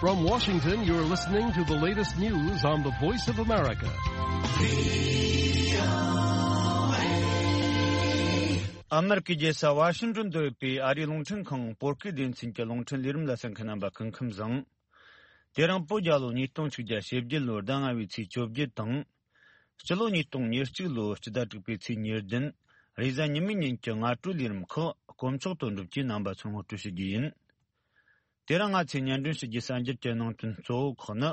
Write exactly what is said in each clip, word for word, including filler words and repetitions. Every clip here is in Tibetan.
From Washington, you're listening to the latest news on the Voice of America. ཨ་མེ་རི་ཀའི་རྒྱལ་ས་ཝ་ཤིང་ཏོན་དུ་ཡོད་པའི་ཨ་རིའི་རླུང་འཕྲིན་ཁང་བོད་སྐད་སྡེ་ཚན་གྱི་རླུང་འཕྲིན་ལས་རིམ་ལ་གསན་མཁན་རྣམ་པ་སྐུ་ཁམས་བཟང་། དེ་རིང་བོད་རྒྱལ་ལོ་ཉིས་སྟོང་ཆིག་བརྒྱ་ཞེ་བརྒྱད་ལོའི་ཟླ་ལྔ་པའི་ཚེས་བཅོ་བརྒྱད་དང་། སྤྱི་ལོ་ཉིས་སྟོང་ཉེར་གཅིག་ལོའི་སྤྱི་ཟླ་དྲུག་པའི་ཚེས་ཉེར་བདུན། རེས་གཟའ་ཉི་མའི་ཉིན་གྱི་སྔ་དྲོའི་ལས་རིམ་ཁག་དཀོན་མཆོག་དོན་གྲུབ་ཀྱིས་རྣམ་པ་ཚོར་ངོ་སྤྲོད་ཞུ་རྒྱུ་ཡིན། དེ་རིང་ང་ཚོས་སྙན་སྒྲོན་ཞུ་རྒྱུའི་གསར་འགྱུར་གྱི་ནང་དོན་གཙོ་བོ་ཁག་ནི།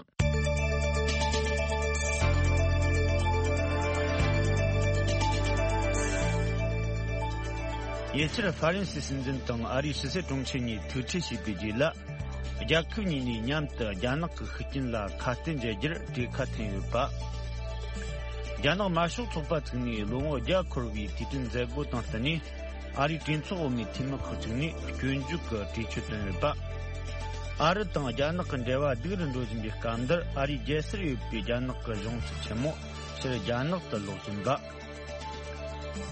ཉེ་ཆར་ཧྥ་རན་སིའི་སྲིད་འཛིན་དང་ཨ་རིའི་ཕྱི་སྲིད་དྲུང་ཆེ་གཉིས་ཐུག་འཕྲད་བྱས་པའི་རྗེས་ལ། རྒྱལ་ཁབ་གཉིས་ནས་མཉམ་དུ་རྒྱ་ནག་གི་ཤུགས་རྐྱེན་ལ་ཁ་གཏད་འཇལ་རྒྱུར་གྲོས་ཁ་འཐེན་ཡོད་པ། རྒྱ་ནག་དམར་ཤོག་ཚོགས་པ་བཙུགས་ནས་ལོ་ངོ་བརྒྱ་འཁོར་བའི་དུས་དྲན་མཛད་སྒོ་དང་བསྟུན་ནས། ཨ་རིའི་གྲོས་ཚོགས་འོག་མའི་འཐུས་མི་ཁག་ཅིག་ནས་སྐྱོན་བརྗོད་ཀྱི་གྲོས་ཆོད་བཏོན་ཡོད་པ། ཨ་རི་དང་རྒྱ་ནག་གི་འབྲེལ་བ་སྡུག་རུ་འགྲོ་བཞིན་པའི་སྐབས་འདིར། ཨ་རིའི་རྒྱལ་སར་ཡོད་པའི་རྒྱ་ནག་གི་གཞུང་ཚབ་ཆེན་མོ་ཕྱིར་རྒྱ་ནག་ཏུ་ལོག་ཟིན་པ།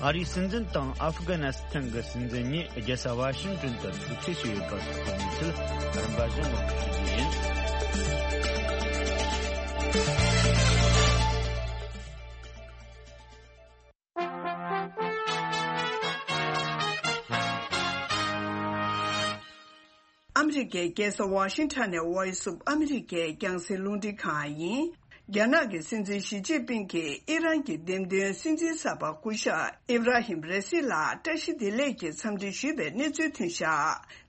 ཨ་རིའི་སྲིད་འཛིན་དང་ཨབ་གྷ་ནི་སི་ཐན་གྱི་སྲིད་འཛིན་གཉིས་རྒྱལ་ས་ཝ་ཤིང་ཏོན་དུ་ཐུག་འཕྲད་བྱས་ཡོད་པ་སོགས་ཀྱི་གནས་ཚུལ་རིམ་པ་བཞིན་ངོ་སྤྲོད་ཞུ་རྒྱུ་ཡིན། ཨ་མི་རི་ཀའི་རྒྱལ་ས་ཝ་ཤིང་ཊོན་ནས་Voice of America རྒྱང་སྲིང་རླུང་འཕྲིན་ཁང་ཡིན། རྒྱ་ནག་གི་སྲིད་འཛིན་ཞི་ཅིན་ཕིང་གིས་ཨི་རན་གྱི་འདེམས་ཐོན་སྲིད་འཛིན་གསར་པ་སྐུ་ཞབས་ཨིབ་ར་ཧིམ་ར་སི་ལ་བཀྲ་ཤིས་བདེ་ལེགས་ཀྱི་འཚམས་འདྲི་ཞུས་པའི་གནས་ཚུལ་ཐོན་བཞག་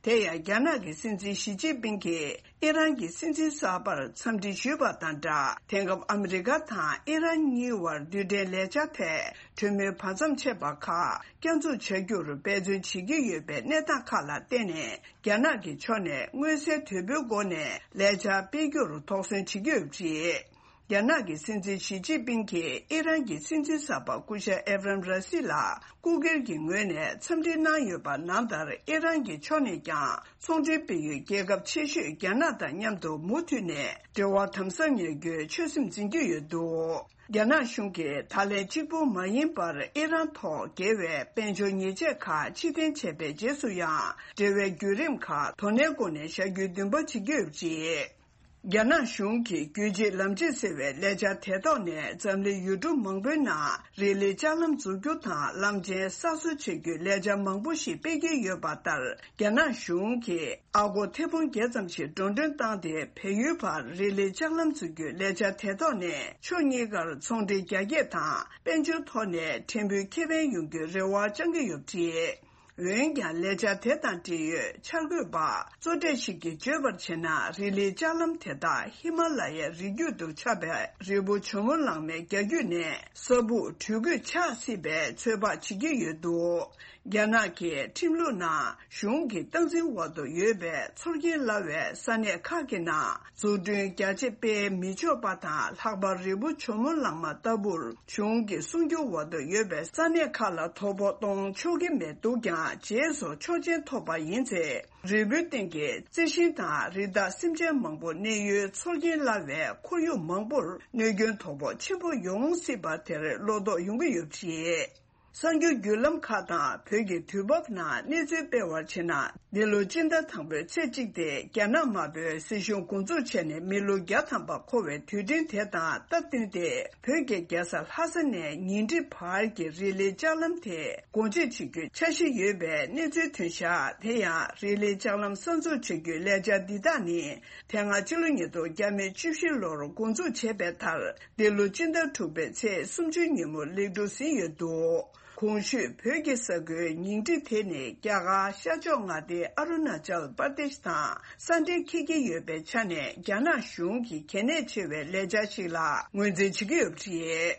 དེ་ཡང་རྒྱ་ནག་གི་སྲིད་འཛིན་ཞི་ཅིན་ཕིང་གིས་ཨི་རན་གྱི་སྲིད་འཛིན་གསར་པར་འཚམས་འདྲི་ཞུས་པ་དང་སྦྲགས། དེང་སྐབས་ཨ་མི་རི་ཀ་དང་ཨི་རན་གཉིས་བར་རྡུལ་ཕྲན་ལས་འཆར་ཐད་གྲོས་མོལ་བར་མཚམས་ཆད་པ་ཁག་བསྐྱར་འཛུགས་བྱ་རྒྱུར་འབད་བརྩོན་བྱེད་ཀྱི་ཡོད་པའི་གནས་སྟངས་ཁག་ལ་བརྟེན་ནས། རྒྱ་ནག་གི་ཕྱོགས་ནས་མངོན་གསལ་དོད་པོའི་སྒོ་ནས་ལས་འཆར་སྤེལ་རྒྱུར་དོགས་ཟོན་བྱེད་ཀྱི་ཡོད་པ་རེད། རྒྱ་ནག་གི་སྲིད་འཛིན་ཞི་ཅིན་ཕིང་གིས་ཨི་རན་གྱི་སྲིད་འཛིན་གསར་པ་སྐུ་ཞབས་ཨེབ་རམ་ར་སི་ལ་སྐུ་སྒེར་གྱི་ངོས་ནས་འཚམས་འདྲི་གནང་ཡོད་པ་ནང་ལྟར། ཨི་རན་གྱི་ཕྱོགས་ནས་ཀྱང་ཚོང་འབྲེལ་སྤེལ་ཡུལ་རྒྱལ་ཁབ་ཆེ་ཤོས་རྒྱ་ནག་དང་མཉམ་དུ་མུ་མཐུད་ནས་འབྲེལ་བ་དམ་ཟབ་གནས་རྒྱུའི་ཆོད་སེམས་འཛིན་གྱི་ཡོད་འདུག་རྒྱ་ནག་གཞུང་གིས་ད་ལན་གཅིག་པུ་མ་ཡིན་པར་ཨི་རན་ཐོག་འགེལ་བའི་དཔལ་འབྱོར་ཉེས་ཆད་ཁག་ཕྱིར་འཐེན་བྱས་པའི་རྗེས་སུ་ཡང་། འབྲེལ་བའི་བརྒྱུད་རིམ་ཁག་དོ་ནན་སྒོ་ནས་བཞག་རྒྱུའི་འདུན་པ་བྱེད་ཀྱི་ཡོད་པ་རེད། རྒྱ་ནག་གཞུང་གིས་རྒྱུད་གཅིག་ལམ་གཅིག་ཟེར་བའི་ལས་འཆར་དེ་ཐོག་ནས་འཛམ་གླིང་ཡུལ་གྲུ་མང་པོའི་ནང་རི་ལི་ལྕགས་ལམ་འཛུགས་རྒྱུ་དང་། གླང་ཆེན་གསར་བཟོ་བྱེད་རྒྱུའི་ལས་འཆར་མང་པོ་ཞིག་སྤེལ་གྱི་ཡོད་པ་ལྟར། རྒྱ་ནག་གཞུང་གིས་ཨ་སྒོར་ཐེར་འབུམ་བརྒྱད་ཙམ་ཞིག་འགྲོ་གྲོན་བཏང་སྟེ། བལ་ཡུལ་བར་རི་ལི་ལྕགས་ལམ་འཛུགས་རྒྱུའི་ལས་འཆར་དེ་ཐོག་ནས་ཕྱོགས་གཉིས་ཀར་ཚོང་འབྲེལ་རྒྱ་སྐྱེད་དང་། དཔལ་འབྱོར་ཐོག་ནས་ཕྲན་བུའི་ཁེ་ཕན་ཡོང་རྒྱུའི་རེ་བ་བཅང་གི་ཡོད་པ་རེད། འོན་ཀྱང་། ལས་འཆར་དེ་དང་འབྲེལ་ཡོད་འཆར་འགོད་པ་གཙོ་གྲས་ཤིག་གིས་བརྗོད་པར་བྱས་ན། རི་ལི་ལྕགས་ལམ་དེ་དག་ཧི་མ་ལ་ཡའི་རི་རྒྱུད་དུ་ཆགས་པའི་རི་བོ་ཇོ་མོ་གླང་མའི་རྒྱ་རྒྱུད་ནས་ས་སྦུག་དྲོད་སྐུད་ཆགས་སྲིད་པའི་ཚོད་དཔག་བྱེད་ཀྱི་ཡོད་འདུག་རྒྱ་ནག་གི་ཁྲིམས་ལུགས་ནང་གཞུང་གི་སྟངས་འཛིན་འོག་ཏུ་ཡོད་པའི་ཚོར་སྐྱེན་སླ་བའི་ས་གནས་ཁག་གི་ནང་འཛུགས་སྐྲུན་རྒྱ་ཆེ་སྤེལ་མི་ཆོག་པ་དང་། ལྷག་པར་རི་བོ་ཇོ་མོ་གླང་མ་ལྟ་བུར་གཞུང་གི་སྲུང་སྐྱོབ་འོག་ཏུ་ཡོད་པའི་ས་གནས་ཁག་ལ་དོ་ཕོག་གཏོང་ཆོག་གི་མེད་འདུག་ཀྱང་། རྗེས་སུ་ཆོག་མཆན་ཐོབ་པ་ཡིན་ཚེ། རི་བོའི་སྟེང་གི་རྩི་ཤིང་དང་རི་དྭགས་སེམས་ཅན་མང་པོ་གནས་ཡུལ་ཚོར་སྐྱེན་སླ་བའི་ཁོར་ཡུག་མང་པོར་གནོད་སྐྱོན་དོ་ཕོག་ཆེན་པོ་ཡོང་སྲིད་པ་དེར་བློ་དོགས་ཡོང་གི་ཡོད་པ་རེད། གསར་འགྱུར་བརྒྱུད་ལམ་ཁག་དང་བོད་ཀྱི་དུས་བབ་ནང་གནས་ཚུལ་སྤེལ་བར་བྱས་ན། འདི་ལོ་སྤྱི་ཟླ་དང་པོའི་ཚེས་གཅིག་སྟེ། རྒྱ་ནག་དམར་པོའི་སྲིད་གཞུང་འགོ་འཛུགས་བྱས་ནས་མི་ལོ་བརྒྱ་ཐམ་པ་འཁོར་བའི་དུས་དྲན་དེ་དང་སྟབས་བསྟུན་ཏེ། བོད་ཀྱི་རྒྱལ་ས་ལྷ་ས་ནས་ཉིང་ཁྲི་བར་གྱི་རི་ལི་ལྕགས་ལམ་དེ་སྒོ་འབྱེད་བྱེད་རྒྱུའི་འཆར་གཞི་ཡོད་པའི་གནས་ཚུལ་ཐོན་བཞག་དེ་ཡང་། རི་ལི་ལྕགས་ལམ་གསར་འཛུགས་བྱ་རྒྱུའི་ལས་འཆར་འདི་དག་ནི། དེ་སྔ་ཕྱི་ལོ་ཉིས་སྟོང་བརྒྱ་མེད་བཅུ་བཞི་ལོར་འགོ་འཛུགས་བྱས་པའི་མཐར། འདི་ལོ་སྤྱི་ཟླ་དྲུག་པའི་ཚེས་སུམ་ཅུ་ཉིན་མོ་ལེགས་གྲུབ་ཟིན་ཡོད་འདུག་གོང་ཞུས་བོད་ཀྱི་ས་ཁུལ་ཉིང་ཁྲི་དེ་ནི་རྒྱ་གར་ཤར་ཕྱོགས་མངའ་སྡེ་ཨ་རུ་ན་ཅལ་པར་དེཤ་དང་ས་འབྲེལ་འཁེལ་གྱི་ཡོད་པའི་ཆ་ནས། རྒྱ་ནག་གཞུང་གི་གལ་གནད་ཆེ་བའི་ལས་འཆར་ཞིག་ལ་ངོས་འཛིན་བྱེད་ཀྱི་ཡོད་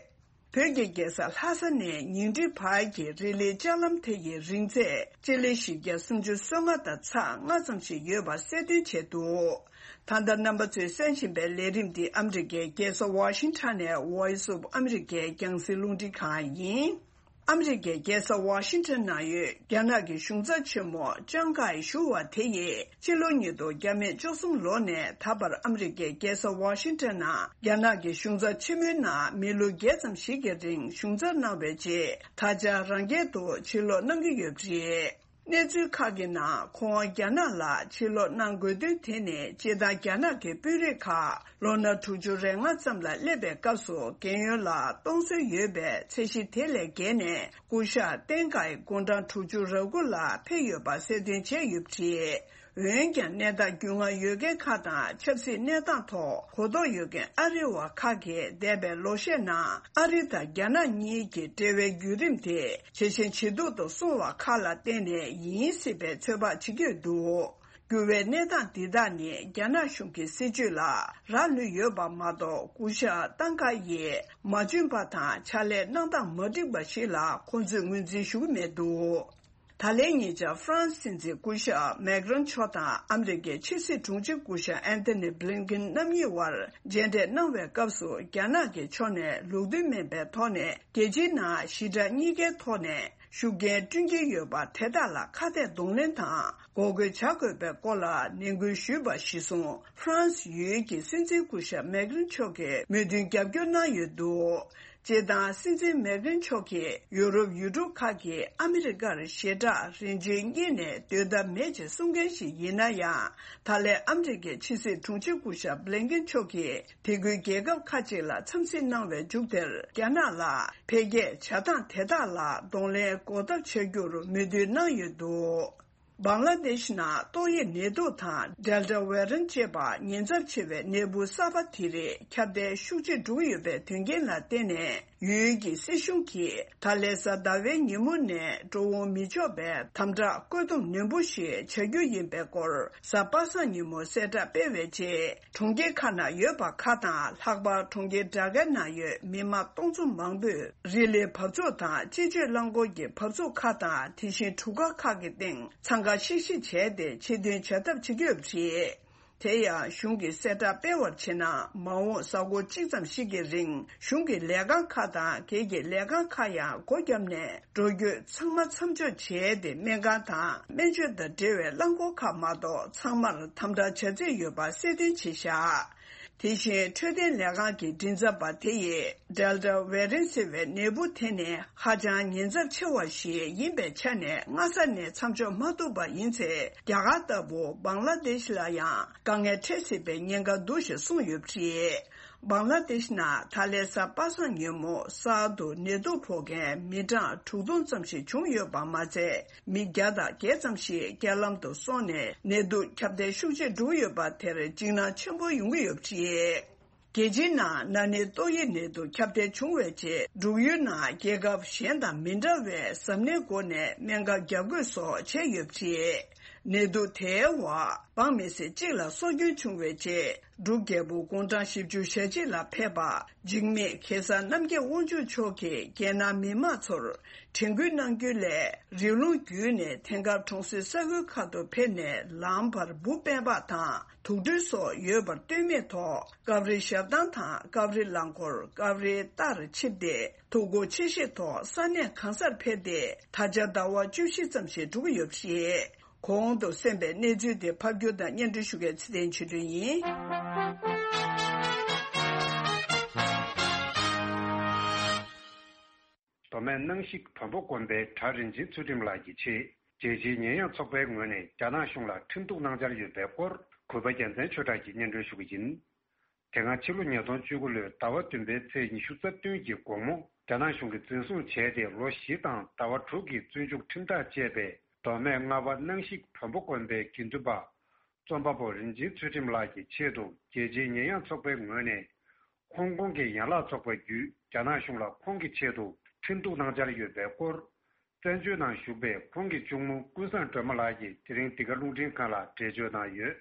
པ་རེད། བོད་ཀྱི་རྒྱལ་ས་ལྷ་ས་ནས་ཉིང་ཁྲི་བར་གྱི་རི་ལི་ལྕགས་ལམ་དེ་ཡི་རིང་ཚད་སྤྱི་ལེ་བཞི་བརྒྱ་སུམ་ཅུ་སོ་ལྔ་དང་ཚེག་ལྔ་ཙམ་ཞིག་ཡོད་པ་གསལ་སྟོན་བྱས་འདུག་ད་ལྟ་རྣམ་པ་ཚོས་གསན་བཞིན་པའི་ལས་རིམ་འདི་ཨ་མི་རི་ཀའི་རྒྱལ་ས་ཝ་ཤིང་ཊོན་ནས་Voice of America རྒྱང་སྲིང་རླུང་འཕྲིན་ཁང་ཡིན། ཨ་མི་རི་ཀའི་རྒྱལ་ས་ཝ་ཤིང་ཊོན་ནང་ཡོད་རྒྱ་ནག་གི་གཞུང་ཚབ་ཆེན་མོ་ཅང་ཀའེ་ཞུ་བ་དེ་ཡིས། ཕྱི་ལོ་ཉིས་སྟོང་བརྒྱ་མེད་བཅུ་གསུམ་ལོ་ནས་ད་བར་ཨ་མི་རི་ཀའི་རྒྱལ་ས་ཝ་ཤིང་ཊོན་ནང་རྒྱ་ནག་གི་གཞུང་ཚབ་ཆེན་མོའི་ནང་མི་ལོ་བརྒྱད་ཙམ་ཞིག་གི་རིང་གཞུང་ཚབ་གནང་བའི་རྗེས། ད་ཆ་རང་རྒྱལ་དུ་ཕྱིར་ལོག་གནང་གི་ཡོད་པ་རེད། གནས་ཚུལ་ཁག་གི་ནང་ཁོང་རྒྱ་ནག་ལ་ཕྱིར་ལོག་གནང་དགོས་དོན་དེ་ནི་སྤྱིར་བཏང་རྒྱ་ནག་གི་དཔོན་རིགས་ཁག་ལོ་ན་དྲུག་ཅུ་རེ་ལྔ་ཙམ་ལ་སླེབས་པའི་སྐབས་སུ་རྒན་ཡོལ་ལ་གཏོང་སྲོལ་ཡོད་པའི་ཚད་གཞི་དེ་ལས་བརྒལ་ནས་སྐུ་ཞབས་ཏེང་ཀའི་དགུང་གྲངས་དྲུག་ཅུ་རེ་དགུ་ལ་ཕེབས་ཡོད་པ་གསལ་སྟོན་བྱས་ཡོད་པ་རེད། འོན་ཀྱང་གནས་སྟངས་རྒྱུས་མངའ་ཡོད་མཁན་ཁག་དང་ཆབ་སྲིད་གནས་སྟངས་ཐོག་གོ་རྟོགས་ཡོད་མཁན་ཨ་རི་བ་ཁག་གིས་འདས་པའི་ལོ་ཤས་ནང་ཨ་རི་དང་རྒྱ་ནག་གཉིས་ཀྱི་འབྲེལ་བའི་བརྒྱུད་རིམ་དེ་ཇེ་ཞན་ཇེ་སྡུག་ཏུ་སོང་བ་ཁག་ལ་བརྟེན་ནས་ཡིན་སྲིད་པའི་ཚོད་དཔག་བྱེད་ཀྱི་ཡོད་འདུག་འགྱུར་བའི་གནས་སྟངས་འདི་དག་ནི་རྒྱ་ནག་གཞུང་གི་སྲིད་བྱུས་ལ་རག་ལུས་ཡོད་པ་མ་གཏོགས། སྐུ་ཞབས་ཏང་ཀ་ཡིས་མ་འཇོན་པ་དང་ཕྱག་ལས་གནང་སྟངས་མ་འགྲིག་པ་ཞིག་ལ་ཁོང་ཚོས་ངོས་འཛིན་ཞུ་གི་མེད་འདུག་ད་ལན་ཉེ་ཆར་ཧྥ་རན་སི་སྲིད་འཛིན་སྐུ་ཞབས་མེག་རོན་མཆོག་དང་ཨ་མི་རི་ཀའི་ཕྱི་སྲིད་དྲུང་ཆེ་སྐུ་ཞབས་ཨན་ཐོ་ནི་བྷི་ལིན་ཀིན་རྣམ་གཉིས་དབར་མཇལ་འཕྲད་གནང་བའི་སྐབས་སུ། རྒྱ་ནག་གི་ཕྱོགས་ནས་ལུགས་མཐུན་མིན་པའི་ཐོག་ནས་རྒྱལ་སྤྱིའི་ནང་ཞི་དྲག་གཉིས་ཀའི་ཐོག་ནས་ཤུགས་རྐྱེན་བསྐྲུན་གྱི་ཡོད་པ་དེ་དག་ལ་ཁ་གཏད་གདོང་ལེན་དང་འགོག་རྒོལ་བྱ་དགོས་པའི་སྐོར་ལ་ནན་སྐུལ་ཞུས་པ་གཞིར་བཟུང་། ཧྥ་རན་སི་ཡུལ་གྱི་སྲིད་འཛིན་སྐུ་ཞབས་མེག་རོན་མཆོག་གིས་མོས་མཐུན་རྒྱབ་སྐྱོར་གནང་ཡོད་འདུག་སྤྱིར་བཏང་སྲིད་འཛིན་མེག་རོན་མཆོག་གིས་ཡུ་རོབ་ཡུལ་གྲུ་ཁག་གིས་ཨ་མི་རི་ཀར་ཞེ་དྲག་རིན་ཆེན་རྙེད་ནས་སྡོད་ཐབས་མེད་ཅེས་གསུང་མཁན་ཞིག་ཡིན་ན་ཡང་། ད་ལན་ཨ་མི་རི་ཀའི་ཕྱི་སྲིད་དྲུང་ཆེ་སྐུ་ཞབས་བྷི་ལིན་ཀིན་མཆོག་གིས་དེ་ཁུལ་རྒྱལ་ཁབ་ཁག་ཅིག་ལ་འཚམས་གཟིགས་གནང་བའི་མཇུག་དེར། རྒྱ་ནག་ལ་འཕེལ་རྒྱས་བྱ་སྟངས་དེ་དག་ལ་གདོང་ལེན་འགོག་ཐབས་བྱ་རྒྱུར་མོས་མཐུན་གནང་ཡོད་འདུག་བང་ལ་དེཤ་ནང་ཏོག་དབྱིབས་ནད་དུག་དང་ཌེལ་ཊ་ཝེ་རན་ཅེས་པ་ཉེན་ཚབས་ཆེ་བའི་ནད་འབུ་གསར་པ་དེ་རིགས་ཁྱབ་གདལ་ཤུགས་ཆེ་འགྲོ་གི་ཡོད་པའི་དོན་རྐྱེན་ལ་བརྟེན་ནས། ཡུལ་གྱི་སྲིད་གཞུང་གིས་ད་ལན་གཟའ་ཟླ་བའི་ཉིན་མོ་ནས་འགྲོ་འོང་མི་ཆོག་པའི་དམ་དྲག་བཀོད་འདོམས་ནན་པོ་ཞིག་བྱ་རྒྱུ་ཡིན་པའི་སྐོར། གཟའ་པ་སངས་ཉིན་མོ་གསལ་བསྒྲགས་སྤེལ་བའི་རྗེས། གྲོང་ཁྱེར་ཁག་ནང་ཡོད་པ་ཁག་དང་། ལྷག་པར་གྲོང་ཁྱེར་ཌ་ཀའི་ནང་ཡོད་མི་མང་སྟོང་ཚོ་མང་པོས་རི་ལིའི་བབས་ཚུགས་དང་སྤྱི་སྤྱོད་རླངས་འཁོར་གྱི་བབས་ཚུགས་ཁག་དང་། དེ་བཞིན་གྲུ་ཁ་ཁག་གི་སྟེང་འཚང་ཁ་ཤིག་ཤིག་བྱས་ཏེ་ཆེད་དོན་བྱ་ཐབས་བྱེད་ཀྱི་ཡོད་པ་རེད། དེ་ཡང་གཞུང་གིས་གསལ་བསྒྲགས་སྤེལ་བར་བྱས་ན། མ་འོངས་གཟའ་འཁོར་གཅིག་ཙམ་ཞིག་གི་རིང་གཞུང་གི་ལས་ཁང་ཁག་དང་སྒེར་གྱི་ལས་ཁང་ཁག་ཡང་སྒོ་བརྒྱབ་ནས། འགྲོ་སྐྱོད་ཚང་མ་མཚམས་འཇོག་བྱས་ཏེ། སྨན་ཁང་དང་སྨན་བཅོས་དང་འབྲེལ་བའི་རླངས་འཁོར་ཁག་མ་གཏོགས་ཚང་མར་དམ་དྲག་བྱ་རྩིས་ཡོད་པ་གསལ་སྟོན་བྱས་བཞག་དེ་བཞིན་འཕྲོད་བསྟེན་ལས་ཁང་གི་མགྲིན་ཚབ་པ་དེ་ཡིས། ཌེལ་ཊ་ཝེ་རན་ཟེར་བའི་ནད་འབུ་དེ་ནི་ཧ་ཅང་ཉེན་ཚབས་ཆེ་བ་ཞིག་ཡིན་པའི་ཆ་ནས། སྔ་ས་ནས་མཚམས་འཇོག་མ་ཐུབ་པ་ཡིན་ཚེ། རྒྱ་གར་ལྟ་བུ་བང་ལ་དེཤ་ལ་ཡང་དཀའ་ངལ་འཕྲད་སྲིད་པའི་ཉེན་ཁ་འདུག་ཞེས་གསུངས་ཡོད་པ་རེད། བང་ལ་དེཤ་ནང་ད་ལན་གཟའ་པ་སངས་ཉིན་མོ་གསར་དུ་ནད་དུག་ཕོག་མཁན་མི་གྲངས་དྲུག་སྟོང་ཙམ་ཞིག་བྱུང་ཡོད་པ་མ་ཚད། མི་བརྒྱ་དང་བརྒྱད་ཙམ་ཞིག་རྐྱེན་ལམ་དུ་སོང་ནས་ནད་དུག་ཁྱབ་གདལ་ཤུགས་ཆེ་འགྲོ་གི་ཡོད་པ་དེར་འཇིགས་སྣང་ཆེན་པོ་ཡོང་གི་ཡོད་པ་རེད། རྒྱལ་སྤྱིའི་ནང་ན་ནིང་ཏོག་དབྱིབས་ནད་དུག་ཁྱབ་གདལ་བྱུང་བའི་རྗེས། འབྲུག་ཡུལ་ནང་རྒྱལ་ཁབ་གཞན་དང་མི་འདྲ་བའི་གཟབ་ནན་སྒོ་ནས་སྨན་ཁབ་བརྒྱབ་བཀོད་སོགས་བྱས་ཡོད་པ་རེད། ནད་དུག་དེའི་འོག་འབངས་མི་སེར་གཅིག་ལ་སྲོག་སྐྱོན་བྱུང་བའི་རྗེས། འབྲུག་རྒྱལ་པོ་དགུང་གྲངས་བཞི་བཅུ་ཞེ་གཅིག་ལ་ཕེབས་པ། འཇིགས་མེད་གེ་སར་རྣམ་རྒྱལ་དབང་ཕྱུག་མཆོག་གིས་རྒྱལ་ནང་མི་མང་ཚོར་དྲན་སྐུལ་གནང་རྒྱུ་ལས། རི་ཀླུང་བརྒྱུད་ནས་དེང་སྐབས་གྲོང་གསེབ་ས་ཁུལ་ཁག་ཏུ་ཕེབས་ནས། ལམ་བར་འབུ་སྤེལ་པ་དང་དུག་སྦྲུལ་སོགས་ཡོད་པར་ལྟོས་མེད་ཐོག་སྐབས་རེ་ཞབས་ཐང་དང་སྐབས་རེ་རླངས་འཁོར། སྐབས་རེ་རྟར་ཆིབས་ཏེ། ཐུགས་ཁུར་ཆེ་བཞེས་ཐོག་ས་གནས་གང་སར་ཕེབས་ཏེ། ད་ཆ་ཟླ་བ་བཅུ་བཞི་ཙམ་ཞིག་འགྲོ་གི་ཡོད་པ་རེད། གོང་དུ་གསན་པའི་གནས་ཚུལ་དེ་ཕབ་སྒྱུར་དང་སྙན་སྒྲོན་ཞུ་མཁན་ཚེ་བརྟན་ཆོས་སྒྲོན་ཡིན། མདོ་སྨད་སྣང་ཞིག་བོན་པོ་དགོན་པའི་གྲྭ་རིན་ཆེན་ཚུལ་ཁྲིམས་ལགས་ཀྱི་ཆེད། རྒྱལ་སྤྱིའི་ཉེས་ཡངས་ཚོགས་པའི་ངོས་ནས་རྒྱ་ནག་གཞུང་ལ་ཁྲིམས་གཏུག་གནང་འཆར་ཡོད་པའི་སྐོར། གུས་པ་རྒྱལ་མཚན་ཆོས་གྲགས་ཀྱིས་སྙན་སྒྲོན་ཞུ་གི་ཡིན། དེ་སྔ་ཕྱི་ལོ་ཉིས་སྟོང་བཅུ་དགུ་ལོའི་ཟླ་བ་བདུན་པའི་ཚེས་ཉི་ཤུ་རྩ་བདུན་གྱི་དགོང་མོ། རྒྱ་ནག་གཞུང་གིས་འཛིན་བཟུང་བྱས་ཏེ་ལོ་བཞི་དང་ཟླ་བ་དྲུག་གི་བཙོན་འཇུག་ཁྲིམས་ཐག་བཅད་པའི་མདོ་སྨད་རྔ་བ་སྣང་ཞིག་བོན་པོ་དགོན་པའི་དགེ་འདུན་པ། རྩོམ་པ་པོ་རིན་ཆེན་ཚུལ་ཁྲིམས་ལགས་ཀྱི་ཆེད་དུ་རྒྱལ་སྤྱིའི་ཉེས་ཡངས་ཚོགས་པའི་ངོས་ནས། ཧོང་ཀོང་གི་ཡན་ལག་ཚོགས་པ་བརྒྱུད་རྒྱ་ནག་གཞུང་ལ་ཁོང་གི་ཆེད་དུ་ཁྲིམས་གཏུག་གནང་འཆར་ཡོད་པའི་སྐོར། བཙན་བྱོལ་ནང་བཞུགས་པའི་ཁོང་གི་གཅུང་མོ་ཀུན་བཟང་སྒྲོལ་མ་ལགས་ཀྱིས་དེ་རིང་འདི་ག་རླུང་འཕྲིན་ཁང་ལ་འགྲེལ་བརྗོད་གནང་ཡོད།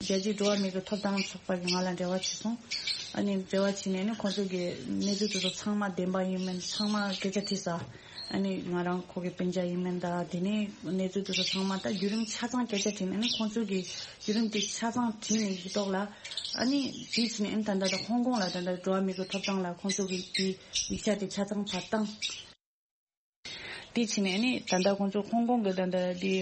རྒྱལ་སྤྱིའི་འགྲོ་བ་མིའི་གི་ཐོབ་ཐང་ཚོགས་པ་གིས་ང་ལ་འབྲེལ་བ་བྱས་སོང་། ཨ་ནི་འབྲེལ་བ་བྱས་ནས་ནི་ཁོང་ཚོ་གི་གནས་ཚུལ་དེ་ཚོ་ཚང་མ་བདེན་པ་ཡིན་མིན་ཚང་མ་སྐད་ཆ་དྲིས་ས། ཨ་ནི་ང་རང་ཁོ་གི་སྤུན་ཀྱག་ཡིན་མིན་དང་། དེ་ནས་གནས་ཚུལ་དེ་ཚོ་ཚང་མ་ད་བརྒྱུད་རིམ་ཆ་ཚང་སྐད་ཆ་དྲིས་ནས་ནི་ཁོང་ཚོ་གི་བརྒྱུད་རིམ་དེ་ཆ་ཚང་དྲིས་ནས་ཡིག་ཐོག་ལ། ཨ་ནི་དེ་བྱས་ནས་ཨ་ནི་ད་ལྟ་ད་ཧོང་ཀོང་ལ་ད་ལྟ་འགྲོ་བ་མིའི་གི་ཐོབ་ཐང་ལ་ཁོང་ཚོ་གི་དེ་ཡིག་ཆ་དེ་ཆ་ཚང་ཕར་བཏང་། དེ་བྱས་ནས་ནི་ད་ལྟ་ཁོང་ཚོ་ཧོང་ཀོང་གི་ད་ལྟ་དེ་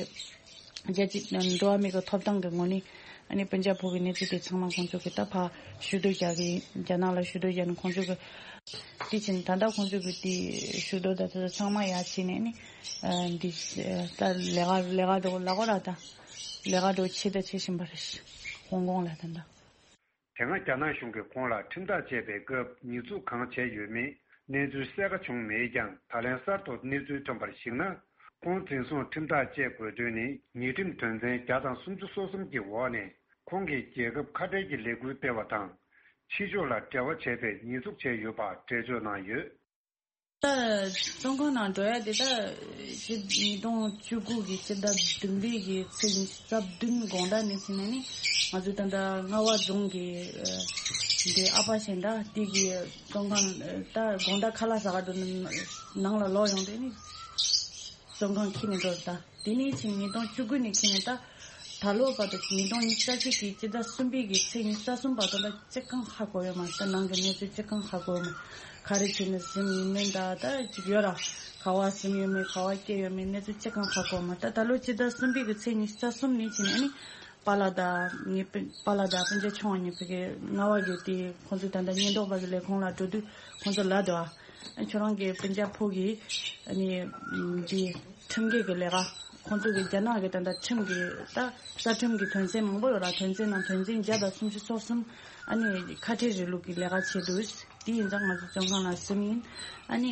རྒྱལ་སྤྱི་འགྲོ་བ་མིའི་གི་ཐོབ་ཐང་གི་ངོས་ནས་ཨ་ནི་སྤུན་ཀྱག་ཕོ་གི་གནས་ཚུལ་དེ་ཚང་མ་ཁོང་ཚོ་གི་ད་ཕར་ཞུ་གཏུག་རྒྱག་གི་ཡིན། རྒྱ་ནག་ལ་ཞུ་གཏུག་རྒྱག་ནས་ཁོང་ཚོ་གི་ དེ་བཞིན་ད་ལྟ་ཁོང་ཚོས་གི་དེ་ཞུ་དོ་ད་ད་ཚང་མ་ཡ་བྱས་ནས་ནི་འདི་ད་ལས་ཀ་ལས་ཀ་འགྲོ་ལ་གོ་ར་ད་ལས་ཀ་འགྲོ་ཆེ་ད་ཆེ་བཞིན་པ་རེད། ཧོང་ཀོང་ལ་ད་ད། དེ་སྔ་རྒྱ་ནག་གཞུང་གིས་ཁོང་ལ་ཁྲིམས་ཐག་བཅད་པའི་སྐབས་ཉེས་འཛུགས་གང་བྱས་ཡོད་མེད་གནས་ཚུལ་གསལ་ཁ་བྱུང་མེད་ཀྱང་། ད་ལན་གསར་དུ་གནས་ཚུལ་ཐོན་པར་གཞིགས་ན། ཁོང་འཛིན་བཟུང་ཁྲིམས་ཐག་བཅད་དགོས་དོན་ནི་ཉེས་ཁྲིམས་དོན་ཚན་བརྒྱ་དང་སུམ་ཅུ་སོ་གསུམ་གྱི་འོག་ནས་ཁོང་གིས་རྒྱལ་ཁབ་ཁ་བྲལ་གྱི་ལས་འགུལ་སྤེལ་བ་དང་། ཕྱི་ཕྱོགས་ལ་འབྲེལ་བ་བྱས་པའི་ཉེས་འཛུགས་བྱས་ཡོད་པ་འགྲེལ་བརྗོད་གནང་ཡོད། ད་བཙོན་ཁང་ནང་འགྲོ་ཡ་དེ་ད་ཕྱི་ཉིས་སྟོང་བཅུ་དགུ་གི་ཕྱི་ཟླ་བདུན་པའི་གི་ཚེས་ཉི་ཤུ་རྩ་བདུན་དགོང་དག་ནས་ཕྱིན་ནས་ནི་ང་ཚོ་ད་ལྟ་རྔ་བ་རྫོང་གི་འདི་ཨ་ཕ་གཞན་དག་དེ་གི་བཙོན་ཁང་ད་དགོང་དག་ཁ་ལག་ཟ་ག་འགྲོ་ནང་ལ་ལོག་ཡོང་དེ་ནི་བཙོན་ཁང་ཁྱེར་ནས་འགྲོ་ད། དེ་ནས་ཕྱིན་ཉིས་སྟོང་བཅུ་དགུ་ནས་ཁྱེར་ནས་ད་ད་ལོ་བར་དུ་ཉིས་སྟོང་ཉི་ཤུ་རྩ་གཅིག་གི་སྤྱི་ཟླ་གསུམ་པའི་གི་ཚེས་ཉི་ཤུ་རྩ་གསུམ་བར་དུ་ལ་ཅི་གང་ཧ་གོ་ཡོད་མ་རེད། ད་ནང་གི་གནས་ཚུལ་ཅི་གང་ཧ་གོ་ཡོད་མ་རེད། ག་རེ་བྱས་ནས་ཟིན་ཡིན་མིན་ད་ད་ཅིག་ཡོད་ར། ག་བ་ཟིན་ཡོད་མེད་ག་བ་སྐྱེས་ཡོད་མེད་གནས་ཚུལ་ཅི་གང་ཧ་གོ་མ་རེད། ད་ད་ལོ་སྤྱི་ཟླ་གསུམ་པའི་གི་ཚེས་ཉི་ཤུ་རྩ་གསུམ་ནས་ཕྱིན་ནས་ནི་པཱ་ལགས་དང་ངའི་སྤུན་པཱ་ལགས་དང་སྤུན་ཀྱག་ཆུང་བ་གཉིས་ཕ་གི་རྔ་བ་གི་དེ་ཁོང་ཚོ་ད་ལྟ་ཉེན་རྟོག་པ་གི་ལས་ཁུངས་ལ་འགྲོ་དུས་ཁོང་ཚོ་ལབ་འདུག་ཨ། ཁྱོད་རང་གི་སྤུན་ཀྱག་ཕོ་གི་ཨ་ནི་འདི་ཁྲིམས་འགལ་གྱི་ལས་ཀ་ཁོང་ཚོ་གི་རྒྱ་ནག་གི་ད་ལྟ་ཁྲིམས་ཀྱི་ད་རྩ་ཁྲིམས་ཀྱི་དོན་ཚན་མང་པོ་ཡོད་ར། དོན་ཚན་ནང་དོན་ཚན་བརྒྱ་དང་སུམ་ཅུ་སོ་གསུམ་ཨ་ནི་ཁ་བྲལ་རིང་ལུགས་ཀྱི་ལས་ཀ་བྱེད་དུས་དེ་ཡིན་ཙང་ང་ཚོ་བཙོན་ཁང་ལ་ཟིན་ཡིན། ཨ་ནི་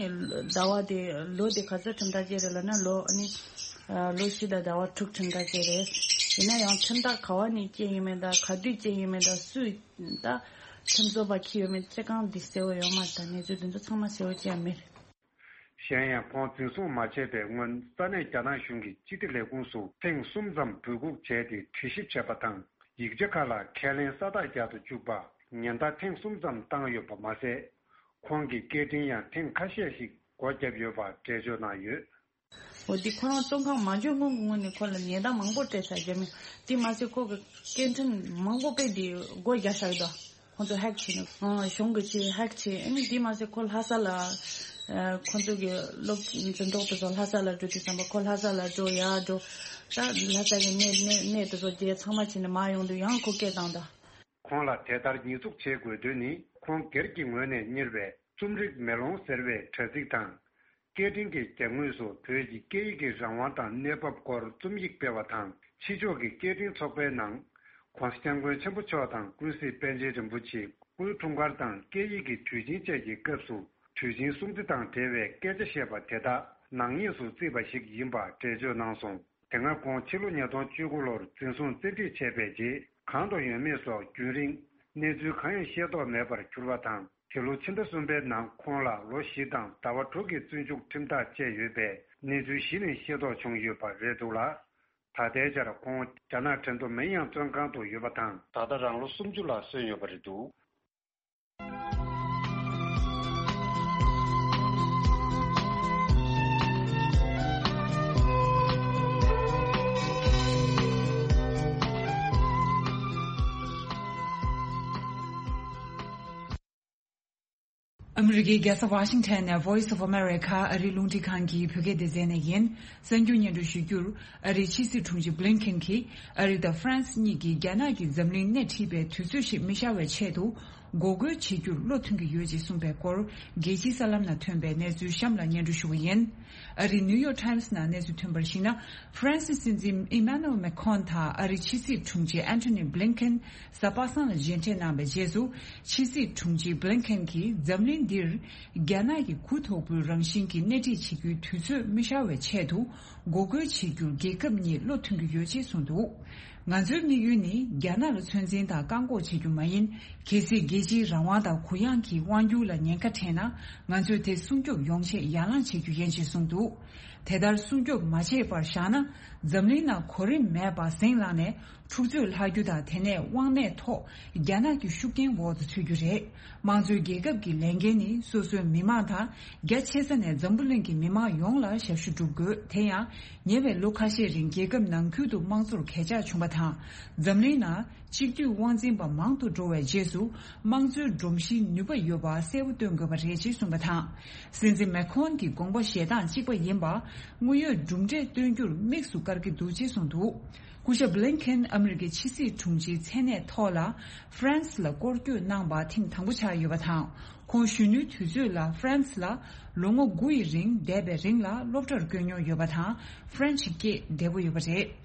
ཟླ་བ་དེ་ལོ་དེ་ག་ཚོད་ཁྲིམས་ཐག་བཅད་རེད་ལབ་ན་ལོ་ཨ་ནི་ལོ་བཞི་དང་ཟླ་བ་དྲུག་ཁྲིམས་ཐག་བཅད་རེད། ཡིན་ན་ཡང་ཁྲིམས་ཐག་ག་བ་ནས་བཅད་ཡིན་མིན་དང་ག་དུས་བཅད་ཡིན་མིན་དང་སུས། ད་ཁྲིམས་བཟོ་བ་ཁྱི་ཡོད་མེད་ཅི་གང་འདི་གསལ་བོ་ཡོད་མ་རེད། ད་གནས་ཚུལ་འདི་ཚོ་ཚང་མ་གསལ་བོ་ཅི་ཡང་མེད། གཞན་ཡང་ཁོང་འཛིན་བཟུང་མ་བྱས་པའི་སྔོན་ས་གནས་རྒྱ་ནག་གཞུང་གི་སྤྱི་བདེ་ལས་ཁུངས་སུ་ཐེངས་གསུམ་ཙམ་འབོད་འགུག་བྱས་ཏེ་དྲི་ཞིབ་བྱས་པ་དང་། ཡིག་ཆ་ཁག་ལ་ཁས་ལེན་ས་རྟགས་རྒྱག་ཏུ་བཅུག་པ་ཉེན་བརྡ་ཐེངས་གསུམ་ཙམ་བཏང་ཡོད་པ་མ་ཟད། ཁོང་གི་སྐད་འཕྲིན་ཡང་ཐེངས་ཁ་ཤས་ཤིག་སྒོ་བརྒྱབ་ཡོད་པ་འགྲེལ་བརྗོད་གནང་ཡོད། འོ་འདི་ཁོ་རང་བཙོན་ཁང་མ་འཇོག་སྔོན་གྱི་སྔོན་ནས་ཁོ་ལ་ཉེས་རྡུང་མང་པོ་སྤྲད་ཚར་རྒྱུ་མེད། དེ་མ་ཟད་ཁོ་གི་སྐད་འཕྲིན་མང་པོ་དཔེ་དེ་སྒོ་རྒྱག་བཞག་གི་འདུག་ཁོ་ཚོ་ཧེག་བྱས་ནས་ཨང་གཞུང་གི་ཆེད་ཧེག་བྱས། ཨ་ནི་དེ་མ་ཟད་ཁོ་ལྷ་ས་ལ་ཨ་ཁོ་ཚོ་གི་སློབ་འཛིན་ཐོག་དེ་ཚོ་ལྷ་ས་ལ་འགྲོ་དུས་ཙམ་པ་ཁོ་ལྷ་ས་ལ་འགྲོ་ཡར་འགྲོ་ད་ལྷ་ས་གི་གནས་གནས་གནས་དེ་ཚོ་བརྗེ་ཚང་མ་བྱས་ནས་མར་ཡོང་དུས་ཡང་ཁོ་སྐད་བཏང་ད། ཁོང་ལ་དེ་ལྟར་ཉེས་འཛུགས་བྱེད་དགོས་དོན་ནི་ཁོང་སྒེར་གྱི་ངོས་ནས་གཉེར་བའི་རྩོམ་རིག་མེ་ལོང་ཟེར་བའི་དྲ་ཚིགས་དང་། སྐད་འཕྲིན་གྱི་རྒྱབ་ངོས་སུ་བོད་ཀྱི་སྐད་ཡིག་གི་རང་དབང་དང་གནས་བབ་སྐོར་རྩོམ་ཡིག་སྤེལ་བ་དང་། ཕྱི་ཕྱོགས་ཀྱི་སྐད་འཕྲིན་ཚོགས་པའི་ནང་༸གོང་ས་༸སྐྱབས་མགོན་ཆེན་པོ་མཆོག་དང་ཀུན་གཟིགས་པཎ་ཆེན་རིན་པོ་ཆེ། སྐུའི་འཁྲུངས་སྐར་དང་སྐད་ཡིག་གི་དུས་ཆེན་བཅས་ཀྱི་སྐབས་སུ་དུས་ཆེན་སྲུང་བརྩི་དང་འབྲེལ་བའི་སྐད་ཆ་བཤད་པ་དེ་དག་ནག་ཉེས་སུ་བརྩིས་པ་ཞིག་ཡིན་པ་འགྲེལ་བརྗོད་གནང་སོང་། དེ་སྔ་ཁོང་ཕྱི་ལོ་ཉིས་སྟོང་བཅུ་དགུ་ལོར་འཛིན་བཟུང་བཙན་ཁྲིད་བྱས་པའི་རྗེས་གང་དུ་ཡོད་མེད་སོགས་རྒྱུན་རིང་གནས་ཚུལ་གང་ཡང་ཤེས་རྟོགས་མེད་པར་གྱུར་བ་དང་། དེ་ལོ་ཕྱི་ཟླ་གསུམ་པའི་ནང་ཁོང་ལ་ལོ་བཞི་དང་ཟླ་བ་དྲུག་གི་བཙོན་འཇུག་ཁྲིམས་ཐག་བཅད་ཡོད་པའི་གནས་ཚུལ་གཞི་ནས་ཤེས་རྟོགས་བྱུང་ཡོད་པ་རེད་འདུག་ལ། ད་ལྟའི་ཆར་ཁོང་རྒྱ་ནག་ཁྲེང་ཏུའུ་མེན་ཡང་བཙོན་ཁང་དུ་ཡོད་པ་དང་། ད་ལྟ་རང་ལོ་སུམ་ཅུ་ལ་སོན་ཡོད་པ་རེད་འདུག་ཨ་མི་རི་ཀའི་རྒྱལ་ས་ཝ་ཤིང་ཊོན་ནས་Voice of America ཨ་རིའི་རླུང་འཕྲིན་ཁང་གི་བོད་སྐད་སྡེ་ཚན་ནས་ཡིན། གསར་འགྱུར་སྙན་སྒྲོན་ཞུ་རྒྱུར། ཨ་རིའི་ཕྱི་སྲིད་དྲུང་ཆེ་བྷི་ལིན་ཁེན་གྱིས་ཨ་རི་དང་ཧྥ་རན་སི་གཉིས་ཀྱིས་རྒྱ་ནག་གིས་འཛམ་གླིང་སྣེ་ཁྲིད་པའི་དུས་ཚོད་ཞིག་མི་ཤར་བའི་ཆེད་དུ་འགོག་རྒོལ་བྱེད་རྒྱུར་བློ་མཐུན་གྱི་ཡོད་ཅེས་གསུངས་པའི་སྐོར། རྒྱལ་སྤྱིའི་གསར་ལམ་ནང་ཐོན་པའི་གནས་ཚུལ་གཤམ་ལ་སྙན་སྒྲོན་ཞུ་གི་ཡིན། ཨ་རིའི་ནིའུ་ཡོག་ཊའིམ་སི་ནང་གནས་ཚུལ་ཐོན་པར་གཞིགས་ན། ཧྥ་རན་སིའི་སྲིད་འཛིན་ཨི་མ་ནུ་ཨེལ་མེ་ཁོན་དང་ཨ་རིའི་ཕྱི་སྲིད་དྲུང་ཆེ་ཨན་ཐོ་ནི་བྷི་ལིན་ཁེན་གཟའ་པ་སངས་ལ་མཇལ་འཕྲད་གནང་བའི་རྗེས་སུ། ཕྱི་སྲིད་དྲུང་ཆེ་བྷི་ལིན་ཁེན་གྱིས་འཛམ་གླིང་འདིར་རྒྱ་ནག་གི་གུ་དོག་པོའི་རང་བཞིན་གྱི་སྣེ་ཁྲིད་བྱེད་རྒྱུའི་དུས་ཚོད་མི་ཤར་བའི་ཆེད་དུ་འགོག་རྒོལ་བྱེད་རྒྱུར་རྒྱལ་ཁབ་གཉིས་བློ་མཐུན་གྱི་ཡོད་ཅེས་གསུངས་འདུག་ང་ཚོའི་དམིགས་ཡུལ་ནི་རྒྱ་ནག་ལ་ཚོད་འཛིན་དང་བཀག་འགོག་བྱེད་རྒྱུ་མ་ཡིན། གལ་སྲིད་རྒྱལ་སྤྱིའི་རང་དབང་དང་གུ་ཡངས་ཀྱི་དབང་སྒྱུར་ལ་ཉེན་ཁ་འཕྲད་ན། ང་ཚོས་དེ་སྲུང་སྐྱོབ་ཡོང་ཆེད་ཡར་ལངས་བྱེད་རྒྱུ་ཡིན་ཞེས་གསུངས་འདུག་དེ་ལྟར་སྲུང་སྐྱོབ་མ་བྱས་པར་བཞག་ན། འཛམ་གླིང་ནང་གོ་རིམ་མེད་པར་ཟིང་ལངས་ནས་འཁྲུག་རྩོད་ལྷག་རྒྱུ་དང་། དེ་ནས་དབང་གནས་ཐོག་རྒྱ་ནག་གི་ཤུགས་རྐྱེན་འོག་ཏུ་ཚུད་རྒྱུ་རེད། དམངས་གཙོའི་རྒྱལ་ཁབ་ཀྱི་ལས་འགན་ནི་སོ་སོའི་མི་མང་དང་། རྒྱ་ཆེ་ས་ནས་འཛམ་བུ་གླིང་གི་མི་མང་ཡོངས་ལ་ཞབས་ཞུ་སྒྲུབ་དགོས། དེ་ཡང་ཉེ་བའི་ལོ་ཁ་ཤས་རིང་རྒྱལ་ཁབ་ནང་ཁུལ་དུ་དམངས་གཙོར་གས་ཆག་བྱུང་བ་དང་། འཛམ་གླིང་ནང་གཅིག་སྡུད་དབང་འཛིན་པ་མང་དུ་འགྲོ་བའི་རྗེས་སུ། དམངས་གཙོའི་སྒྲོམ་གཞིའི་ནུས་པ་ཡོད་པ་གསལ་པོ་སྟོན་དགོས་པ་རེད་ཅེས་གསུངས་པ་དང་། སྲིད་འཛིན་མེ་ཁོན་གྱི་དགོངས་པ་བཞེས་སྟངས་གཅིག་པ་ཡིན་པ། དངོས་ཡོད་གྲུབ་འབྲས་སྟོན་རྒྱུར་དམིགས་སུ་བཀར་གྱི་འདུག་ཅེས་གསུངས་འདུག་སྐུ་ཞབས་བྷི་ལིན་ཁེན། ཨ་མི་རི་ཀའི་ཕྱི་སྲིད་དྲུང་ཆེའི་མཚན་གནས་ཐོག་ལ་ཧྥ་རན་སི་ལ་སྐོར་སྐྱོད་གནང་པ་ཐེངས་དང་པོ་ཆགས་ཡོད་པ་དང་། ཁོང་གཞོན་ནུའི་དུས་ཚོད་ལ་ཧྥ་རན་སི་ལ་ལོ་ངོ་དགུ་ཡི་རིང་འདས་པའི་རིང་ལ་སློབ་གྲྭར་བསྐྱོད་མྱོང་ཡོད་པ་དང་། ཧྥ་རན་སི་སྐད་བདེ་པོ་ཡོད་པ་རེད།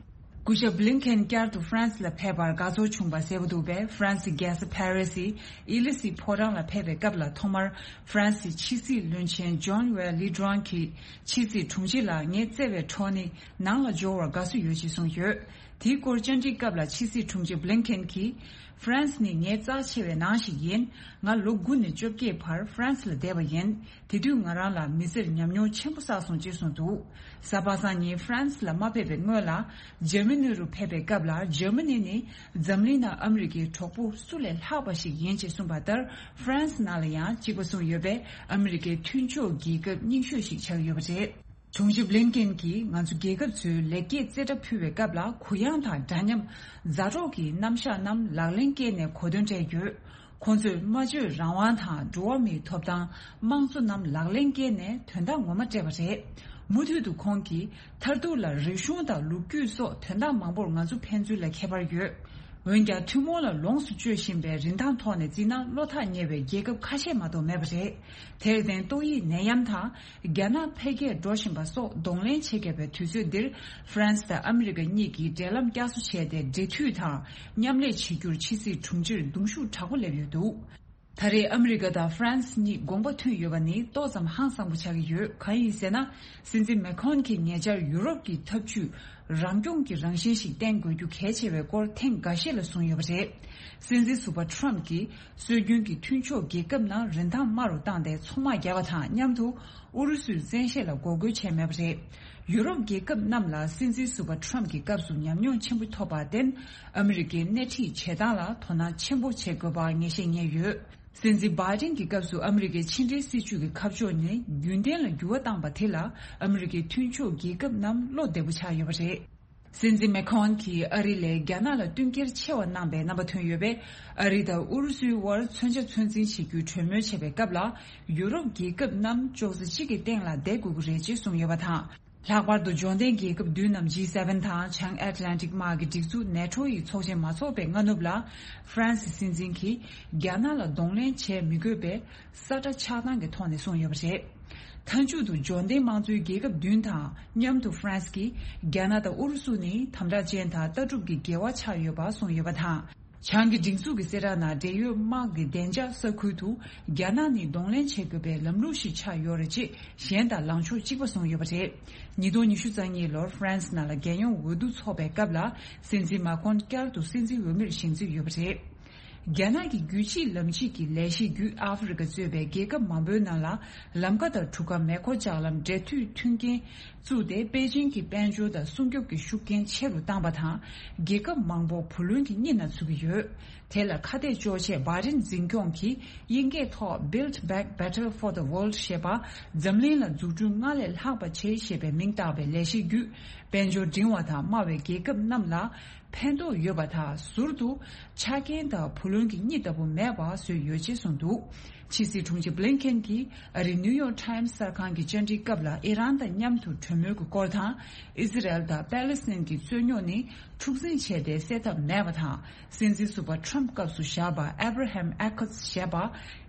སྐུ་ཞབས་བྷི་ལིན་ཁེན་བསྐྱར་དུ་ཧྥ་རན་སི་ལ་ཕེབས་པར་དགའ་ཚོར་བྱུང་བ་གསལ་པོ་འདུག་པས། ཧྥ་རན་སི་རྒྱལ་ས་ཕ་རི་སིའི་ཨི་ལི་སི་ཕོ་བྲང་ལ་ཕེབས་པའི་སྐབས་ལ། ཐོག་མར་ཧྥ་རན་སིའི་ཕྱི་སྲིད་བློན་ཆེན་ཇོན་ཝེ་ལི་ཌུའང་གིས་ཕྱི་སྲིད་དྲུང་ཆེ་ལ་ངའི་བརྩེ་བའི་འཕྲོག་ནི་ནང་ལ་འབྱོར་བར་དགའ་བསུ་ཡོད་ཅེས་གསུངས་ཡོད། དེའི་སྐོར་བཅར་འདྲིའི་སྐབས་ལ་ཕྱི་སྲིད་དྲུང་ཆེ་བྷི་ལིན་ཁེན་གྱིས། ཧྥ་རན་སི་ནི་ངའི་རྩ་ཆེ་བའི་ནང་ཞིག་ཡིན། ང་ལོ་དགུ་ནས་བཅོ་བརྒྱད་བར་ཧྥ་རན་སི་ལ་བསྡད་པ་ཡིན། དེ་དུས་ང་རང་ལ་མི་ཚེར་ཉམས་མྱོང་ཆེན་པོ་བསགས་སོང་ཅེས་གསུངས་འདུག། གཟའ་པ་སངས་ཉིན་ཧྥ་རན་སི་ལ་མ་ཕེབས་པའི་སྔོན་ལ། འཇར་མ་ནི་རུ་ཕེབས་པའི་སྐབས་ལ། འཇར་མ་ནི་ནི་འཛམ་གླིང་ནང་ཨ་མི་རི་ཀའི་གྲོགས་པོ་སུ་ལས་ལྷག་པ་ཞིག་ཡིན་ཅེས་གསུངས་པ་ལྟར། ཧྥ་རན་སི་ནང་ལ་ཡང་གཅིག་པ་གསུངས་ཡོད་པས། ཨ་མི་རི་ཀའི་མཐུན་ཕྱོགས་རྒྱལ་ཁབ་རྙིང་ཤོས་ཤིག་ཆགས་ཡོད་པ་རེད། དྲུང་ཆེ་བྷི་ལིན་ཀེན་གྱིས་ང་ཚོ་རྒྱལ་ཁབ་ཚོའི་ལེགས་སྐྱེས་རྩེ་གྲ་ཕུལ་བའི་སྐབས་ལ། གུ་ཡངས་དང་འདྲ་མཉམ་མཛའ་གྲོགས་ཀྱི་རྣམ་གཞག་རྣམས་ལག་ལེན་བཀལ་ནས་གོ་དོན་སྤྲད་ཡོད། ཁོང་ཚོས་སྨྲ་བརྗོད་རང་དབང་དང་འགྲོ་བ་མིའི་ཐོབ་ཐང་། དམངས་གཙོ་རྣམས་ལག་ལེན་བཀལ་ནས་དོན་དག་ངོ་མ་སྤྲད་པ་རེད། མུ་མཐུད་དུ་ཁོང་གིས། མཐར་ཐུག་ལ་རིག་གཞུང་དང་ལོ་རྒྱུས་སོགས་དོན་དག་མང་པོར་ང་ཚོ་ཕན་ཚུན་ལ་ཁྱད་པར་ཡོད། འོན་ཀྱང་། ཐུན་མོང་ལ་ལོངས་སུ་སྤྱོད་བཞིན་པའི་རིན་ཐང་ཐོག་ནས་བརྩིས་ན། བློ་ཐག་ཉེ་བའི་རྒྱལ་ཁབ་ཁ་ཤས་མ་གཏོགས་མེད་པ་རེད། དེར་བརྟེན། ཏོག་དབྱིབས་ནད་ཡམས་དང་། རྒྱ་ནག་འཕེལ་རྒྱས་འགྲོ་བཞིན་པ་སོགས་གདོང་ལེན་བྱེད་དགོས་པའི་དུས་ཚོད་འདིར། ཧྥ་རན་སི་དང་ཨ་མི་རི་ཀ་གཉིས་ཀྱིས་འབྲེལ་ལམ་བསྐྱར་གསོ་བྱས་ཏེ། འབྲེལ་མཐུད་དང་མཉམ་ལས་བྱེད་རྒྱུར་ཕྱི་སྲིད་དྲུང་ཆེར་གདུང་ཤུགས་དྲག་པོ་སླེབས་ཡོད་འདུག། ད་རེས་ཨ་མི་རི་ཀ་དང་ཧྥ་རན་སི་གཉིས་དགོངས་པ་མཐུན་ཡོད་པ་ནི་ཏོག་ཙམ་ཧང་སངས་པོ་ཆགས་ཀྱི་ཡོད། གང་ཡིན་ཟེར་ན། སྲིད་འཛིན་མེ་ཁོན་གྱིས་ཉེ་ཆར་ཡུ་རོབ་ཀྱི་འཐབ་ཇུས་རང་སྐྱོང་གི་རང་བཞིན་ཞིག་བསྟན་དགོས་རྒྱུ་གལ་ཆེ་བའི་སྐོར་ཐེངས་འགའ་ཤས་ལ་གསུངས་ཡོད་པ་རེད། སྲིད་འཛིན་ཟུར་པ་ཁྲོམ་གྱིས་སྲོལ་རྒྱུན་གྱི་མཐུན་ཕྱོགས་རྒྱལ་ཁབ་ནང་རིན་ཐང་དམའ་རུ་བཏང་སྟེ་ཚོང་དམག་བརྒྱབ་པ་དང་མཉམ་དུ། ཨུ་རུ་སུའི་བཙན་ཤེད་ལ་འགོག་རྒོལ་བྱས་མེད་པ་རེད། ཡུ་རོབ་རྒྱལ་ཁབ་རྣམས་ལ་སྲིད་འཛིན་ཟུར་པ་ཁྲོམ་གྱི་སྐབས་སུ་ཉམས་མྱོང་ཆེན་པོ་ཐོབ་པར་བརྟེན། ཨ་མི་རི་ཀའི་སྣེ་ཁྲིད་བྱེད་སྟངས་ལ་དོ་སྣང་ཆེན་པོ་བྱེད་དགོས་པ་ངེས་ཤེས་རྙེད་ཡོད། སྲིད་འཛིན་བྷའི་ཌེན་གྱི་སྐབས་སུ་ཨ་མི་རི་ཀའི་ཕྱི་འབྲེལ་སྲིད་ཇུས་ཀྱི་ཁ་ཕྱོགས་ནི་རྒྱུན་ལྡན་ལ་འགྱུར་བ་བཏང་པ་དེ་ལ། ཨ་མི་རི་ཀའི་མཐུན་ཕྱོགས་རྒྱལ་ཁབ་རྣམས་བློ་བདེ་པོ་ཆགས་ཡོད་པ་རེད། སྲིད་འཛིན་མེ་ཁོན་གྱིས་ཨ་རི་ལས་རྒྱ་ནག་ལ་བསྟུན་རྒྱལ་ཆེ་བ་གནང་པའི་རྣམ་པ་ཐོན་ཡོད་པས། ཨ་རི་དང་ཨུ་རུ་སུའི་དབར་མཚོན་ཆ་ཚོད་འཛིན་བྱེད་རྒྱུའི་གྲོས་མོལ་བྱས་པའི་སྐབས་ལ། ཡུ་རོབ་རྒྱལ་ཁབ་རྣམས་ཅོག་ཙེ་གཅིག་གི་སྟེང་ལ་བསྡད་དགོས་ཀྱི་རེད་ཅེས་གསུངས་ཡོད་པ་དང་། ལྷག་པར་དུ་འབྱོར་ལྡན་རྒྱལ་ཁབ་བདུན་ནམ་ཇི་སེ་ཝེན་དང་བྱང་ཨེཊ་ལན་ཊིག་དམག་གི་སྒྲིག་འཛུགས་ནེ་ཊོ་ཡི་ཚོགས་ཆེན་མ་འཚོགས་པའི་སྔ་ནུབ་ལ། ཧྥ་རན་སི་སྲིད་འཛིན་གྱིས་རྒྱ་ནག་ལ་གདོང་ལེན་བྱས་མི་དགོས་པའི་ས་ཁྲ་ཆགས་སྟངས་ཀྱི་ཐོག་ནས་གསུངས་ཡོད་པ་རེད། མཐའ་མཇུག་ཏུ་འབྱོར་ལྡན་དམངས་གཙོའི་རྒྱལ་ཁབ་བདུན་དང་མཉམ་དུ་ཧྥ་རན་སི་གིས་རྒྱ་ནག་དང་ཨུ་རུ་སུ་ནི་དམ་དྲག་ཅན་དང་ལྟ་གྲུབ་ཀྱི་འགལ་བ་ཆགས་ཡོད་པ་གསུངས་ཡོད་པ་དང་། བྱང་གི་སྒྲིག་འཛུགས་ཀྱི་གསལ་བསྒྲགས་ནང་། འབྲེལ་ཡོད་དམག་གི་བདེ་འཇགས་ས་ཁུལ་དུ་རྒྱ་ནག་ནི་གདོང་ལེན་བྱེད་དགོས་པའི་ལམ་ལུགས་ཤིག་ཆགས་ཡོད་རེད་ཅེས་གཞན་དང་ལངས་ཕྱོགས་གཅིག་པ་བཟུང་ཡོད་པ་རེད། ཉིས་སྟོང་ཉི་ཤུ་རྩ་གཉིས་ལོར་ཧྥ་རན་སི་ནང་ལ་རྒྱལ་ཡོངས་འོས་བསྡུ་འཚོགས་པའི་སྐབས་ལ། སྲིད་འཛིན་མ་ཁོན་བསྐྱར་དུ་སྲིད་འཛིན་འོས་མིར་བཞེངས་རྩིས་ཡོད་པ་རེད། རྒྱ་ནག་གི་རྒྱུད་གཅིག་ལམ་གཅིག་གི་ལས་གཞི་བརྒྱུད། ཨ་ཧྥེ་རི་ཁ་གཙོས་པའི་རྒྱལ་ཁབ་མང་པོའི་ནང་ལ་ལམ་ཁ་དང་གྲུ་ཁ། མེ་འཁོར་ལྕགས་ལམ། འབྲེལ་མཐུད་མཐུན་རྐྱེན་བཙུགས་ཏེ། པེ་ཅིང་གི་དཔལ་འབྱོར་དང་སྲུང་སྐྱོབ་ཀྱི་ཤུགས་རྐྱེན་ཆེ་རུ་བཏང་པ་དང་། རྒྱལ་ཁབ་མང་པོ་བུ་ལོན་གྱི་གཉིད་ན་ཚུད་ཀྱི་ཡོད། དེ་ལ་ཁ་གཏད་གཅོག་ཆེད་བྷའི་ཌེན་འཛིན་སྐྱོང་གིས་དབྱིན་སྐད་ཐོག Build Back Better for the World ཞེས་པ། འཛམ་གླིང་ལ་འཛུགས་སྐྲུན་སྔར་ལས་ལྷག་པ་བྱེད་ཞེས་པའི་མིང་བཏགས་པའི་ལས་གཞི་བརྒྱུད། དཔལ་འབྱོར་འབྲིང་བ་དང་དམའ་བའི་རྒྱལ་ཁབ་རྣམས་ལ་ཕན་ཐོགས་ཡོད་པ་དང་། ཟུར་དུ་ཆ་རྐྱེན་དང་བུ་ལོན་གྱི་གཉིད་ལྟ་བུ་མེད་པ་བཟོས་ཡོད་ཅེས་གསུངས་འདུག། ཕྱི་སྲིད་དྲུང་ཆེ་བྷི་ལིན་ཁེན་གྱིས་ཨ་རིའི་ནིའུ་ཡོག་ཊའིམ་གསར་ཁང་གི་བཅར་འདྲིའི་སྐབས་ལ། ཨི་རན་དང་མཉམ་དུ་གྲོས་མོལ་གྱི་སྐོར་དང་། ཨི་ཟི་རལ་དང་པེ་ལེ་སི་ཐན་གྱི་རྩོད་རྙོག་ནི་འཁྲུག་འཛིང་བྱས་ཏེ་སེལ་ཐབས་མེད་པ་དང་། སྲིད་འཛིན་ཟུར་པ་ཁྲམ་སྐབས་སུ་བཞག་པ་Abraham Accords ཞེས་པ།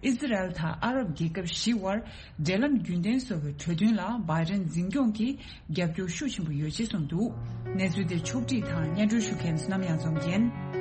ཨི་ཟི་རལ་དང་ཨ་རབ་རྒྱལ་ཁབ་བཞི་དབར་འབྲེལ་ལམ་རྒྱུན་ལྡན་བཟོ་བའི་གྲོས་མཐུན་ལ་བྷའི་ཌེན་འཛིན་སྐྱོང་གིས་རྒྱབ་སྐྱོར་ཤུགས་ཆེན་པོ་ཡོད་ཅེས་གསུངས་འདུག། གནས་ཚུལ་དེ་ཕྱོགས་བསྒྲིགས་དང་སྙན་སྒྲོན་ཞུ་མཁན་བསོད་ནམས་གཡང་འཛོམས་ཡིན།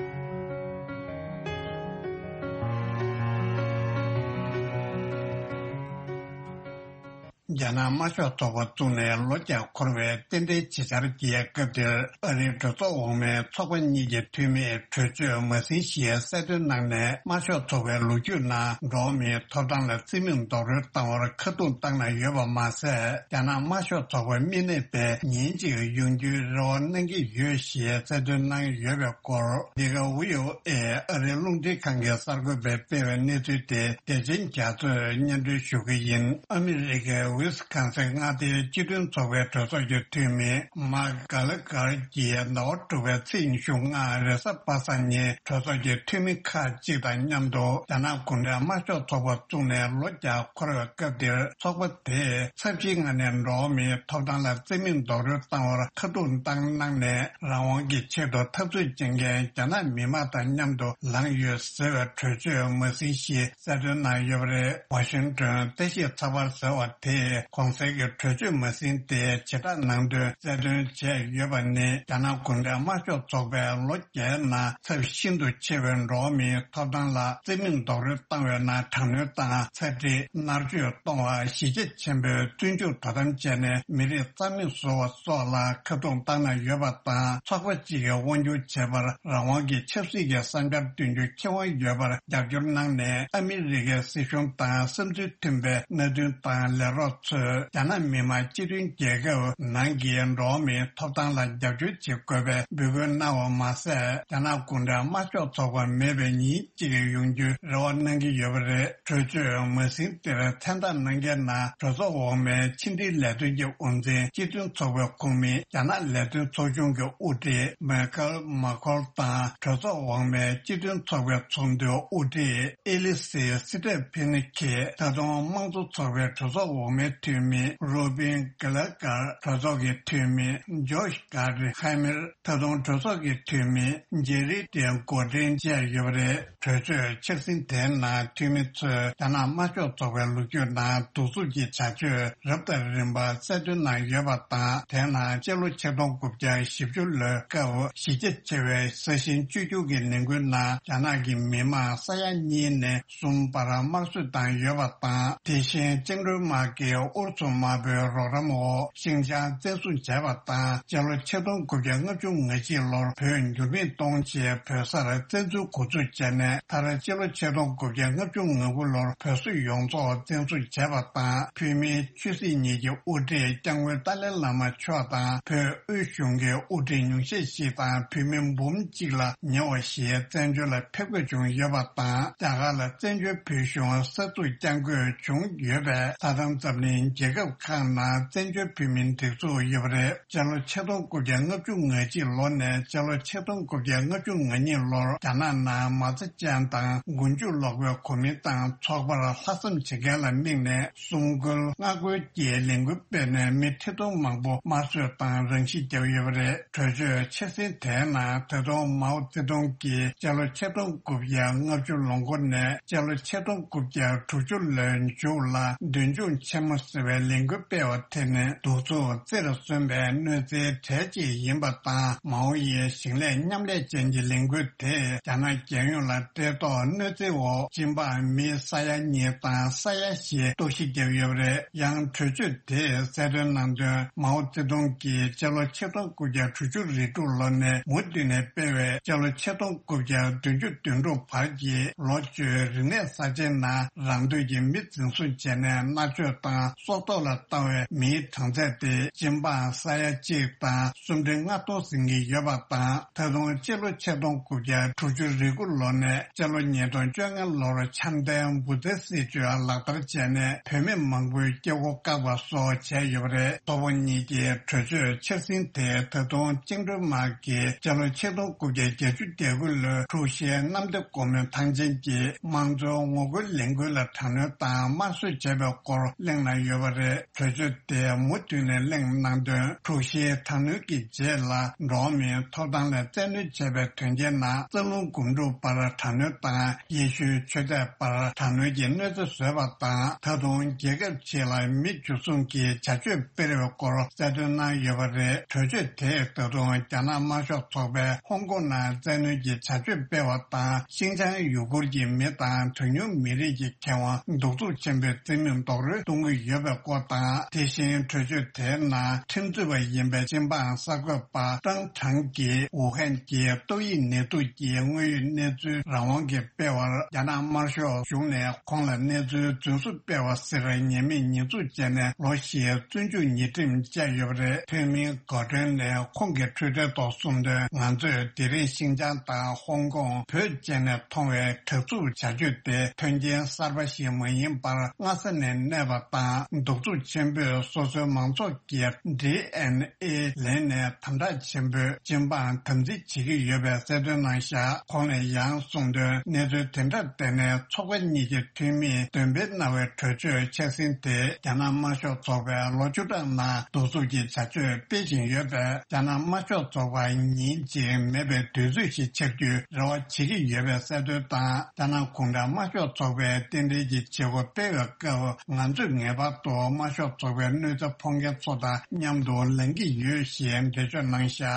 རྒྱ་ནག་དམར་ཤོག་ཚོགས་པ་བཙུགས་ནས་ལོ་བརྒྱ་འཁོར་བའི་རྟེན་འབྲེལ་བྱེད་འཆར་གྱི་སྐབས་དེར། ཨ་རིའི་གྲོས་ཚོགས་འོག་མའི་ཚོགས་པ་གཉིས་ཀྱི་འཐུས་མིས་གྲོས་ཆོད་མ་ཟིན་ཞེས་གསལ་སྟོན་གནང་ནས། དམར་ཤོག་ཚོགས་པའི་ལོ་རྒྱུས་ནང་འགྲོ་བ་མིའི་ཐོབ་ཐང་ལ་རྩིས་མེད་རྡོག་རོལ་བཏང་བར་ཁ་རྡུང་བཏང་གནང་ཡོད་པ་མ་ཟད། རྒྱ་ནག་དམར་ཤོག་ཚོགས་པ་མི་གནས་པའི་ཉིན་གཅིག་ཡོང་རྒྱུའི་རེ་བ་གནང་གི་ཡོད་ཞེས་གསལ་སྟོན་གནང་ཡོད་པའི་སྐོར། འདི་ག་ཝི་ཨོ་ཨེ་ཨ་རིའི་རླུང་འཕྲིན་ཁང་གི་གསར་འགོད་པས་སྤེལ་བའི་གནས་ཚུལ་དེ་བདེ་ཆེན་རྒྱ་མཚོས་སྙན་སྒྲོན་ཞུ་གི་ཡིན། ཨ་མི་རི་ཀའི་ཝི་ སི་ཁན་སི་མངའ་སྡེའི་སྤྱི་མཐུན་ཚོགས་པའི་གྲོས་ཚོགས་ཀྱི་འཐུས་མི་མཱག་གྷ་ལ་གྷར་གྱིས་ཟླ་བ་དྲུག་པའི་ཚེས་ཉི་ཤུ་ལྔ་རེས་གཟའ་པ་སངས་ཉིན་གྲོས་ཚོགས་ཀྱི་འཐུས་མི་ཁག་ཅིག་དང་མཉམ་དུ་རྒྱ་ནག་གུང་ཁྲན་དམར་ཤོག་ཚོགས་པ་བཙུགས་ནས་ལོ་བརྒྱ་འཁོར་བའི་སྐབས་འདིར། ཚོགས་པ་དེས་ཚབས་ཆེའི་ངང་ནས་འགྲོ་བ་མིའི་ཐོབ་ཐང་ལ་བརྩི་མེད་རྡོག་རོལ་བཏང་བར་ཁ་ཐུག་བཏང་གནང་ནས། རང་དབང་གི་ཆེད་དུ་འཐབ་རྩོད་བྱེད་མཁན་རྒྱ་ནག་མི་དམངས་དང་མཉམ་དུ་ལངས་ཡོད་ཟེར་བའི་གྲོས་ཆོད་མ་ཟིན་ཞིག་གསལ་སྟོན་གནང་ཡོད་པ་རེད། ཝ་ཤིང་ཏོན་བཀྲ་ཤིས་ཚགས་པར་ཟེར་བ་དེས་གོང་གསལ་གྱི་གྲོས་ཆོད་མ་ཟིན་ཏེ་བྱེ་བྲག་ནང་དོན་གསལ་སྟོན་བྱས་ཡོད་པ་ནི། རྒྱ་ནག་གུང་ཁྲན་དམར་ཤོག་ཚོགས་པས་ལོ་བརྒྱའི་ནང་ཚབས་ཤིན་ཏུ་ཆེ་བའི་འགྲོ་བ་མིའི་ཐོབ་ཐང་ལ་བརྩི་མེད་རྡོག་རོལ་བཏང་བའི་ནང་དྲག་གནོན་དང་ཚ་འདྲི། མནར་གཅོད་གཏོང་བ། གཞིས་བྱེས་ཆེན་པོའི་བཙོན་འཇུག་དོ་དམ་བྱས་ནས་མི་རིགས་རྩ་མེད་བཟོ་བ་སོགས་ལ་ཁ་རྡུང་བཏང་གནང་ཡོད་པ་དང་། ཚོགས་པ་གཅིག་གིས་དབང་སྒྱུར་བྱེད་པར་རང་དབང་གི་ཆབ་སྲིད་ཀྱི་བསམ་འཆར་འདོན་རྒྱུ་ཁེ་དབང་ཡོད་པར་རྒྱབ་སྐྱོར་གནང་ནས། ཨ་མི་རི་ཀའི་སྲིད་གཞུང་དང་བསམ་ཚུལ་མཐུན་པའི་མནའ་མཐུན་དང་ལས་རོགས་ཚོས་རྒྱ་ནག་མི་དམངས་སྤྱི་མཐུན་རྒྱལ་ཁབ་ནང་གི་འགྲོ་བ་མིའི་ཐོབ་ཐང་ལ་རྒྱབ་སྐྱོར་བྱེད་དགོས་པའི་འབོད་སྐུལ་གནང་བ་མ་ཟད། རྒྱ་ནག་གུང་ཁྲན་དམར་ཤོག་ཚོགས་པ་མེད་པའི་ཉིན་གཅིག་ཡོང་རྒྱུའི་རེ་བ་གནང་གི་ཡོད་པ་རེད། གྲོས་ཆོད་མ་ཟིན་དེར་མཚན་རྟགས་གནང་མཁན་ནང་གྲོས་ཚོགས་འོག་མའི་ཕྱི་འབྲེལ་ལས་དོན་གྱི་དབུ་འཛིན། སྤྱི་མཐུན་ཚོགས་པའི་ཁོངས་མི། རྒྱ་ནག་ལས་དོན་ཚོགས་ཆུང་གི་དབུ་ཁྲིད་མེ་ཁལ་མ་ཁོལ་དང་། གྲོས་ཚོགས་འོག་མའི་སྤྱི་མཐུན་ཚོགས་པའི་ཚོགས་འདུའི་དབུ་ཁྲིད་ཨེ་ལི་སི་སི་ཏྲེ་ཕིན་ཁེ། ད་དུང་དམངས་གཙོ་ཚོགས་པའི་གྲོས་ཚོགས་འོག་མའི་འཐུས་མི་རུ་བིན་གྷི་ལ་ཀར། གྲོས་ཚོགས་ཀྱི་འཐུས་མི་ཇོ་ཤ་གྷ་རི་ཧེ་མེར། ད་དུང་གྲོས་ཚོགས་ཀྱི་འཐུས་མི་ཇེ་རི་ཏེན་གོ་ཏྲིན་བཅས་ཡོད་པ་རེད། གྲོས་ཆོད་འཆར་ཟིན་དེའི་ནང་འཐུས་མི་ཚོས་རྒྱ་ནག་དམར་ཤོག་ཚོགས་པའི་ལོ་རྒྱུས་ནང་གདུག་རྩུབ་ཀྱི་བྱ་སྤྱོད་རབ་དང་རིམ་པ་གསལ་སྟོན་གནང་ཡོད་པ་དང་། དེའི་ནང་སྤྱི་ལོ་ཆིག་སྟོང་དགུ་བརྒྱ་བཞི་བཅུ་ལོའི་སྐབས་གཞིས་ཆགས་ཆེ་བའི་ས་ཞིང་བཅོས་སྒྱུར་གྱི་ལས་འགུལ་ནང་རྒྱ་ནག་གི་མི་དམངས་ས་ཡ་གཉིས་ནས་གསུམ་བར་དམར་གསོད་བཏང་ཡོད་པ་དང་། དེ་བཞིན་བཅིངས་འགྲོལ་དམག་གིས་ཨུ་རུ་སུ་དམར་པོའི་རོགས་རམ་འོག་ཤིན་ཅང་བཙན་བཟུང་བྱས་པ་དང་། སྤྱི་ལོ་ཆིག་སྟོང་དགུ་བརྒྱ་ལྔ་བཅུ་ང་གཅིག་ལོར་བོད་འགྱུར་མེད་གཏོང་ཆེད་བོད་སར་བཙན་འཛུལ་འགོ་འཛུགས་བྱས་ནས། མཐར་སྤྱི་ལོ་ཆིག་སྟོང་དགུ་བརྒྱ་ལྔ་བཅུ་ང་དགུ་ལོར་བོད་སོག་ཡོངས་རྫོགས་བཙན་བཟུང་བྱས་པ་དང་། བོད་མིའི་ཆོས་སྲིད་གཉིས་ཀྱི་དབུ་ཁྲིད་སྐྱབས་མགོན་ཏཱ་ལའི་བླ་མ་མཆོག་དང་། བོད་དབུས་གཞུང་གི་དབུ་ཁྲིད་ཉུང་ཤས་ཤིག་དང་བོད་མི་འབུམ་གཅིག་ལ་ཉེ་བ་ཞིག་བཙན་བྱོལ་ལ་ཕེབས་དགོས་བྱུང་ཡོད་པ་དང་། རྒྱ་གར་ལ་བཙན་བྱོལ་བོད་གཞུང་གསར་འཛུགས་བསྐྱང་དགོས་བྱུང་ཡོད་པས། ས་དང་འཛམ་གླིང་རྒྱལ་ཁབ་ཁག་ནང་བཙན་བྱོལ་བོད་མིའི་སྒྲིག་འཛུགས་ཡོད་པ་རེད། སྤྱི་ལོ་ཆིག་སྟོང་དགུ་བརྒྱ་ལྔ་བཅུ་ང་གཅིག་ལོ་ནས་སྤྱི་ལོ་ཆིག་སྟོང་དགུ་བརྒྱ་ལྔ་བཅུ་ང་གཉིས་ལོར་རྒྱ་ནག་ནང་མ་རྩ་ཅན་དང་མགོ་མཇུག་ལོག་པའི་གོ་མིན་ཏང་ཚོགས་པར་ལྷག་བསམ་བྱེད་མཁན་ལ་དམིགས་ནས། སྲུང་སྐུལ། སྔ་རྒོལ་གྱི་ལས་འགུལ་སྤེལ་ནས་མི་ཁྲི་སྟོང་མང་པོ་དམར་གསོད་དང་རང་ཤི་བརྒྱབ་ཡོད་པ་རེད། གྲོས་ཆོད་འཆར་ཟིན་དེའི་ནང་ད་དུང་མའོ་ཙེ་ཏུང་གིས་སྤྱི་ལོ་ཆིག་སྟོང་དགུ་བརྒྱ་ལྔ་བཅུ་ལོ་འཁོར་ནས་སྤྱི་ལོ་ཆིག་སྟོང་དགུ་བརྒྱ་དྲུག་ཅུ་ལོའི་མཇུག་ལ་མདུན་མཇུག་ཆེན་མོ་ཟེར་བའི་ལས་འགུལ་སྤེལ་བ་དེ་ནི་གདུག་རྩུབ་རྩེར་སོན་པའི་གནོད་འཚེའི་གྲས་གཅིག་ཡིན་པ་དང་། མའོ་ཡི་ཞིང་ལས་མཉམ་ལས་ཅན་གྱི་ལས་འགུལ་དེས་རྒྱ་ནག་རྒྱལ་ཡོངས་ལ་བཀྲེས་ལྟོགས་གནོད་འཚེ་འོག་སྦྱིན་པ་མི་ས་ཡ་གཉིས་དང་ས་ཡ་བཞི་ལྟོགས་ཤི་བརྒྱབ་ཡོད་པ་རེད། ཡང་གྲོས་ཆོད་དེས་གསལ་སྟོན་གནང་དོན། མའོ་ཙེ་ཏུང་གིས་སྤྱི་ལོ་ཆིག་སྟོང་དགུ་བརྒྱ་དྲུག་ཅུ་རེ་དྲུག་ལོ་ནས་མུ་མཐུད་ནས་སྤེལ་བའི་སྤྱི་ལོ་ཆིག་སྟོང་དགུ་བརྒྱ་བདུན་ཅུ་དོན་དྲུག་བར་གྱི་ལོ་བཅུའི་རིག་གནས་གསར་བརྗེའི་ནང་རང་འདོད་ཀྱིས་མི་འཛིན་བཟུང་བྱས་ནས་མནར་གཅོད་དང་སྲོག་ཐོག་ལ་བཏང་བའི་མིའི་གྲངས་ཚད་དེ་སྦྱིན་པ་ས་ཡ་གཅིག་དང་སུམ་ཁྲི་ལྔ་སྟོང་ཟིན་གྱི་ཡོད་པ་དང་། ད་དུང་སྤྱི་ལོ་ཆིག་སྟོང་དགུ་བརྒྱ་དྲུག་ཅུ་རེ་དགུ་ལོ་ནས་སྤྱི་ལོ་ཉིས་སྟོང་བཅོ་ལྔ་ལོར་འཆམ་མཐུན་འབུ་ཚའི་སྲིད་བྱུས་ལག་བསྟར་བྱས་ནས་བོད་མི་མང་པོའི་སྐྱེ་སྒོ་བཀག་པ་སོགས་བྱས་ཡོད་པ་རེད། ཚོགས་པ་གཉིས་ཀྱི་གྲོས་ཆོད་འཆར་ཟིན་དེ་ད་དུང་བཅིངས་འགྲོལ་དམག་གིས་སྤྱི་ལོ་ཆིག་སྟོང་དགུ་བརྒྱ་བརྒྱད་ཅུ་གྱ་དགུ་ལོའི་འཁྲུག་གཞས་གནམ་བདེ་སྒོ་མོའི་ཐང་ཆེན་གྱིས་དམངས་གཙོའི་ངོ་རྒོལ་ལས་འགུལ་ལ་དྲག་གནོན་དང་དམར་གསོད་བྱས་པའི་སྐོར་གླེང་གནང་ཡོད་པ་རེད། གྲོས་ཆོད་དེ་མུ་མཐུད་ནས་གླེང་གནང་དོན། འཁྲུག་གཞིའི་དྲག་གནོན་གྱི་རྗེས་ལ་འགྲོ་བ་མིའི་ཐོབ་ཐང་ལ་བཙན་གནོན་བྱས་པའི་དོན་རྐྱེན་ནང་རྩ་རླུང་སྒོམ་སྒྲུབ་པར་དྲག་གནོན་དང་ཡེ་ཤུའི་ཆོས་དད་པར་དྲག་གནོན་གྱི་གནོད་འཚེ་བཟོས་པ་དང་། ད་དུང་རྒྱལ་ཁབ་ཕྱི་ལ་མི་འཇུ་བཟུང་གི་བྱ་སྤྱོད་སྤེལ་བའི་སྐོར་གསལ་སྟོན་གནང་ཡོད་པ་རེད། གྲོས་ཆོད་དེས་ད་དུང་རྒྱ་ནག་དམར་ཤོག་ཚོགས་པས་ཧོང་ཀོང་ནང་བཙན་གནོན་གྱི་བྱ་སྤྱོད་སྤེལ་བ་དང་། ཤིན་ཅང་ཡུ་གུར་གྱི་མི་དང་གྲངས་ཉུང་མི་རིགས་ཀྱི་ཁེ་དབང་གདུག་རྩུབ་ཆེན་པོས་བརྩི་མེད་རྡོག་རོལ་གཏོང་གི་ཡོད་པའི་སྐོར་དང་། དེ་བཞིན་གྲོས་ཆོད་དེའི་ནང་ཁྲིམས་རྩོད་པ་ཡིན་པའི་སྤྱི་འབངས་གསར་འགོད་པ་ཀྲང་ཁྲང་གིས་ཝུ་ཧན་གྱི་ཏོག་དབྱིབས་ནད་དུག་གི་དངོས་ཡོད་གནས་ཚུལ་རང་དབང་གིས་སྤེལ་བར་རྒྱ་ནག་དམར་ཤོག་གཞུང་ནས་ཁོང་ལ་གནས་ཚུལ་རྫུན་བཟོ་སྤེལ་བ་ཟེར་ཉེས་མེད་ཉེས་འཛུགས་བྱས་ནས་ལོ་བཞིའི་བཙོན་འཇུག་ཉེས་ཁྲིམས་བཅད་ཡོད་པ་རེད། ཐོན་མིའི་འགག་སྒྲོན་ནས་ཁོང་གི་འཕྲོད་བསྟེན་ཐོག་གསུངས་དོན། ང་ཚོས་དེ་རིང་ཤིན་ཅང་དང་ཧོང་ཀོང་བོད་བཅས་ནས་མཐོང་བའི་དྲག་རྩུབ་བྱ་སྤྱོད་དེ་དོན་རྐྱེན་གསར་པ་ཞིག་མ་ཡིན་པར་སྔ་ས་ནས་གནས་པ་དང་ གདུག་རྩུབ་ཆེན་པོས་སོ་སོའི་མང་ཚོགས་ཀྱི་ཌི་ཨེན་ཨེ་ལེན་ནས་དམ་དྲག་ཆེན་པོས་སྤྱི་འབངས་དམ་འཛིན་བྱེད་ཀྱི་ཡོད་པའི་གསལ་སྟོན་གནང་བཞག་ཁོང་ནས་ཡང་གསུངས་དོན། གནས་ཚུལ་དེ་འདྲར་བརྟེན་ནས་ཚོགས་པ་གཉིས་ཀྱི་འཐུས་མིས་འདོན་སྤེལ་གནང་བའི་གྲོས་ཆོད་ཆ་ཚང་དེ་རྒྱ་ནག་དམར་ཤོག་ཚོགས་པས་ལོ་བཅུ་ཕྲག་ནང་གདུག་རྩུབ་ཀྱི་བྱ་སྤྱོད་སྤེལ་བཞིན་ཡོད་པས། རྒྱ་ནག་དམར་ཤོག་ཚོགས་པ་ཉིན་གཅིག་མེད་པའི་དུས་ཚོད་ཞིག་ཆགས་རྒྱུའི་རེ་བ་བྱེད་ཀྱི་ཡོད་པའི་གསལ་སྟོན་དང་། རྒྱ་ནག་གུང་ཁྲན་དམར་ཤོག་ཚོགས་པས་རྟེན་འབྲེལ་གྱི་བྱེད་སྒོ་སྤེལ་བའི་སྐབས། ང་ཚོས་ངེས་པར་དུ་དམར་ཤོག་ཚོགས་པའི་གནོད་འཚེ་ཕོག་མཁན་ཚོ་དང་མཉམ་དུ་ལངས་ཀྱི་ཡོད་ཞེས་འགྲེལ་བརྗོད་གནང་བཞག་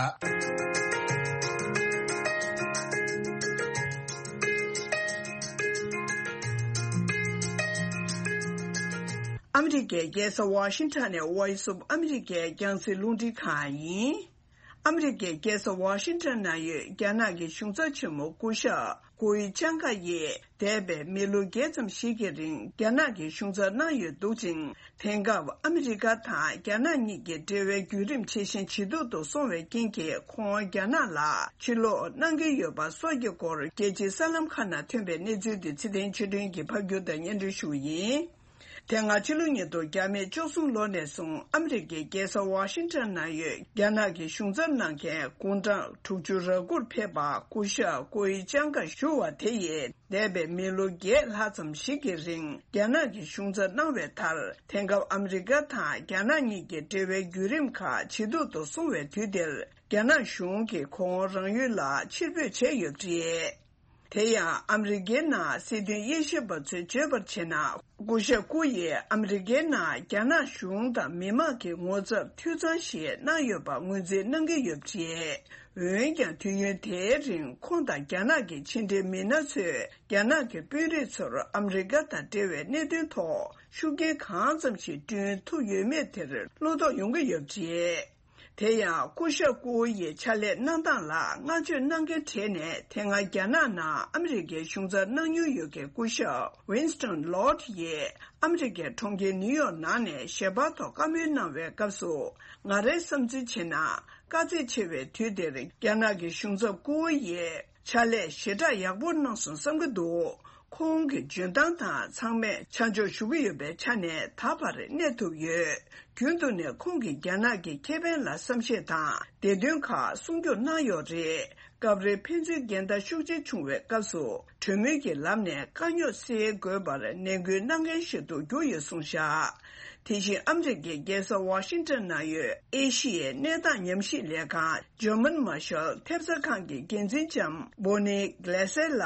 ཨ་མི་རི་ཀའི་རྒྱལ་ས་ཝ་ཤིང་ཊོན་ནས་Voice of America་རྒྱང་སྲིང་རླུང་འཕྲིན་ཁང་ཡིན། ཨ་མི་རི་ཀའི་རྒྱལ་ས་ཝ་ཤིང་ཊོན་ནང་ཡོད་རྒྱ་ནག་གི་གཞུང་ཚབ་ཆེན་མོ་སྐུ་ཞབས་ཀུའི་ཅང་ག་ཡིས་འདས་པའི་མི་ལོ་བརྒྱད་ཙམ་ཞིག་གི་རིང་རྒྱ་ནག་གི་གཞུང་ཚབ་གནང་ཡོད་འདུག་ཅིང་། དེང་སྐབས་ཨ་མི་རི་ཀ་དང་རྒྱ་ནག་གཉིས་ཀྱི་འབྲེལ་བའི་བརྒྱུད་རིམ་ཇེ་ཞན་ཇེ་སྡུག་ཏུ་སོང་བའི་རྐྱེན་གྱིས། ཁོང་རྒྱ་ནག་ལ་ཕྱིར་ལོག་གནང་གི་ཡོད་པ་སོགས་ཀྱི་སྐོར་རྒྱལ་སྤྱིའི་གསར་ལམ་ཁག་ནང་ཐོན་པའི་གནས་ཚུལ་དེ་ཚེ་བརྟན་ཆོས་སྒྲོན་གྱིས་ཕབ་སྒྱུར་དང་སྙན་སྒྲོན་ཞུ་བ་ཡིན། དེ་སྔ་ཕྱི་ལོ་ཉིས་སྟོང་བརྒྱ་མེད་བཅུ་གསུམ་ལོ་ནས་བཟུང་ཨ་མི་རི་ཀའི་རྒྱལ་ས་ཝ་ཤིང་ཊོན་ནང་ཡོད་རྒྱ་ནག་གི་གཞུང་ཚབ་གནང་མཁན་དགུང་གྲངས་དྲུག་ཅུ་རེ་དགུར་ཕེབས་པ་སྐུ་ཞབས་ཀུའི་ཅང་ག་ཞུ་བ་དེ་ཡིས། འདས་པའི་མི་ལོ་བརྒྱད་ལྷག་ཙམ་ཞིག་གི་རིང་རྒྱ་ནག་གི་གཞུང་ཚབ་གནང་བའི་མཐར། དེང་སྐབས་ཨ་མི་རི་ཀ་དང་རྒྱ་ནག་གཉིས་ཀྱི་འབྲེལ་བའི་བརྒྱུད་རིམ་ཁག་ཇེ་སྡུག་ཏུ་སོང་བའི་དུས་འདིར། རྒྱ་ནག་གཞུང་གིས་ཁོང་རང་ཡུལ་ལ་ཕྱིར་འབོད་བྱས་ཡོད་པ་རེད། དེ་ཡང་ཨ་མི་རི་ཀའི་ནང་སྲིད་དོན་དབྱེ་ཞིབ་པ་ཚོས་བརྗོད་པར་བྱས་ན། སྐུ་ཞབས་ཀུ་ཡིས་ཨ་མི་རི་ཀའི་ནང་རྒྱ་ནག་གཞུང་དང་མི་མང་གི་ངོ་ཚབ་འཐུས་ཚང་ཞིག་གནང་ཡོད་པ་ངོས་འཛིན་གནང་གི་ཡོད་པ་རེད། འོན་ཀྱང་དུས་ཡུན་དེའི་རིང་ཁོང་དང་རྒྱ་ནག་གི་ཕྱི་འབྲེལ་མི་སྣ་ཚོས་རྒྱ་ནག་གི་དཔོན་རིགས་ཚོར་ཨ་མི་རི་ཀ་དང་འབྲེལ་བའི་གནད་དོན་ཐོག་ཤུགས་རྐྱེན་གང་ཙམ་ཞིག་བསྐྲུན་ཐུབ་ཡོད་མེད་དེར་བློ་དོགས་ཡོང་གི་ཡོད་པ་རེད། དེ་ཡང་སྐུ་ཞབས་ཀུའུ་ཡི་ཕྱག་ལས་གནང་སྟངས་ལ་བསྔགས་བརྗོད་གནང་མཁན་གྲས་ནས། དེ་སྔ་རྒྱ་ནག་ནང་ཨ་མི་རི་ཀའི་གཞུང་ཚབ་གནང་མྱོང་ཡོད་མཁན་སྐུ་ཞབས་Winston Lott་ཡིས་ཨ་མི་རི་ཀའི་གྲོང་ཁྱེར་ནིའུ་ཡོག་ནང་ནས་ཞལ་པར་ཐོག་བཀའ་མོལ་གནང་བའི་སྐབས་སུ། ང་རའི་བསམ་ཚུལ་བྱས་ན། དཀའ་ཚེགས་ཆེ་བའི་དུས་འདིར་རྒྱ་ནག་གི་གཞུང་ཚབ་ཀུའུ་ཡིས་ཕྱག་ལས་ཞེ་དྲག་ཡག་པོ་གནང་སོང་བསམ་གྱི་འདུག་ཁོང་གི་འཇོན་ཐང་དང་ཚང་མས་ཆ་འཇོག་ཞུ་གི་ཡོད་པའི་ཆ་ནས། ད་བར་གནས་ཐུབ་ཡོད། རྒྱུན་དུ་ནས་ཁོང་གིས་རྒྱ་ནག་གི་ཁེ་ཕན་ལ་བསམ་ཤེས་དང་བདེ་དོན་ཁག་སྲུང་སྐྱོབ་གནང་ཡོད་རེད། སྐབས་རེ་ཕན་ཚུན་འགལ་ཟླ་ཤུགས་ཆེ་བྱུང་བའི་སྐབས་སུ། གྲོས་མོལ་གྱི་ལམ་ནས་དཀའ་རྙོག་སེལ་དགོས་པར་ནན་སྐུལ་གནང་མཁན་ཞིག་ཏུ་གྱུར་ཡོད་གསུངས་བཞག་དེ་བཞིན་ཨ་མི་རི་ཀའི་རྒྱལ་ས་ཝ་ཤིང་ཊོན་ནང་ཡོད་ཨེ་ཤི་ཡའི་གནས་སྟངས་ཉམས་ཞིབ་ལས་ཁང་། German Marshall་ཐེབས་རྩ་ཁང་གི་འགན་འཛིན་ལྕམ་Bonnie Glaser་ལ།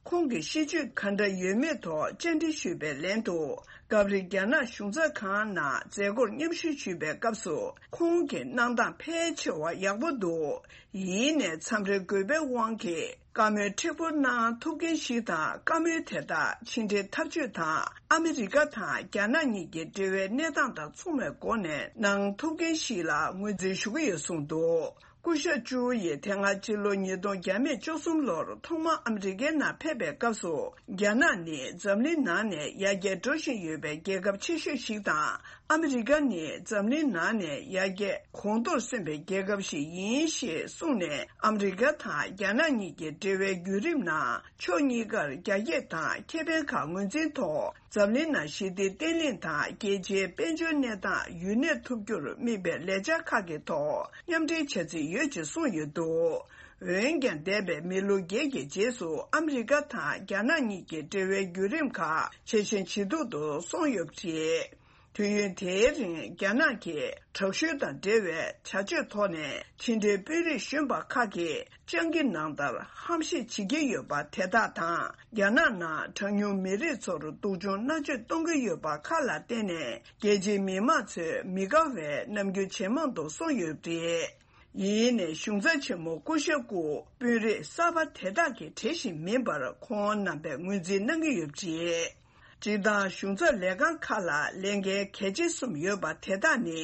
ཁོང་གི་ཤེས་སྤྱོད་ག་འདྲ་ཡོད་མེད་ཐོག་བཅར་འདྲི་ཞུས་པའི་ལན་དུ། སྐབས་རེ་རྒྱ་ནག་གཞུང་ཚབ་ཁང་ནང་མཛད་སྒོར་མཉམ་ཞུགས་ཞུས་པའི་སྐབས་སུ། ཁོང་གི་གནང་སྟངས་ཕལ་ཆེ་བ་ཡག་པོ་འདུག་ཡིན་ནའི་མཚམས་རེ་དགོས་པའི་དབང་གིས་བཀའ་མོལ་མཁྲེགས་པོ་གནང་ཐུབ་མཁན་ཞིག་དང་། བཀའ་མོལ་དེ་དག་ཕྱི་འབྲེལ་ཐབས་ཇུས་དང་ཨ་མི་རི་ཀ་དང་རྒྱ་ནག་གཉིས་ཀྱི་འབྲེལ་བའི་གནས་སྟངས་དང་མཚུངས་པའི་སྒོ་ནས་གནང་ཐུབ་མཁན་ཞིག་ལ་ངོས་འཛིན་ཞུ་གི་ཡོད་གསུངས་འདུག་སྐུ་ཞབས་ཅུའུ་ཡིས་དེ་སྔ་ཕྱི་ལོ་ཉིས་སྟོང་བརྒྱ་མེད་བཅུ་གསུམ་ལོར་ཐོག་མར་ཨ་མི་རི་ཀའི་ནང་ཕེབས་པའི་སྐབས་སུ། རྒྱ་ནག་ནི་འཛམ་གླིང་ནང་ནས་ཡར་རྒྱས་འགྲོ་བཞིན་ཡོད་པའི་རྒྱལ་ཁབ་ཆེ་ཤོས་ཤིག་དང་། ཨ་མི་རི་ཀ་ནི་འཛམ་གླིང་ནང་ནས་ཡར་རྒྱས་གོང་མཐོར་སོན་པའི་རྒྱལ་ཁབ་ཞིག་ཡིན་ཞེས་གསུངས་ནས། ཨ་མི་རི་ཀ་དང་རྒྱ་ནག་གཉིས་ཀྱི་འབྲེལ་བའི་བརྒྱུད་རིམ་ནང་ཕྱོགས་གཉིས་ཀར་རྒྱ་སྐྱེད་དང་ཁེ་ཕན་ཁག་ངོས་འཛིན་ཐོག་འཛམ་གླིང་ནང་ཞི་བདེ་བརྟན་ལྷིང་དང་རྒྱལ་སྤྱིའི་དཔལ་འབྱོར་གནས་སྟངས་ཡུན་གནས་ཐུབ་རྒྱུར་དམིགས་པའི་ལས་འཆར་ཁག་གི་ཐོག་མཉམ་འབྲེལ་བྱ་རྩིས་ཡོད་ཅེས་གསུངས་ཡོད་འདུག་འོན་ཀྱང་། འདས་པའི་མི་ལོ་བརྒྱད་ཀྱི་རྗེས་སུ་ཨ་མི་རི་ཀ་དང་རྒྱ་ནག་གཉིས་ཀྱི་འབྲེལ་བའི་བརྒྱུད་རིམ་ཁག་ཇེ་ཞན་ཇེ་སྡུག་ཏུ་སོང་ཡོད་པ་རེད། དུས་ཡུན་དེའི་རིང་རྒྱ་ནག་གིས་དྲག་ཤུལ་དང་འབྲེལ་བའི་བྱ་སྤྱོད་ཐོག་ནས་ཕྱི་འབྲེལ་དཔོན་རིགས་གཞོན་པ་ཁག་གིས་སྤྱང་ཀི་ནང་ལྟར་ཧམ་བཤད་བྱེད་ཀྱི་ཡོད་པ་དེ་དག་དང་། རྒྱ་ནག་ནང་གྲངས་ཉུང་མི་རིགས་ཚོར་སྡུག་སྦྱོང་མནར་གཅོད་གཏོང་གི་ཡོད་པ་ཁག་ལ་བརྟེན་ནས། རྒྱལ་སྤྱིའི་མི་མང་ཚོས་མི་དགའ་བའི་རྣམ་འགྱུར་ཇེ་མང་དུ་སོང་ཡོད་པ་རེད། ཡིན་ནའི་གཞུང་ཚབ་ཆེན་མོ་སྐུ་ཞབས་སྐུ་དཔོན་རིགས་གསར་པ་དེ་དག་གི་གྲས་ཤིག་མིན་པར་ཁོང་རྣམ་པས་ངོས་འཛིན་གནང་གི་ཡོད་པ་རེད། སྤྱིར་བཏང་གཞུང་ཚབ་ལས་ཁང་ཁག་ལ་ལས་འགན་གལ་ཆེ་གསུམ་ཡོད་པ་དེ་དག་ནི།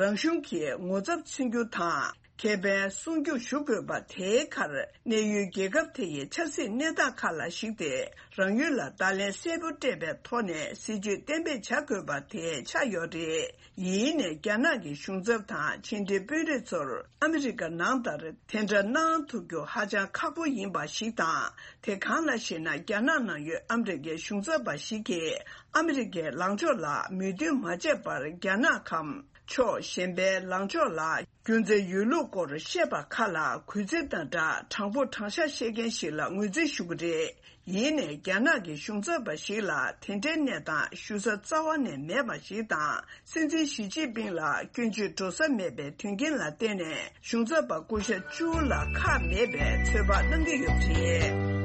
རང་གཞུང་གི་ངོ་ཚབ་མཚོན་རྒྱུ་དང་ ཁེ་ཕན་སྲུང་སྐྱོབ་ཞུ་དགོས་པ་དེའི་ཁར། གནས་ཡུལ་རྒྱལ་ཁབ་དེ་ཡི་ཆབ་སྲིད་གནས་སྟངས་ཁག་ལ་གཞིགས་ཏེ། རང་ཡུལ་ལ་བརྡ་ལན་གསལ་པོ་སྤྲད་པའི་ཐོག་ནས་སྲིད་ཇུས་གཏན་འབེབས་བྱ་དགོས་པ་དེ་ཆགས་ཡོད་རེད། ཡིན་ནའི་རྒྱ་ནག་གི་གཞུང་ཚབ་དང་ཕྱི་འབྲེལ་དཔོན་རིགས་ཚོར་ཨ་མི་རི་ཀ་ནང་ལྟར་དེ་འདྲ་གནང་ཐུབ་རྒྱུ་ཧ་ཅང་ཁག་པོ་ཡིན་པ་ཞིག་དང་། དེ་གང་ལགས་ཤེ་ན། རྒྱ་ནག་ནང་ཡོད་ཨ་མི་རི་ཀའི་གཞུང་ཚབ་པ་ཞིག་གིས་ཨ་མི་རི་ཀའི་ལངས་ཕྱོགས་ལ་མོས་མཐུན་མ་བྱས་པར། རྒྱ་ནག་གམ་ཕྱོགས་གཞན་པའི་ལངས་ཕྱོགས་ལ་རྒྱུ་མཚན་ཡོད་ལུགས་སྐོར་བཤད་པ་ཁག་ལ་གུས་བརྩི་དང་སྦྲགས། དྲང་པོ་དྲང་བཞག་བཤད་མཁན་ཞིག་ལ་ངོས་འཛིན་ཞུ་གི་རེད། ཡིན་ནའི་རྒྱ་ནག་གི་གཞུང་ཚབ་པ་ཞིག་ལ་དེ་འདྲའི་གནས་སྟངས་ཞུ་ས་རྩ་བ་ནས་མེད་པ་ཞིག་དང་། སྲིད་འཛིན་ཞི་ཅིན་ཕིང་ལ་སྐྱོན་བརྗོད་འགྲོ་ས་མེད་པའི་དོན་རྐྱེན་ལ་བརྟེན་ནས། གཞུང་ཚབ་པ་སྐུ་ཞབས་ཅུའུ་ལ་ཁག་མེད་པའི་ཚོད་དཔག་གནང་གི་ཡོད་པ་རེད།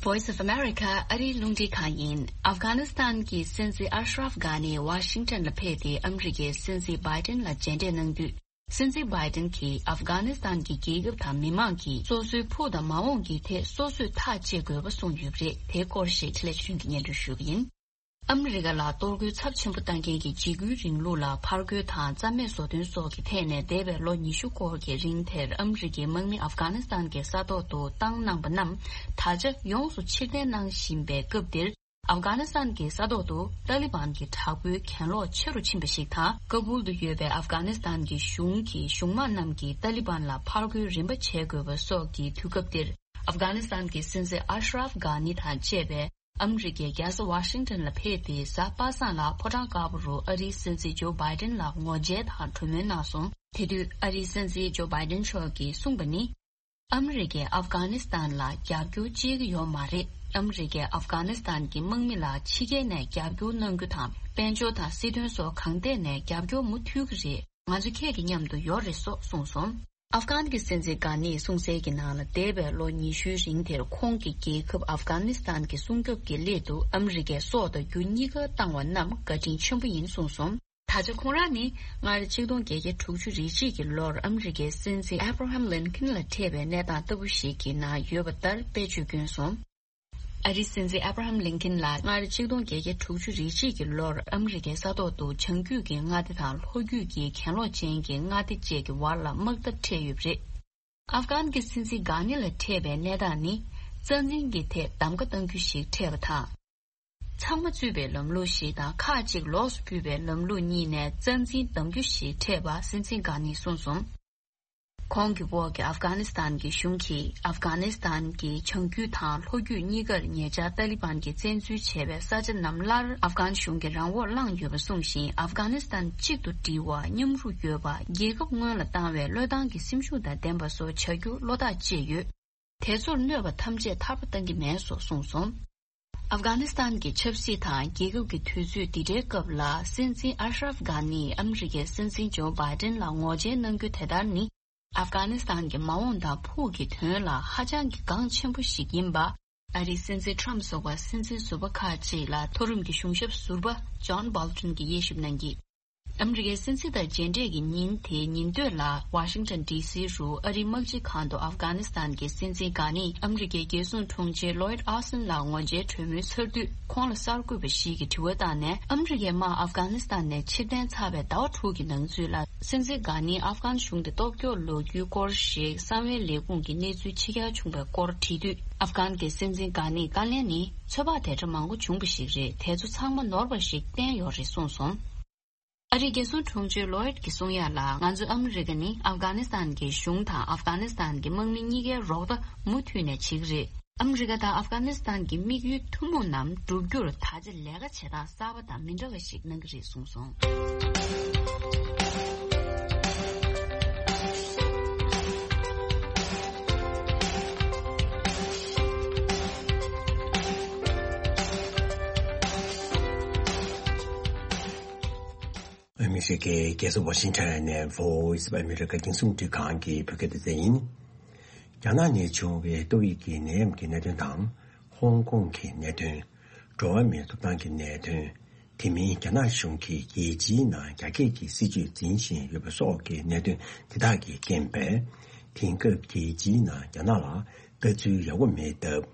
Voice of America ཨ་རིའི་རླུང་འཕྲིན་ཁང་ཡིན། ཨབ་གྷ་ནི་སི་ཐན་གྱི་སྲིད་འཛིན་ཨ་ཤ་རབ་གྷ་ནི་ཝ་ཤིང་ཊོན་ལ་ཕེབས་ཏེ། ཨ་མི་རི་ཀའི་སྲིད་འཛིན་བྷའི་ཏིན་ལ་མཇལ་འཕྲད་གནང་དུས། སྲིད་འཛིན་བྷའི་ཏིན་གྱིས་ཨབ་གྷ་ནི་སི་ཐན་གྱི་རྒྱལ་ཁབ་དང་མི་མང་གིས་སོ་སོའི་ཕུགས་དང་མ་འོངས་ཀྱི་ཐད་སོ་སོས་ཐག་གཅད་དགོས་པ་གསུངས་ཡོད་པ་རེད། དེའི་སྐོར་ཞིག་འཕྲིན་ལས་ཆོས་སྒྲོན་གྱིས་སྙན་སྒྲོན་ཞུ་གི་ཡིན། ཨ་མི་རི་ཀ་ལ་གཏོར་རྒོལ་ཚབས་ཆེན་པོ་བཏང་མཁན་གྱི་འཇིགས་སྐུལ་རིང་ལུགས་ལ་ཕར་རྒོལ་དང་རྩ་མེད་བཟོ་དོན་སོགས་ཀྱི་ཐད་ནས། འདས་པའི་ལོ་ཉི་ཤུ་སྐོར་གྱི་རིང་དེར་ཨ་མི་རི་ཀའི་དམག་མི་ཨབ་གྷ་ནི་སི་ཐན་གྱི་ས་ཐོག་ཏུ་བཏང་གནང་པ་རྣམས། ད་ཆ་ཡོངས་སུ་ཕྱིར་འཐེན་གནང་བཞིན་པའི་སྐབས་འདིར། ཨབ་གྷ་ནི་སི་ཐན་གྱི་ས་ཐོག་ཏུ་ཏཱ་ལི་བན་གྱི་དྲག་པོའི་གྱེན་ལོག་ཆེ་རུ་ཕྱིན་པ་ཞིག་དང་། ཀ་བུལ་དུ་ཡོད་པའི་ཨབ་གྷ་ནི་སི་ཐན་གྱི་གཞུང་གི་གཞུང་དམག་རྣམས་ཀྱིས་ཏཱ་ལི་བན་ལ་ཕར་རྒོལ་རིམ་པ་བྱེད་དགོས་པ་སོགས་ཀྱི་དུས་སྐབས་འདིར། ཨབ་གྷ་ནི་སི་ཐན་གྱི་སྲིད་འཛིན་ཨ་ཤ་རབ་གྷ་ནི་དང་བཅས་པའི་ཨ་མི་རི་ཀའི་རྒྱལ་ས་ཝ་ཤིང་ཊོན་ལ་ཕེབས་ཏེ། གཟའ་པ་སངས་ལ་ཕོ་བྲང་དཀར་པོ་རུ་ཨ་རིའི་སྲིད་འཛིན་ཇོ་བྷའི་ཏིན་ལ་ངོ་མཇལ་དང་གྲོས་མོལ་གནང་སོང་། དེ་དུས་ཨ་རིའི་སྲིད་འཛིན་ཇོ་བྷའི་ཏིན་མཆོག་གིས་གསུངས་པ་ནི། ཨ་མི་རི་ཀས་ཨབ་གྷ་ནི་སི་ཐན་ལ་རྒྱབ་སྐྱོར་བྱེད་ཀྱི་ཡོད་མ་རེད། ཨ་མི་རི་ཀས་ཨབ་གྷ་ནི་སི་ཐན་གྱི་དམག་མི་ལ་ཕྱི་རྒྱལ་ནས་རྒྱབ་སྐྱོར་གནང་རྒྱུ་དང་། དཔལ་འབྱོར་དང་སྲིད་དོན་སོགས་གང་ཐད་ནས་རྒྱབ་སྐྱོར་མུ་མཐུད་ཀྱི་རེད། ང་ཚོ་ཁྱེད་ཀྱི་མཉམ་དུ་ཡོད་རེད་སོགས་གསུངས་སོང་། ཨབ་གྷན་གྱི་སྲིད་འཛིན་གྷ་ནིས་གསུངས་གསལ་གྱི་ནང་ལ། འདས་པའི་ལོ་ཉི་ཤུའི་རིང་དེར་ཁོང་གི་རྒྱལ་ཁབ་ཨབ་གྷ་ནི་སི་ཐན་གྱི་སྲུང་སྐྱོབ་ཀྱི་སླད་དུ་ཨ་མི་རི་ཀས་སྲོག་དང་རྒྱུ་གཉིས་ཀ་བཏང་བ་རྣམས་བཀའ་དྲིན་ཆེན་པོ་ཡིན་གསུངས་སོང་། ད་ཆ་ཁོང་རང་ནི་སྔར་ཆིག་སྟོང་བརྒྱད་བརྒྱ་དྲུག་ཅུ་རེ་གཅིག་གི་ལོར་ཨ་མི་རི་ཀའི་སྲིད་འཛིན་ཨེབ་ར་ཧམ་ལིན་ཁིན་ལ་འཕྲད་པའི་གནས་སྟངས་ལྟ་བུ་ཞིག་གི་ནང་ཡོད་པ་ལྟར་དཔེ་བརྗོད་བསྐྱོན་སོང་། ཨ་རིའི་སྲིད་འཛིན་ཨེབ་ར་ཧམ་ལིན་ཁིན་ལ་སྔར་ཆིག་སྟོང་བརྒྱད་བརྒྱ་དྲུག་ཅུ་རེ་གཅིག་གི་ལོར་ཨ་མི་རི་ཀའི་ས་ཐོག་ཏུ་བྱང་རྒྱུད་ཀྱི་མངའ་སྡེ་དང་ལྷོ་རྒྱུད་ཀྱི་གྱེན་ལོག་ཅན་གྱི་མངའ་སྡེ་བཅས་ཀྱི་བར་ལ་དམག་འཐབ་འཕྲད་ཡོད་པ་རེད། ཨབ་གྷན་གྱི་སྲིད་འཛིན་གྷ་ནི་ལ་འཕྲད་པའི་གནས་སྟངས་ནི་རྩ་འཛིན་གྱི་ཐད་གདམ་ག་གཏང་རྒྱུ་ཞིག་འཕྲད་པ་དང་། ཚང་མ་གཙོས་པའི་ལམ་ལུགས་ཤིག་དང་ཁག་ཅིག་ལོགས་སུ་གྱུར་པའི་ལམ་ལུགས་གཉིས་ནས་རྩ་འཛིན་གདམ་རྒྱུ་ཞིག་འཕྲད་པ་སྲིད་འཛིན་གྷ་ནིས་གསུངས་སོང་། ཁོང་གི་འོག་གི་ཨབ་གྷ་ནི་སི་ཐན་གྱི་གཞུང་གིས་ཨབ་གྷ་ནི་སི་ཐན་གྱི་བྱང་རྒྱུད་དང་ལྷོ་རྒྱུད་གཉིས་ཀར་ཉེ་ཆར་ཏཱ་ལི་བན་གྱིས་བཙན་འཛུལ་བྱས་པའི་ས་ཆ་རྣམས་སླར་ཨབ་གྷན་གཞུང་གི་རང་འོག་བླངས་ཡོད་པ་གསུངས་ཤིང་། ཨབ་གྷ་ནི་སི་ཐན་གཅིག་ཏུ་སྒྲིལ་བ། མཉམ་རུབ་ཡོད་པ། རྒྱལ་ཁབ་སྔོན་ལ་བཏང་བའི་བློས་བཏང་གི་སེམས་ཤུགས་དང་ལྡན་པ་སོགས་བྱ་རྒྱུ་བློ་ཐག་བཅད་ཡོད། དེ་ཚོར་གནོད་པ་ཐམས་ཅད་ཐར་པ་གཏང་གི་མེད་སོགས་གསུངས་སོང་། ཨབ་གྷ་ནི་སི་ཐན་གྱི་ཆབ་སྲིད་དང་རྒྱལ་ཁབ་ཀྱི་དུས་ཚོད་འདི་འདྲའི་སྐབས་ལ། སྲིད་འཛིན་ཨ་ཤ་རབ་གྷ་ནིས་ཨ་མི་རི་ཀའི་སྲིད་འཛིན་ཇོ་བྷའི་ཏིན་ལ་ངོ་མཇལ་གནང་རྒྱུ་དེ་ལྟར་ནི། ཨབ་གྷ་ནི་སི་ཐན་གྱི་མ་འོངས་དང་ཕུགས་ཀྱི་དོན་ལ་ཧ་ཅང་གི་འགངས་ཆེན་པོ་ཞིག་ཡིན་པ། ཨ་རིའི་སྲིད་འཛིན་ཁྲམ་སོགས་པ་སྲིད་འཛིན་ཟུར་པ་ཁག་ཅིག་ལ་མཐོ་རིམ་གྱི་གཞུང་ཞབས་ཟུར་པ་ཇོན་སྦོལ་ཊོན་གྱིས་དབྱེ་ཞིབ་གནང་གིས། ཨ་མི་རི་ཀའི་སྲིད་འཛིན་དང་མཇལ་འཕྲད་ཀྱི་ཉིན་དེའི་ཉིན་སྟོད་ལ་ཝ་ཤིང་ཊོན་ཌི་སི་རུ་ཨ་རིའི་དམག་སྤྱི་ཁང་དུ་ཨབ་གྷ་ནི་སི་ཐན་གྱི་སྲིད་འཛིན་གྷ་ནིས་ཨ་མི་རི་ཀའི་རྒྱལ་སྲུང་དྲུང་ཆེ་ལོའིད་ཨོ་སི་ཊིན་ལ་ངོ་མཇལ་གྲོས་མོལ་ཚར་དུས། ཁོང་ལ་གསར་འགོད་པ་ཞིག་གིས་དྲི་བ་བཏང་ནས། ཨ་མི་རི་ཀའི་དམག་ཨབ་གྷ་ནི་སི་ཐན་ནས་ཕྱིར་འཐེན་ཚར་བའི་ཟླ་བ་དྲུག་གི་ནང་ཚུད་ལ། སྲིད་འཛིན་གྷ་ནིས་ཨབ་གྷན་གཞུང་དེ་སྟོབས་སྐྱོར་ལོག་རྒྱུའི་སྐོར་ཞིག་གསང་བའི་ལས་ཁུངས་ཀྱི་གནས་ཚུལ་ཕྱི་གྱར་བྱུང་བའི་སྐོར་དྲིས་དུས། ཨབ་གྷན་གྱི་སྲིད་འཛིན་གྷ་ནིས། བཀའ་ལན་ནི་ཚོད་དཔག་དེ་འདྲ་མང་པོ་བྱུང་བ་ཞིག་རེད། དེ་ཚོ་ཚང་མ་ནོར་བ་ཞིག་བསྟན་ཡོད་རེད་གསུངས་སོང་། ཨ་རིའི་རྒྱལ་སྲུང་དྲུང་ཆེ་ལོའིད་ཀྱིས་གསུང་ཡ་ལ། ང་ཚོ་ཨ་མི་རི་ཀ་ནི་ཨབ་གྷ་ནི་སི་ཐན་གྱི་གཞུང་དང་ཨབ་གྷ་ནི་སི་ཐན་གྱི་དམག་མི་གཉིས་ཀའི་རོགས་ཟླ་མུ་མཐུད་ནས་བྱེད་ཀྱི་རེད། ཨ་མི་རི་ཀ་དང་ཨབ་གྷ་ནི་སི་ཐན་གྱི་དམིགས་ཡུལ་ཐུན་མོང་རྣམས་བསྒྲུབ་རྒྱུར་ད་ཆ་ལས་ཀ་བྱེད་སྟངས་གསར་པ་དང་མི་འདྲ་བ་ཞིག་གནང་གི་རེད་གསུངས་སོང་། ཨ་མི་རི་ཀའི་རྒྱལ་ས་ཝ་ཤིང་ཊོན་ནས་Voice of America རྒྱང་སྲིང་རླུང་འཕྲིན་ཁང་གི་བོད་སྐད་སྡེ་ཚན་ཡིན། རྒྱ་ནག་ནས་བྱུང་བའི་ཏོག་དབྱིབས་ཀྱི་ནད་ཡམས་ཀྱི་གནད་དོན་དང་། ཧོང་ཀོང་གི་གནད་དོན། འགྲོ་བ་མིའི་ཐོབ་ཐང་གི་གནད་དོན། དེ་མིན་རྒྱ་ནག་གཞུང་གིས་རྒྱལ་སྤྱིའི་ནང་རྒྱ་སྐྱེད་ཀྱི་སྲིད་ཇུས་འཛིན་བཞིན་ཡོད་པ་སོགས་ཀྱི་གནད་དོན་དེ་དག་གིས་རྐྱེན་པས། དེང་སྐབས་རྒྱལ་སྤྱིའི་ནང་རྒྱ་ནག་ལ་ལྟ་ཚུལ་ཡག་པོ་མེད་སྟབས།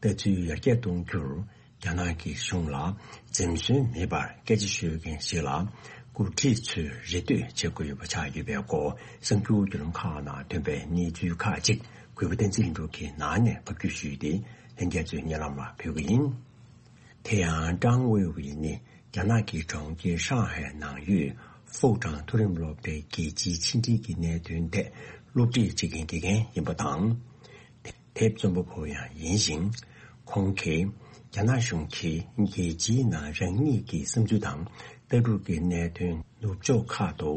ལྟ་ཚུལ་ཡར་རྒྱས་གཏོང་རྒྱུར། རྒྱ་ནག་གི་གཞུང་ལ་འཛེམ་ཟོན་མེད་པར་སྐད་ཆ་ཤོད་མཁན་ཞིག་ལ། འགོ་ཁྲིད་ཚོས་རེ་ལྟོས་བྱེད་དགོས་ཡོད་པ་ཆགས་ཡོད་པའི་སྐོར། གསར་འགྱུར་བརྒྱུད་ལམ་ཁག་ནང་ཐོན་པའི་གནས་ཚུལ་ཁག་ཅིག་གུས་པ་བསྟན་འཛིན་ལྷུན་གྲུབ་ཀྱིས་ནང་ནས་ཕབ་སྒྱུར་ཞུས་ཏེ། ལྷན་རྒྱས་ཚོའི་སྙན་ལམ་ལ་ཕུལ་གྱི་ཡིན། དེ་ཡང་ཀྲང་ཝེ་ཝེ་ནི་རྒྱ་ནག་གི་གྲོང་ཁྱེར་ཧྲང་ཧའེ་ནང་ཡོད་ཧྥུའུ་ཀྲང་མཐོ་རིམ་སློབ་གྲྭའི་རྒྱལ་སྤྱིའི་ཕྱི་འབྲེལ་གྱི་གནད་དོན་ཐད་སློབ་ཁྲིད་བྱེད་མཁན་དགེ་རྒན་ཡིན་པ་དང་། དེབ་རྩོམ་པ་པོ་ཡང་ཡིན་ཞིང་། ཁོང་གིས་རྒྱ་ནག་གཞུང་གིས་རྒྱལ་སྤྱིའི་ནང་རང་ཉིད་ཀྱི་བསམ་ཚུལ་དང་ལྟ་གྲུབ་ཀྱི་གནད་དོན་ནུབ་ཕྱོགས་ཁག་ཏུ་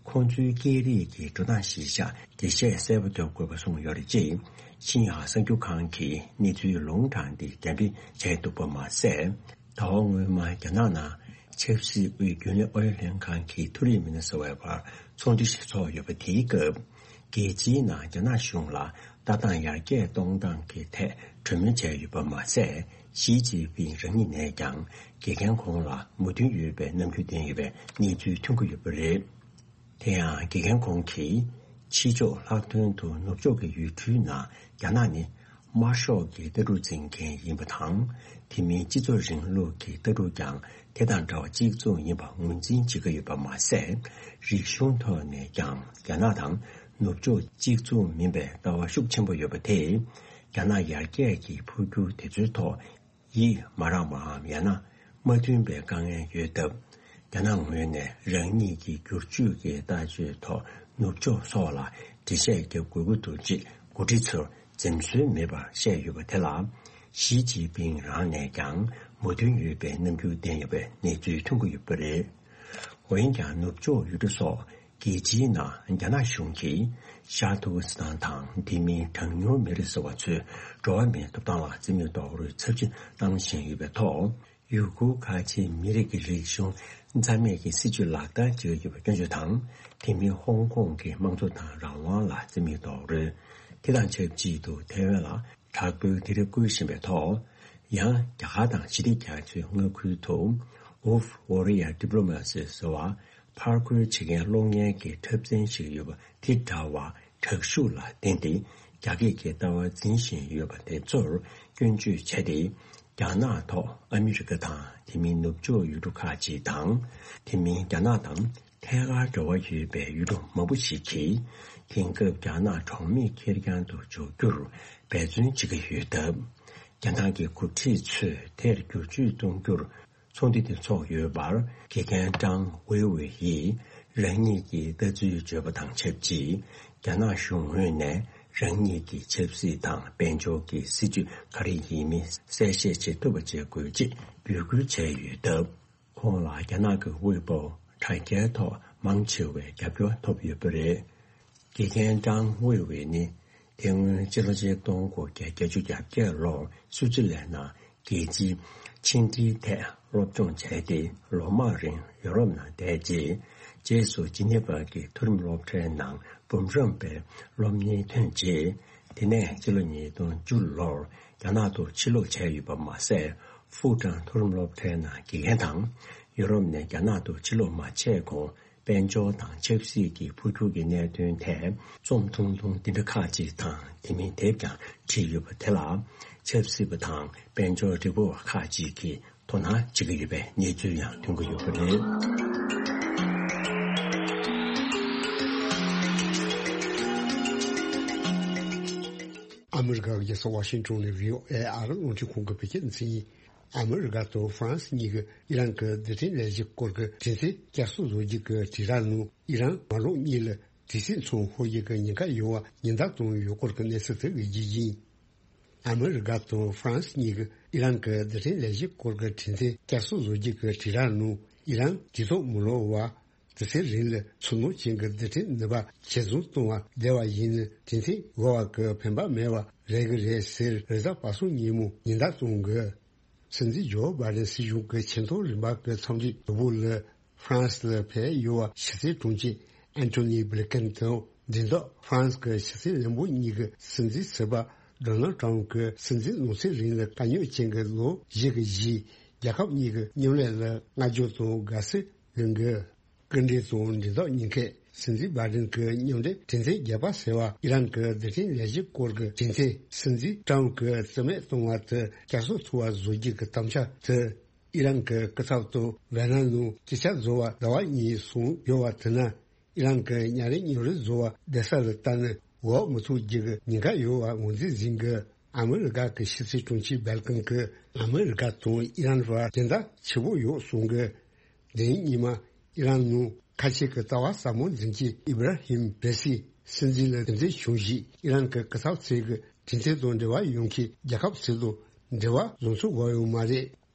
ཁོང་ཚོའི་སྐད་རིགས་ཀྱི་འགྲོ་སྟངས་གཞིར་བཞག་འགྲེལ་བཤད་གསལ་པོ་བརྒྱབ་དགོས་པ་གསུངས་ཡོད་རེད། ཅེས་ཤིན་ཡང་གསར་འགྱུར་ཁང་གིས་གནས་ཚུལ་ལུང་དྲངས་ཏེ་རྒྱང་འཕྲིན་བྱས་འདུག་པ་མ་ཟད། ཟླ་བ་སྔོན་མ་རྒྱ་ནག་ནང་ཆབ་སྲིད་དབུས་རྒྱུན་ལས་ཨུ་ཡོན་ལྷན་ཁང་གི་མཐོ་རིམ་མི་སྣ་ཟུར་པ་བར་ཚོགས་འདུ་ཞིག་ཚོགས་ཡོད་པ། དེའི་སྐབས་རྒྱལ་སྤྱིའི་ནང་རྒྱ་ནག་གཞུང་ལ་ལྟ་སྟངས་ཡར་རྒྱས་གཏོང་སྟངས་ཀྱི་ཐད་གྲོས་མོལ་བྱས་ཡོད་པ་མ་ཟད། ཞི་ཅིན་ཕིང་རང་ཉིད་ནས་ཀྱང་དགེ་རྒན་ཁོང་ལ་མོས་མཐུན་ཡོད་པའི་རྣམ་འགྱུར་བསྟན་ཡོད་པའི་གནས་ཚུལ་ཐོན་གྱི་ཡོད་པ་རེད། དེ་ཡང་དགེ་རྒན་ཁོང་གིས་ཕྱི་ཕྱོགས་ལྷག་དོན་དུ་ནུབ་ཕྱོགས་ཀྱི་ཡུལ་གྲུའི་ནང་རྒྱ་ནག་ནི་དམར་ཤོག་གི་ལྟ་གྲུབ་འཛིན་མཁན་ཡིན་པ་དང་། དེ་མིན་སྤྱི་ཚོགས་རིང་ལུགས་ཀྱི་ལྟ་གྲུབ་ཀྱང་དེ་དང་འདྲ་བ་གཅིག་མཚུངས་ཡིན་པ་ངོས་འཛིན་བྱེད་ཀྱི་ཡོད་པ་མ་ཟད། རིག་གཞུང་ཐོག་ནས་ཀྱང་རྒྱ་ནག་དང་ནུབ་ཕྱོགས་གཅིག་མཚུངས་མིན་པའི་ལྟ་བ་ཤུགས་ཆེན་པོ་ཡོད་པ་དེས། རྒྱ་ནག་ཡར་རྒྱས་ཀྱི་འཕོ་འགྱུར་དེ་ཚོའི་ཐོག་ཡིད་མ་རངས་པའམ་ཡང་ན་མ་མཐུན་པའི་དཀའ་ངལ་ཡོད་སྟབས། རྒྱ་ནག་ངོས་ནས་རང་ཉིད་ཀྱི་བསྒྱུར་བཅོས་ཀྱི་ལྟ་སྤྱོད་ཐོག་ནུབ་ཕྱོགས་སོགས་ལ་འགྲེལ་བཤད་རྒྱབ་དགོས་ཀྱི་འདུག་ཅེས་འགོ་ཁྲིད་ཚོར་འཛེམ་ཟོན་མེད་པར་བཤད་ཡོད་པ་དེ་ལ། ཞི་ཅིན་ཕིང་རང་ནས་ཀྱང་མོས་མཐུན་ཡོད་པའི་རྣམ་འགྱུར་བསྟན་ཡོད་པའི་གནས་ཚུལ་ཐོན་གྱི་ཡོད་པ་རེད། འོན་ཀྱང་ནུབ་ཕྱོགས་ཡུལ་གྲུ་སོགས། རྒྱལ་སྤྱིའི་ནང་རྒྱ་ནག་གཞུང་གིས་ཤར་ཏུར་ཀི་སི་ཐན་དང་དེ་མིན་གྲངས་ཉུང་མི་རིགས་ཟེར་བ་ཚོའི་འགྲོ་བ་མིའི་ཐོབ་ཐང་ལ་རྩིས་མེད་རྡོག་རོལ་ཚབས་ཆེན་བཏང་བཞིན་ཡོད་པའི་ཐོག། ཡུ་གུར་ཁ་ཆེའི་མི་རིགས་ཀྱི་རིག་གཞུང་རྩ་མེད་ཀྱི་སྲིད་བྱུས་ལག་བསྟར་བྱེད་ཀྱི་ཡོད་པ་སྐྱོན་བརྗོད་དང་། དེ་མིན་ཧོང་ཀོང་གི་དམངས་གཙོ་དང་རང་དབང་ལ་རྩིས་མེད་རྡོག་རོལ། དེ་དང་ཆབས་ཅིག་ཏུ་ཐའེ་ཝན་ལ། དྲག་པོའི་དེ་རིགས་བསྐུལ་བཞིན་པའི་ཐོག། ཡང་རྒྱ་གར་དང་ཞི་བདེ་རྒྱ་མཚོའི་མངའ་ཁུལ་དུ། Wolf Warrior Diplomacy ཟེར་བ། ཕར་རྒོལ་བྱེད་མཁན་གློག་བརྙན་གྱི་འཁྲབ་ཚན་ཞིག་ཡོད་པ་དེ་འདྲ་བ་དྲག་ཤུགས་ལ་བརྟེན་ཏེ། རྒྱ་སྐད་ཀྱི་ལྟ་བ་འཛིན་བཞིན་ཡོད་པ་དེ་ཚོར་སྐྱོན་བརྗོད་བྱས་ཏེ། རྒྱ་ནག་ཐོག་ཨ་མི་རི་ཀ་དང་དེ་མིན་ནུབ་ཕྱོགས་ཡུལ་གྲུ་ཁག་ཅིག་དང་། དེ་མིན་རྒྱ་ནག་དང་། ཐད་ཀར་འབྲེལ་བ་ཡོད་པའི་ཡུལ་གྲུ་མང་པོ་ཞིག་གིས་དེང་སྐབས་རྒྱ་ནག་གྲོགས་མེད་ཁེར་རྐྱང་དུ་འཇོག་རྒྱུར་འབད་བརྩོན་བྱེད་ཀྱི་ཡོད་སྟབས། རྒྱ་ནག་གི་འགོ་ཁྲིད་ཚོས་དེར་བསྒྱུར་བཅོས་གཏོང་རྒྱུར་ཚོགས་འདུ་དེ་ཚོགས་ཡོད་པར། དགེ་རྒན་ཀྲང་ཝེ་ཝེ་ཡིས་རང་ཉིད་ཀྱི་ལྟ་ཚུལ་བརྗོད་པ་དང་ཆབས་ཅིག་རྒྱ་ནག་གཞུང་ངོས་ནས་རང་ཉིད་ཀྱི་ཆབ་སྲིད་དང་དཔལ་འབྱོར་གྱི་སྲིད་ཇུས་ག་རེ་ཡིན་མིན་གསལ་བཤད་བྱེད་ཐུབ་པ་བྱེད་དགོས་ཅེས་འབོད་སྐུལ་བྱས་ཡོད་སྟབས། ཁོང་ལ་རྒྱ་ནག་གི་དབུས་པོ་དྲ་རྒྱའི་ཐོག་མང་ཆེ་བའི་རྒྱབ་སྐྱོར་ཐོབ་ཡོད་པ་རེད། དགེ་རྒན་ཀྲང་ཝེ་ཝེ་ནི། དེ་སྔོན་སྤྱི་ལོ་ཆིག་སྟོང་དགུ་བརྒྱ་བརྒྱད་ཅུ་གྱ་བརྒྱད་ལོར་སུའུ་ཙི་ལན་ནང་རྒྱལ་སྤྱིའི་ཕྱི་འབྲེལ་ཐད་སློབ་སྦྱོང་བྱས་ཏེ། ལོ་མང་རིང་ཡོ་རོབ་ནང་བསྡད་རྗེས། རྗེས་སུ་ཇི་ནི་ཝ་གི་མཐོ་རིམ་སློབ་གྲྭའི་ནང་འབུམ་རམས་པའི་སློབ་གཉེར་ཐོན་རྗེས། དེ་ནས་སྤྱི་ལོ་ཉིས་སྟོང་བཅུ་ལོར་རྒྱ་ནག་ཏུ་ཕྱིར་ལོག་བྱས་ཡོད་པ་མ་ཟད། ཧྥུའུ་ཀྲང་མཐོ་རིམ་སློབ་གྲྭའི་ནང་དགེ་རྒན་དང་། ཡོ་རོབ་ནས་རྒྱ་ནག་ཏུ་ཕྱིར་ལོག་མ་བྱས་གོང་། དཔལ་འབྱོར་དང་ཆབ་སྲིད་ཀྱི་འཕོ་འགྱུར་གྱི་གནད་དོན་ཐད་རྩོམ་ཐུང་ཐུང་འདི་འདྲ་ཁག་ཅིག་དང་། དེ་མིན་དེབ་ཀྱང་བྲིས་ཡོད་པ་དེ་ལ། ཆབ་སྲིད་པ་དང་དཔལ་འབྱོར་རིག་པ་བ་ཁག་ཅིག་གིས་དོ་སྣང་བྱེད་ཀྱི་ཡོད་པའི་གནས་ཚུལ་ཡང་ཐོན་གྱི་ཡོད་པ་རེད། ཨ་མི་རི་ཀའི་རྒྱལ་ས་ཝ་ཤིང་ཊོན་ནས་བྷི་ཨོ་ཨེ་ཨ་རི་རླུང་འཕྲིན་ཁང་གི་བོད་སྐད་སྡེ་ཚན་ཡིན། ཨ་མི་རི་ཀ་དང་ཧྥ་རན་སི་གཉིས་ཀྱིས་ཨི་རན་གྱི་རྡུལ་ཕྲན་ལས་གཞིའི་སྐོར་གྱི་གྲོས་མཐུན་བསྐྱར་གསོ་བཟོ་རྒྱུ་གི་དྲིལ་བསྒྲགས་གནང་། ཨི་རན་མ་ལོག་གཉིས་ལ་དུས་ཚོད་མཚམས་འཁོར་རྒྱུ་གི་ཉེན་ཁ་ཡོང་བ་ཉེན་བརྡ་བཏང་ཡོད་སྐོར་གྱི་གནས་ཚུལ་དེ་གི་རྒྱུ་རྐྱེན། ཨ་མི་རི་ཀ་དང་ཧྥ་རན་སི་གཉིས་ཀྱིས་ཨི་རན་གྱི་རྡུལ་ཕྲན་ལས་གཞིའི་སྐོར་གྱི་གྲོས་མཐུན་བསྐྱར་གསོ་བཟོ་རྒྱུ་གི་དྲིལ་བསྒྲགས་གནང་། ཨི་རན་དུས་ཐོག་མི་ལོག་པར། དུས་ཚོད་རིང་ལ་ཚུལ་སྣང་ཅན་གྱི་རྡུལ་ཕྲན་ནུས་པ་ཇེ་བཟང་གཏོང་བར་བསྡད་པ་ཡིན་ན། གྲོས་མཐུན་འགོར་བ་གི་ཕན་པ་མེད་པ་རེད་གི་རེད་ཟེར། རེས་གཟའ་པ་སངས་ཉིན་མོ་ཉེན་བརྡ་གཏོང་གི། སྲིད་འཛིན་ཇོ་བྷའི་ཌེན་སྲིད་གཞུང་གི་ཆེས་མཐོ་རིམ་པ་གི་ཚོགས་འདུའི་དུས་བབ་ལ། ཧྥ་རན་སི་ལ་ཕེབས་ཡོད་པ་ཕྱི་སྲིད་དྲུང་ཆེ་ཨན་ཐོ་ནི་བྷི་ལི་ཀེན་དང་། མདུན་ཐོག་ཧྥ་རན་སི་གི་ཕྱི་སྲིད་བློན་པོ་གཉིས་ཀྱི་སྲིད་འཛིན་ཟུར་པ་ཌོ་ནལ་ཊམ་གྱི་སྲིད་འཛིན་ལོ་ཚད་རིང་ལ་དཀའ་རྙོག་ཅན་གྱི་ལོ་བཞི་གི་རྗེས། རྒྱལ་ཁབ་གཉིས་ཀྱི་མཉམ་ལས་ལ་བསྔགས་བརྗོད་དང་དགའ་བསུ་ཡོང་གི། སྐུ་མགྲོན་དང་མདུན་ཐོག་གཉིས་ཀས་ སྲིད་འཛིན་བྷའི་ཌེན་གྱི་མཉམ་འབྲེལ་གྲོས་མཐུན་བརྒྱད་པ་ཟེར་བ་ཨི་རན་གྱི་རྡུལ་ཕྲན་ལས་གཞི་སྐོར་གྱི་གྲོས་མཐུན། སྲིད་འཛིན་ཀྲམ་གྱིས་རྩིས་མེད་གཏོང་བ་དེ་བསྐྱར་གསོ་ཐུབ་པ་བཟོ་རྒྱུ་གི་དམ་བཅའ་དེ། ཨི་རན་གྱི་སྐུ་ཚབ་དང་ཝེ་ནམ་ནང་སྐད་ཆ་བཟོ་བར་ཟླ་བ་གཉིས་སོང་ཡོད་པ་དེ་ན། ཨི་རན་གྱི་ཉིན་རེ་ཉིན་རེ་བཟོ་བ་བསྡད་ས་ལ་བལྟས་ན་འོག་མི་ཐུག་རྒྱུ་གི་ཉེན་ཁ་ཡོད་པ་ངོས་འཛིན་བྱེད་མཁན་གྱི་ཨ་མི་རི་ཀ་གི་ཕྱི་སྲིད་དྲུང་ཆེ་སྦེལ་ཀོན་གྱིས་ཨ་མི་རི་ཀ་དང་ཨི་རན་བར་འགལ་ཟླ་ཆེ་པོ་ཡོད་གསུང་གི། དེ་རིང་ཉི་མ་ཨི་རན་ནང་ཁ་ཆེ་གི་ལྟ་བ་ཟབ་མོ་འཛིན་མཁན་ཨི་བྷ་ར་ཧིམ་རེ་སི་སྲིད་འཛིན་ལ་གདན་འདྲེན་བྱུང་རྗེས་ཨི་རན་གྱི་སྐུ་ཚབ་ཚོས་གི་གྲོས་མཐུན་དང་འབྲེལ་བ་ཡོད་མཁན་རྒྱལ་ཁབ་ཚོ་དང་འབྲེལ་བ་བཟོ་ཚུགས་དགོས་ཡོད་མ་རེད།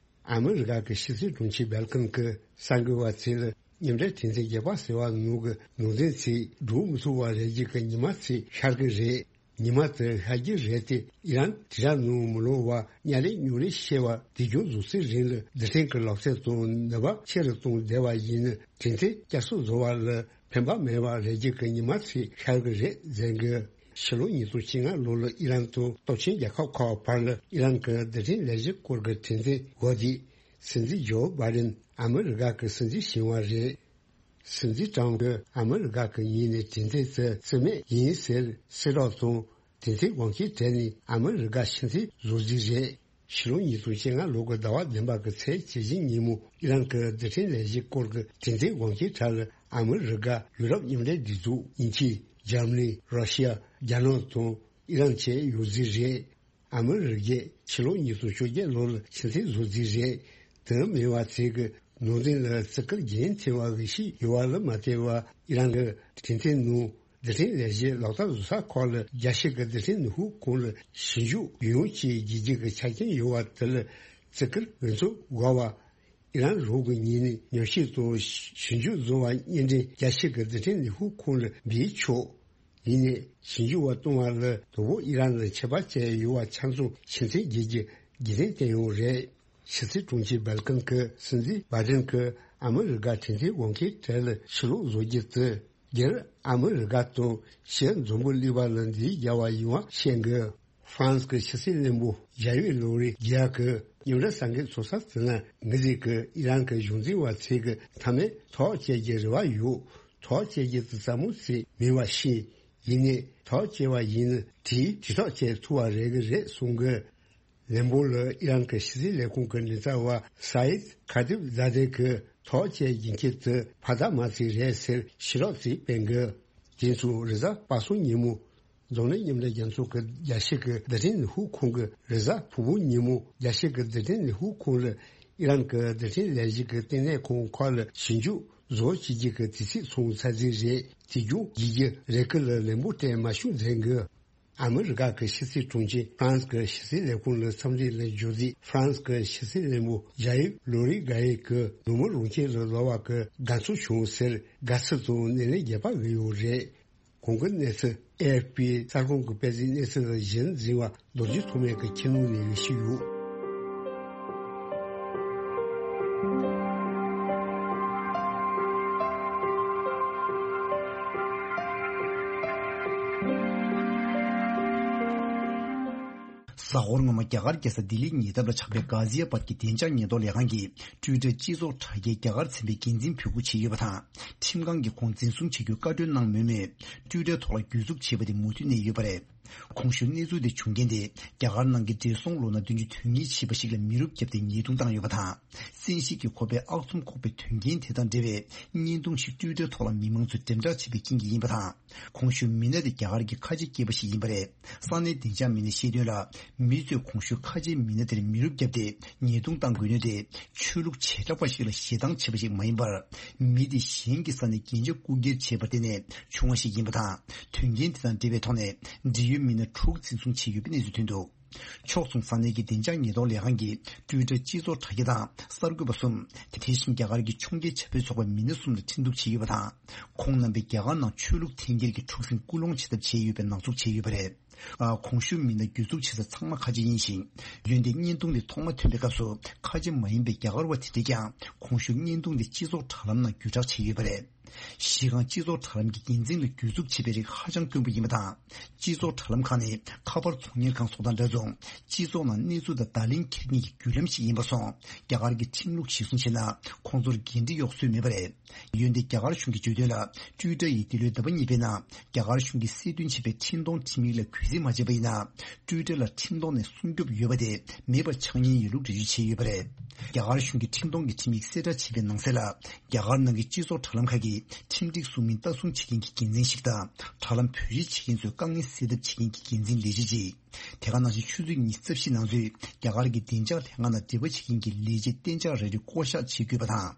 ཨ་མི་རི་ཀ་གི་ཕྱི་སྲིད་དྲུང་ཆེ་སྦེལ་ཀོན་གྱིས་གསར་འགོད་པ་ཚོ་ལ་མཉམ་འབྲེལ་གྲོས་མཐུན་བརྒྱད་པ་ཟེར་བ་ནང་གི་ནང་དོན་ཚོ་འགྲོ་མི་ཚུགས་པ་རེད་རྒྱུ་གི་ཉི་མ་ཚོ་ཤར་གི་རེད། ཉི་མ་དེ་ཤར་རྒྱུ་རེད་དེ། ཨི་རན་དེ་ར་ནང་མི་ལོག་པར་ཉིན་རེ་ཉིན་རེ་བཤད་པ་དེ་རྒྱུན་རྫོགས་ཚེ་རིང་ལ་རྡུལ་ཕྲན་གྱི་ལག་རྩལ་དང་ནུས་པ་ཆེ་རུ་གཏོང་བསྡད་པ་ཡིན་ན། གྲོས་མཐུན་བསྐྱར་གསོ་བཟོ་བ་ལ་ཕན་པ་མེད་པ་རེད་རྒྱུ་གི་ཉི་མ་ཚོ་ཤར་གི་རེད་ཟེར་གི། ཕྱི་ལོ་ཉིས་སྟོང་བཅོ་ལྔ་ལོ་ལ་ཨི་རན་དང་སྟོབས་ཆེན་རྒྱལ་ཁབ་ཁག་བར་ལ་ཨི་རན་གྱི་རྡུལ་ཕྲན་ལས་གཞི་སྐོར་གྱི་གྲོས་མཐུན་འོག་དེ། སྲིད་འཛིན་ཇོ་བྷའི་ཌེན་ཨ་མི་རི་ཀ་གི་སྲིད་འཛིན་བྱུང་བ་རེད། སྲིད་འཛིན་ཀྲམ་གྱིས་ཨ་མི་རི་ཀ་གི་ངོས་ནས་གྲོས་མཐུན་དེ་རྩིས་མེད་ཡིན་ཟེར་གསལ་བསྒྲགས་དང་། གྲོས་མཐུན་དབང་ཆ་བྲལ་ནས་ཨ་མི་རི་ཀ་ཕྱི་འཐེན་བཟོ་རྩིས་རེད། ཕྱི་ལོ་ཉིས་སྟོང་བཅོ་ལྔ་ལོ་གི་ཟླ་བ་བདུན་པ་གི་ཚེས་བཅུ་བཞི་ཉིན་མོ་ཨི་རན་གྱི་རྡུལ་ཕྲན་ལས་གཞི་སྐོར་གྱི་གྲོས་མཐུན་དབང་ཆའི་གྲས་ལ་ཨ་མི་རི་ཀ། ཡུ་རོབ་མཉམ་འབྲེལ་སྒྲིག་འཛུགས་དབྱིན་ཇི། འཇར་མ་ནི། ར་ཤི་ཡ། རྒྱ་ནག་དང་ཨི་རན་བཅས་ཡོད་རྩིས་རེད། ཨ་མི་རི་ཀས་ཕྱི་ལོ་ཉིས་སྟོང་བཅོ་བརྒྱད་ལོ་ལ་ཕྱི་འཐེན་བཟོ་རྩིས་རེད། དེ་མིན་པ་ཚོས་གི་ནང་དོན་ལ་བརྩི་བཀུར་རྒྱུན་མཐུད་པ་གི་ཞིག་ཡོད་པ་ལ་མ་ལྟོས་པར་ཨི་རན་གྱི་གྲོས་མཐུན་ནང་རྡུལ་ཕྲན་ལས་གཞི་ལག་བསྟར་བཟོ་ས་ཁག་ལ་རྒྱལ་སྤྱི་གི་རྡུལ་ཕྲན་ནུས་ཤུགས་ཁོངས་ལ་ཞིབ་འཇུག་ཡོང་ཅེས་བརྗོད་རྒྱུ་གི་ཆ་རྐྱེན་ཡོད་པ་དེ་ལ་བརྩི་བཀུར་འོས་འཚམ་དགོས་པ། ཨི་རན་ལུགས་ཀྱི་ཉིན་ནས་ཉམས་ཞིབ་དང་ཞིབ་འཇུག་བཟོ་བ་གཉིས་འབྲེལ་རྒྱལ་སྤྱི་གི་རྡུལ་ཕྲན་ནུས་ཤུགས་ཁོངས་ལ་འབུལ་ཆོག་ཡིན་ནའི་ཞིབ་འཇུག་པ་གཏོང་བ་ལ་དོ་ཕོག་ཨི་རན་ལ་ཆད་པ་བཅད་ཡོད་པ་ཆ་ཚང་ཕྱིར་འཐེན་བྱེད་རྒྱུ་རྒྱུན་ལྡན་བསྟན་ཡོད་རེད། ཕྱི་སྲིད་དྲུང་ཆེ་སྦེལ་ཀོན་གྱིས་སྲིད་འཛིན་བྷའི་ཌེན་གྱིས་ཨ་མི་རི་ཀ་གྲོས་མཐུན་དབང་ཆའི་གྲས་ལ་ཕྱིར་ལོག་བཟོ་རྒྱུ་དེ། སྒེར་ཨ་མི་རི་ཀ་དང་ཕྱིའི་འཛམ་བུ་གླིང་པ་ལ་འདི་རྒྱལ་བ་ཡིན་པ་བཤད་འགོད། ཧྥ་རན་སི་གི་ཕྱི་སྲིད་བློན་པོ་ཇཱ་ཡིབ་ལོ་རི་རྒྱ་གི་མཉམ་འབྲེལ་གསར་འགོད་ཚོགས་ས་དེ་ན་ངེད་ཚོས་ཀྱི་ཨི་རན་གྱི་གཞུང་འཛིན་པ་ཚོས་ཀྱི་མཐའ་མའི་ཐག་བཅད་རྒྱུའི་རེ་བ་ཡོད། ཐག་བཅད་རྒྱུ་དེ་ཟབ་མོ་ཞིག་མིན་པ་ཤེས། ཡིན་ནའི་ཐག་བཅད་པ་ཡིན་ན་དེས་དུས་ཐག་བཅད་ཐུབ་པ་རེད་ཀྱི་རེད་གསུང་གི། ལན་པོ་ལ་ཨི་རན་གྱི་ཕྱི་སྲིད་ལས་ཁུངས་ཀྱི་མགྲིན་ཚབ་པ་སཱ་ཡིད་ཁ་ཏིབ་ཛ་དེ་གིས་ཐག་བཅད་རྒྱུ་མཁན་དེ་ཕ་ད་མ་ཚིག་རེད་ཟེར་ཞུ་རོགས་ཚིག་སྤེལ་གི། དེ་ཚོ་རེས་གཟའ་པ་སངས་ཉིན་མོ་འཛམ་གླིང་མཉམ་འབྲེལ་རྒྱལ་ཚོགས་ཀྱི་རྒྱལ་སྤྱི་གི་རྡུལ་ཕྲན་ནུས་ཤུགས་ཁོངས་ཀྱི། རེས་གཟའ་ཕུར་བུ་ཉིན་མོ་རྒྱལ་སྤྱི་གི་རྡུལ་ཕྲན་ནུས་ཤུགས་ཁོངས་ལ་ཨི་རན་གྱི་རྡུལ་ཕྲན་ལས་གཞི་གི་ལྟེ་གནས་ཁང་ཁག་ལ་ཞིབ་འཇུག་བཟོ་བྱེད་རྒྱུ་གི་དུས་ཚིགས་ཚང་ཚར་རྩིས་རེད། དེ་རྒྱུན་རྒྱལ་སྤྱི་རེ་ཀི་ལ་ལན་པོ་སྤྲད་མ་བྱུང་ཟེར་གི། ཨ་མི་རི་ཀ་གི་ཕྱི་སྲིད་དྲུང་ཆེ་ཧྥ་རན་སི་གི་ཕྱི་སྲིད་ལས་ཁུངས་ལ་འཚམས་འདྲི་ལ་འབྱོར་རྗེས་ཧྥ་རན་སི་གི་ཕྱི་སྲིད་བློན་པོ་ཇཱ་ཡིབ་ལོ་རི་གྷ་ཡེ་གིས་ནུབ་མོ་རང་ཁྱིམ་ལ་ལོག་པ་གི་དགའ་ཚོར་བྱུང་ཟེར་དགའ་བསུ་དང་སྣེ་ལེན་རྒྱག་པ་གི་ཡོད་རེད། གོང་གི་གནས་ཚུལ་ཨེ་ཨེཕ་པི་གསར་ཁང་གི་དཔེ་མཛོད་གནས་ཚུལ་ལ་གཞི་འཛིན་པ་རྡོ་རྗེ་ཐོགས་མེད་ཀྱི་ཁྱིམ་ནང་ནས་ཡོད་ཤི་ཡོད། གཟའ་འཁོར་སྔོན་མ་རྒྱ་གར་རྒྱལ་ས་ལྡི་ལིའི་ཉེ་འདབས་ལ་ཆགས་པའི་གྷ་ཟི་ཡ་བཱད་ཀྱི་བདེ་འཇགས་ཉེན་རྟོག་ལས་ཁང་གིས་ཊུའི་ཊར་སྤྱི་ཚོགས་དྲ་རྒྱའི་རྒྱ་གར་ཚན་པའི་འགན་འཛིན་འབོད་སྐུལ་བྱས་ཡོད་པ་དང་། ཁྲིམས་ཁང་གིས་ཁོང་འཛིན་བཟུང་བྱ་རྒྱུའི་བཀའ་འཁྲོལ་གནང་མུས་མུས་ཊུའི་ཊར་ཐོག་ལ་གྱོད་འཛུགས་བྱས་པ་དེ་མུ་མཐུད་གནས་ཡོད་པ་རེད། གོང་ཞུས་གནས་ཚུལ་དེ་བྱུང་རྐྱེན་དེ་རྒྱ་གར་ནང་གི་བགྲེས་སོང་ལོ་ན་བདུན་ཅུ་དོན་གཉིས་བྱས་པ་ཞིག་ལ་མི་རུབ་བརྒྱབ་སྟེ་ཉེས་རྡུང་བཏང་ཡོད་པ་དང་། བཙན་ཤེད་ཀྱིས་ཁོ་པའི་ཨག་ཚོམ་ཁོག་པའི་དོན་རྐྱེན་དེ་དང་འབྲེལ་བའི་བརྙན་ཐུང་ཞིག་ཊུའི་ཊར་ཐོག་ལ་མི་མང་ཚོས་འགྲེམས་འཇོག་བྱས་པའི་རྐྱེན་གྱིས་ཡིན་པ་དང་། གོང་ཞུས་མི་སྣ་དེ་རྒྱ་གར་གྱི་ཁ་ཆེ་སྐྱེས་པ་ཞིག་ཡིན་པ་རེད། ས་གནས་བདེ་འཇགས་མི་སྣས་བཤད་དོན་ལ། མི་ཚོས་གོང་ཞུས་ཁ་ཆེའི་མི་སྣ་དེར་མི་རུབ་བརྒྱབ་སྟེ་ཉེས་རྡུང་བཏང་དགོས་ནུས་དེ། ཆོས་ལུགས་བྱེ་བྲག་པ་ཞིག་ལ་ཞེ་སྡང་བྱས་པ་ཞིག་མ་ཡིན་པར། མི་དེ་གཞན་གྱི་ས་ནས་རྒྱན་ཆ་རྐུ་འཁྱེར་བྱས་པར་བརྟེན་ནས་བྱུང་བ་ཞིག་ཡིན་པ་དང་། དོན་རྐྱེན་དེ་དང་འབྲེལ་བའི་ཐོག་ནས་འབྲེལ་ཡོད་མི་སྣ་དྲུག་འཛིན་བཟུང་བྱས་ཡོད་པའི་གནས་ཚུལ་ཐོན་འདུག་ཕྱོགས་མཚུངས་ས་གནས་ཀྱི་བདེ་འཇགས་ཉེན་རྟོག་ལས་ཁང་གིས་ཊུའི་ཊར་སྤྱི་ཚོགས་དྲ་རྒྱ་དང་གསར་འགོད་པ་གསུམ། དེ་བཞིན་རྒྱ་གར་གྱི་ཕྱོགས་འགལ་བྱ་བའི་ཚོགས་པའི་མི་སྣ་གསུམ་ལ་ཁྲིམས་གཏུག་བྱས་ཡོད་པ་དང་། ཁོང་རྣམ་པས་རྒྱ་གར་ནང་ཆོས་ལུགས་འཐེན་འཁྱེར་གྱི་འཁྲུག་ཟིང་སྐུལ་སློང་བྱེད་ཐབས་བྱས་ཡོད་པའི་ནག་འཛུགས་བྱས་ཡོད་པ་རེད། ཨ། གོང་ཞུས་མི་སྣ་གྱོད་འཛུགས་བྱེད་ས་ཚང་མ་ཁ་ཆེ་ཡིན་ཞིང་། འོན་ཏེ་བརྙན་ཐུང་དེ་ཐོག་མ་ཐོན་པའི་སྐབས་སུ་ཁ་ཆེ་མ་ཡིན་པའི་རྒྱ་གར་བ་དེ་འདྲས་ཀྱང་གོང་ཞུས་བརྙན་ཐུང་དེ་སྤྱི་ཚོགས་དྲ་ལམ་ནང་བརྒྱུད་བསྒྲགས་བྱས་ཡོད་པ་རེད། གཞི་རྐང་སྤྱི་ཚོགས་དྲ་ལམ་གྱི་འགན་འཛིན་ལ་གྱོད་འཛུགས་བྱེད་པའི་རིགས་ཧ་ཅང་དཀོན་པོ་ཡིན་པ་དང་། སྤྱི་ཚོགས་དྲ་ལམ་ཁག་ནི་ཁ་པར་ཚོང་གཉེར་ཁང་སོགས་དང་འདྲ་མཚུངས། སྤྱི་ཚོགས་ནང་གནས་ཚུལ་དང་བརྡ་ལན་འཁྱེར་མཁན་གྱི་བརྒྱུད་ལམ་ཞིག་ཡིན་པ་སོང་། རྒྱ་གར་གྱི་ཁྲིམས་ལུགས་གཞིར་བཟུང་བྱས་ན། ཁོང་ཚོར་འགན་འཁྲི་གཡོག་སྲོལ་མེད་པ་རེད། འོན་ཏེ་རྒྱ་གར་གཞུང་གིས་བརྗོད་དོན་ལ། ཊུའི་ཊར་ཡིས་འདི་ལོའི་ཟླ་བ་གཉིས་པའི་ནང་རྒྱ་གར་གཞུང་གིས་གསལ་སྟོན་བྱས་པའི་འཕྲིན་གཏོང་ཁྲིམས་ཡིག་ལ་གུས་བརྩི་མ་བྱས་པ་ཡིན་ན། ཊུའི་ཊར་ལ་ཁྲིམས་ཐོག་ནས་སྲུང་སྐྱོབ་ཡོད་པ་དེ་མེད་པ་ཆགས་ཉེན་ཡོད་ལུགས་འགྲེལ་བརྗོད་བྱས་ཡོད་པ་རེད། རྒྱ་གར་གཞུང་གིས་ཁྲིམས་སྐྱོང་གི་ཁྲིམས་ཡིག་གསལ་བསྒྲགས་བྱས་པའི་ནང་གསལ་ལ། རྒྱ་གར་ནང་གི་སྤྱི་ཚོགས་དྲ་ལམ་ཁག་གི་ཁྲིམས་སྒྲིག་སྲུང་མིན་ལྟ་སྲུང་བྱེད་མཁན་གྱི་འགན་འཛིན་ཞིག་དང་། དྲ་ལམ་བེད་སྤྱོད་བྱེད་མཁན་ཚོའི་དཀའ་ངལ་སེལ་ཐབས་བྱེད་མཁན་གྱི་འགན་འཛིན་ལས་བྱེད་ཅིག་དེ་ག་ནང་བཞིན་ཆུ་ཚོད་ཉི་ཤུ་རྩ་བཞི་ནང་ཚུད་རྒྱ་གར་གྱི་བདེ་འཇགས་ལྷན་ཁང་དང་འབྲེལ་བ་བྱེད་མཁན་གྱི་ལས་བྱེད་གཏན་འཇགས་རེ་རེ་བསྐོ་གཞག་བྱེད་དགོས་པ་དང་།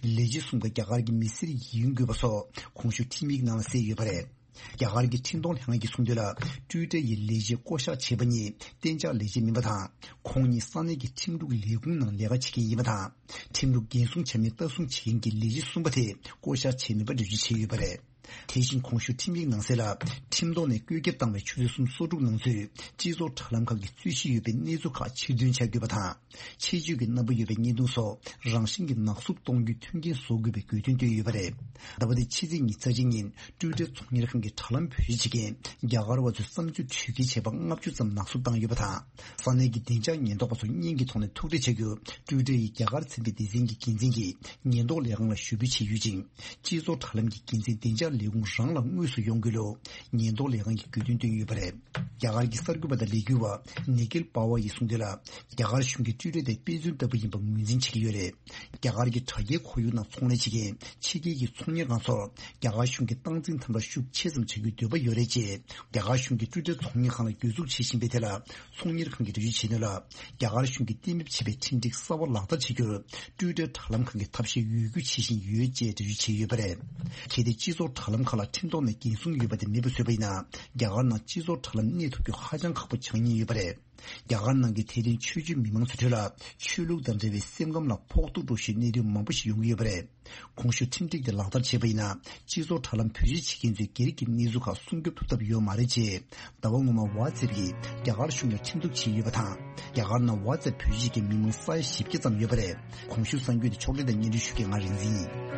ལས་བྱེད་གསུམ་ཀ་རྒྱ་གར་གྱི་མི་སེར་ཡིན་དགོས་པ་སོགས་གོང་ཞུས་ཁྲིམས་ཡིག་ནང་ལ་གསལ་ཡོད་པ་རེད། རྒྱ་གར་གྱི་འཕྲིན་གཏོང་ལྷན་ཁང་གིས་གསུངས་དོན་ལ། ཊུའི་ཊར་ཡི་ལས་བྱེད་བསྐོ་གཞག་བྱས་པ་གཉིས་གཏན་འཇགས་ལས་བྱེད་མིན་པ་དང་། ཁོང་གཉིས་ས་གནས་ཀྱི་ཁྲིམས་ལུགས་ལས་ཁུངས་ནང་ལས་ཀ་བྱེད་མཁན་ཡིན་པ་དང་། ཁྲིམས་ལུགས་འགན་སྲུང་བྱ་མིན་ལྟ་སྲུང་བྱེད་མཁན་གྱི་ལས་བྱེད་གསུམ་པ་དེ་བསྐོ་གཞག་བྱས་མིན་པ་འགྲེལ་བརྗོད་བྱས་ཡོད་པ་རེད། དེ་བཞིན་གོང་ཞུས་ཁྲིམས་ཡིག་ནང་གསལ་ལ། ཁྲིམས་ཐོག་ནས་བཀོད་ཁྱབ་བཏང་བའི་ཆུ་ཚོད་གསུམ་སོ་དྲུག་ནང་ཚུད་སྤྱི་ཚོགས་དྲ་ལམ་ཁག་གི་རྩོད་གཞི་ཡོད་པའི་གནས་ཚུལ་ཁག་ཕྱིར་འདོན་བྱ་དགོས་པ་དང་། ཆེད་བརྗོད་ཀྱི་རྣམ་པ་ཡོད་པའི་བརྙན་ཐུང་སོགས་རང་བཞིན་གྱིས་ནག་བསུབ་གཏོང་རྒྱུའི་མཐུན་རྐྱེན་བཟོ་དགོས་པའི་དགོས་འདུན་བཏོན་ཡོད་པ་རེད། ཟླ་བ་འདིའི་ཕྱི་ཚེས་ཉི་ཤུ་རྩ་གཅིག་ཉིན་ཊུའི་ཊར་ཚོང་གཉེར་ཁང་གི་དྲ་ལམ་བེད་སྤྱོད་བྱེད་མཁན་རྒྱ་གར་བ་ཚོའི་བསམ་ཚུལ་དྲི་བ་བཀོད་ཁྱབ་པ་ལྔ་བཅུ་ཙམ་ནག་བསུབ་བཏང་ཡོད་པ་དང་། ས་གནས་ཀྱི་བདེ་འཇགས་ཉེན་རྟོག་པ་ཚོར་བརྙན་གྱི་ཐོག་ནས་ཐུག་འཕྲད་བྱ་རྒྱུར་ཊུའི་ཊར་ཡི་རྒྱ་གར་ཚན་པའི་སྡེ་ཚན་གྱི་འགན་འཛིན་གྱིས་ཉེན་རྟོག་ལས་ཁང་ལ་ཞུ་འབོད་བྱས་ཡོད་ཅིང་། སྤྱི་ཚོགས་དྲ་ལམ་གྱི་འགན་འཛིན་བདེ་འཇགས་ལས་ཁུངས་རང་ལ་དངོས་སུ་ཡོང་དགོས་ལུགས་ཉེན་རྟོག་ལས་ཁང་གིས་དགོས་འདུན་བཏོན་ཡོད་པ་རེད། རྒྱ་གར་གྱི་གསར་འགོད་པ་དང་ལས་འགུལ་བ་ནི་ཀིལ་པ་ཝ་ཡིས་གསུངས་དོན་ལ། རྒྱ་གར་གཞུང་གིས་ཊུའི་ཊར་དེ་དཔེ་མཚོན་ལྟ་བུ་ཡིན་པ་ངོས་འཛིན་བྱེད་ཀྱི་ཡོད་རེད། རྒྱ་གར་གྱི་དྲ་རྒྱའི་ཁོར་ཡུག་ནང་ཚོང་ལས་བྱེད་མཁན་ཕྱི་རྒྱལ་གྱི་ཚོང་གཉེར་ཁང་ཚོར་རྒྱ་གར་གཞུང་གི་སྟངས་འཛིན་དམ་དྲག་ཤུགས་ཆེ་ཙམ་བྱ་རྒྱུའི་འདོད་པ་ཡོད་རེད་ཅེས་རྒྱ་གར་གཞུང་གིས་ཊུའི་ཊར་ཚོང་གཉེར་ཁང་ལ་གྱོད་འཛུགས་བྱེད་བཞིན་པའི་ཐད་ལ། ཚོང་གཉེར་ཁང་གིས་འགྲེལ་བརྗོད་བྱས་དོན་ལ། རྒྱ་གར་གཞུང་གིས་གཏན་འབེབས་བྱས་པའི་ཁྲིམས་སྒྲིག་གསར་བ་ལག་བསྟར་བྱེད་རྒྱུར་ཊུའི་ཊར་དྲ་ལམ་ཁང་གིས་ཐབས་ཤེས་ཡོད་རྒུ་བྱེད་བཞིན་ཡོད་ཅེས་འགྲེལ་བརྗོད་བྱས་ཡོད་པ་རེད། གལ་ཏེ་སྤྱི་ཚོགས་དྲ་ལམ་ཁག་ལ་ཁྲིམས་ཐོག་ནས་འགན་སྲུང་ཡོད་པ་དེ་མེད་པ་བཟོས་པ་ཡིན་ན། རྒྱ་གར་ནང་སྤྱི་ཚོགས་དྲ་ལམ་གནས་ཐུབ་རྒྱུ་ཧ་ཅང་ཁག་པོ་ཆགས་ཉེན་ཡོད་པ་རེད། རྒྱ་གར་ནང་གི་དད་ལྡན་ཆོས་བརྒྱུད་མི་མང་ཚོའི་ཁྲོད་ལ་ཆོས་ལུགས་དང་འབྲེལ་བའི་སེམས་ཁམས་ལ་ཕོག་ཐུག་འགྲོ་བཞིན་གནད་དོན་མང་པོ་ཞིག་ཡོང་གི་ཡོད་པ་རེད། གོང་ཞུས་ཁྲིམས་སྒྲིག་དེ་ལག་བསྟར་བྱས་པ་ཡིན་ན། སྤྱི་ཚོགས་དྲ་ལམ་བེད་སྤྱོད་བྱེད་མཁན་ཚོའི་སྒེར་གྱི་གནས་ཚུལ་ཁག་སྲུང་སྐྱོབ་ཐུབ་ཐབས་ཡོད་མ་རེད་ཅེས། ཟླ་བ་སྔོན་མ་ཝ་ཙེབ་ཀྱིས་རྒྱ་གར་གཞུང་ལ་ཁྲིམས་གཏུག་བྱས་ཡོད་པ་དང་། རྒྱ་གར་ནང་ཝ་ཙེབ་བེད་སྤྱོད་བྱེད་མཁན་མི་མང་ས་ཡ་བཞི་བརྒྱ་ཙམ་ཡོད་པ་རེད། གོང་ཞུས་གསར་འགྱུར་དེ་ཕྱོགས་སྒྲིག་དང་སྙན་སྒྲོན་ཞུ་མཁན་ང་རིག་འཛིན་ཡིན།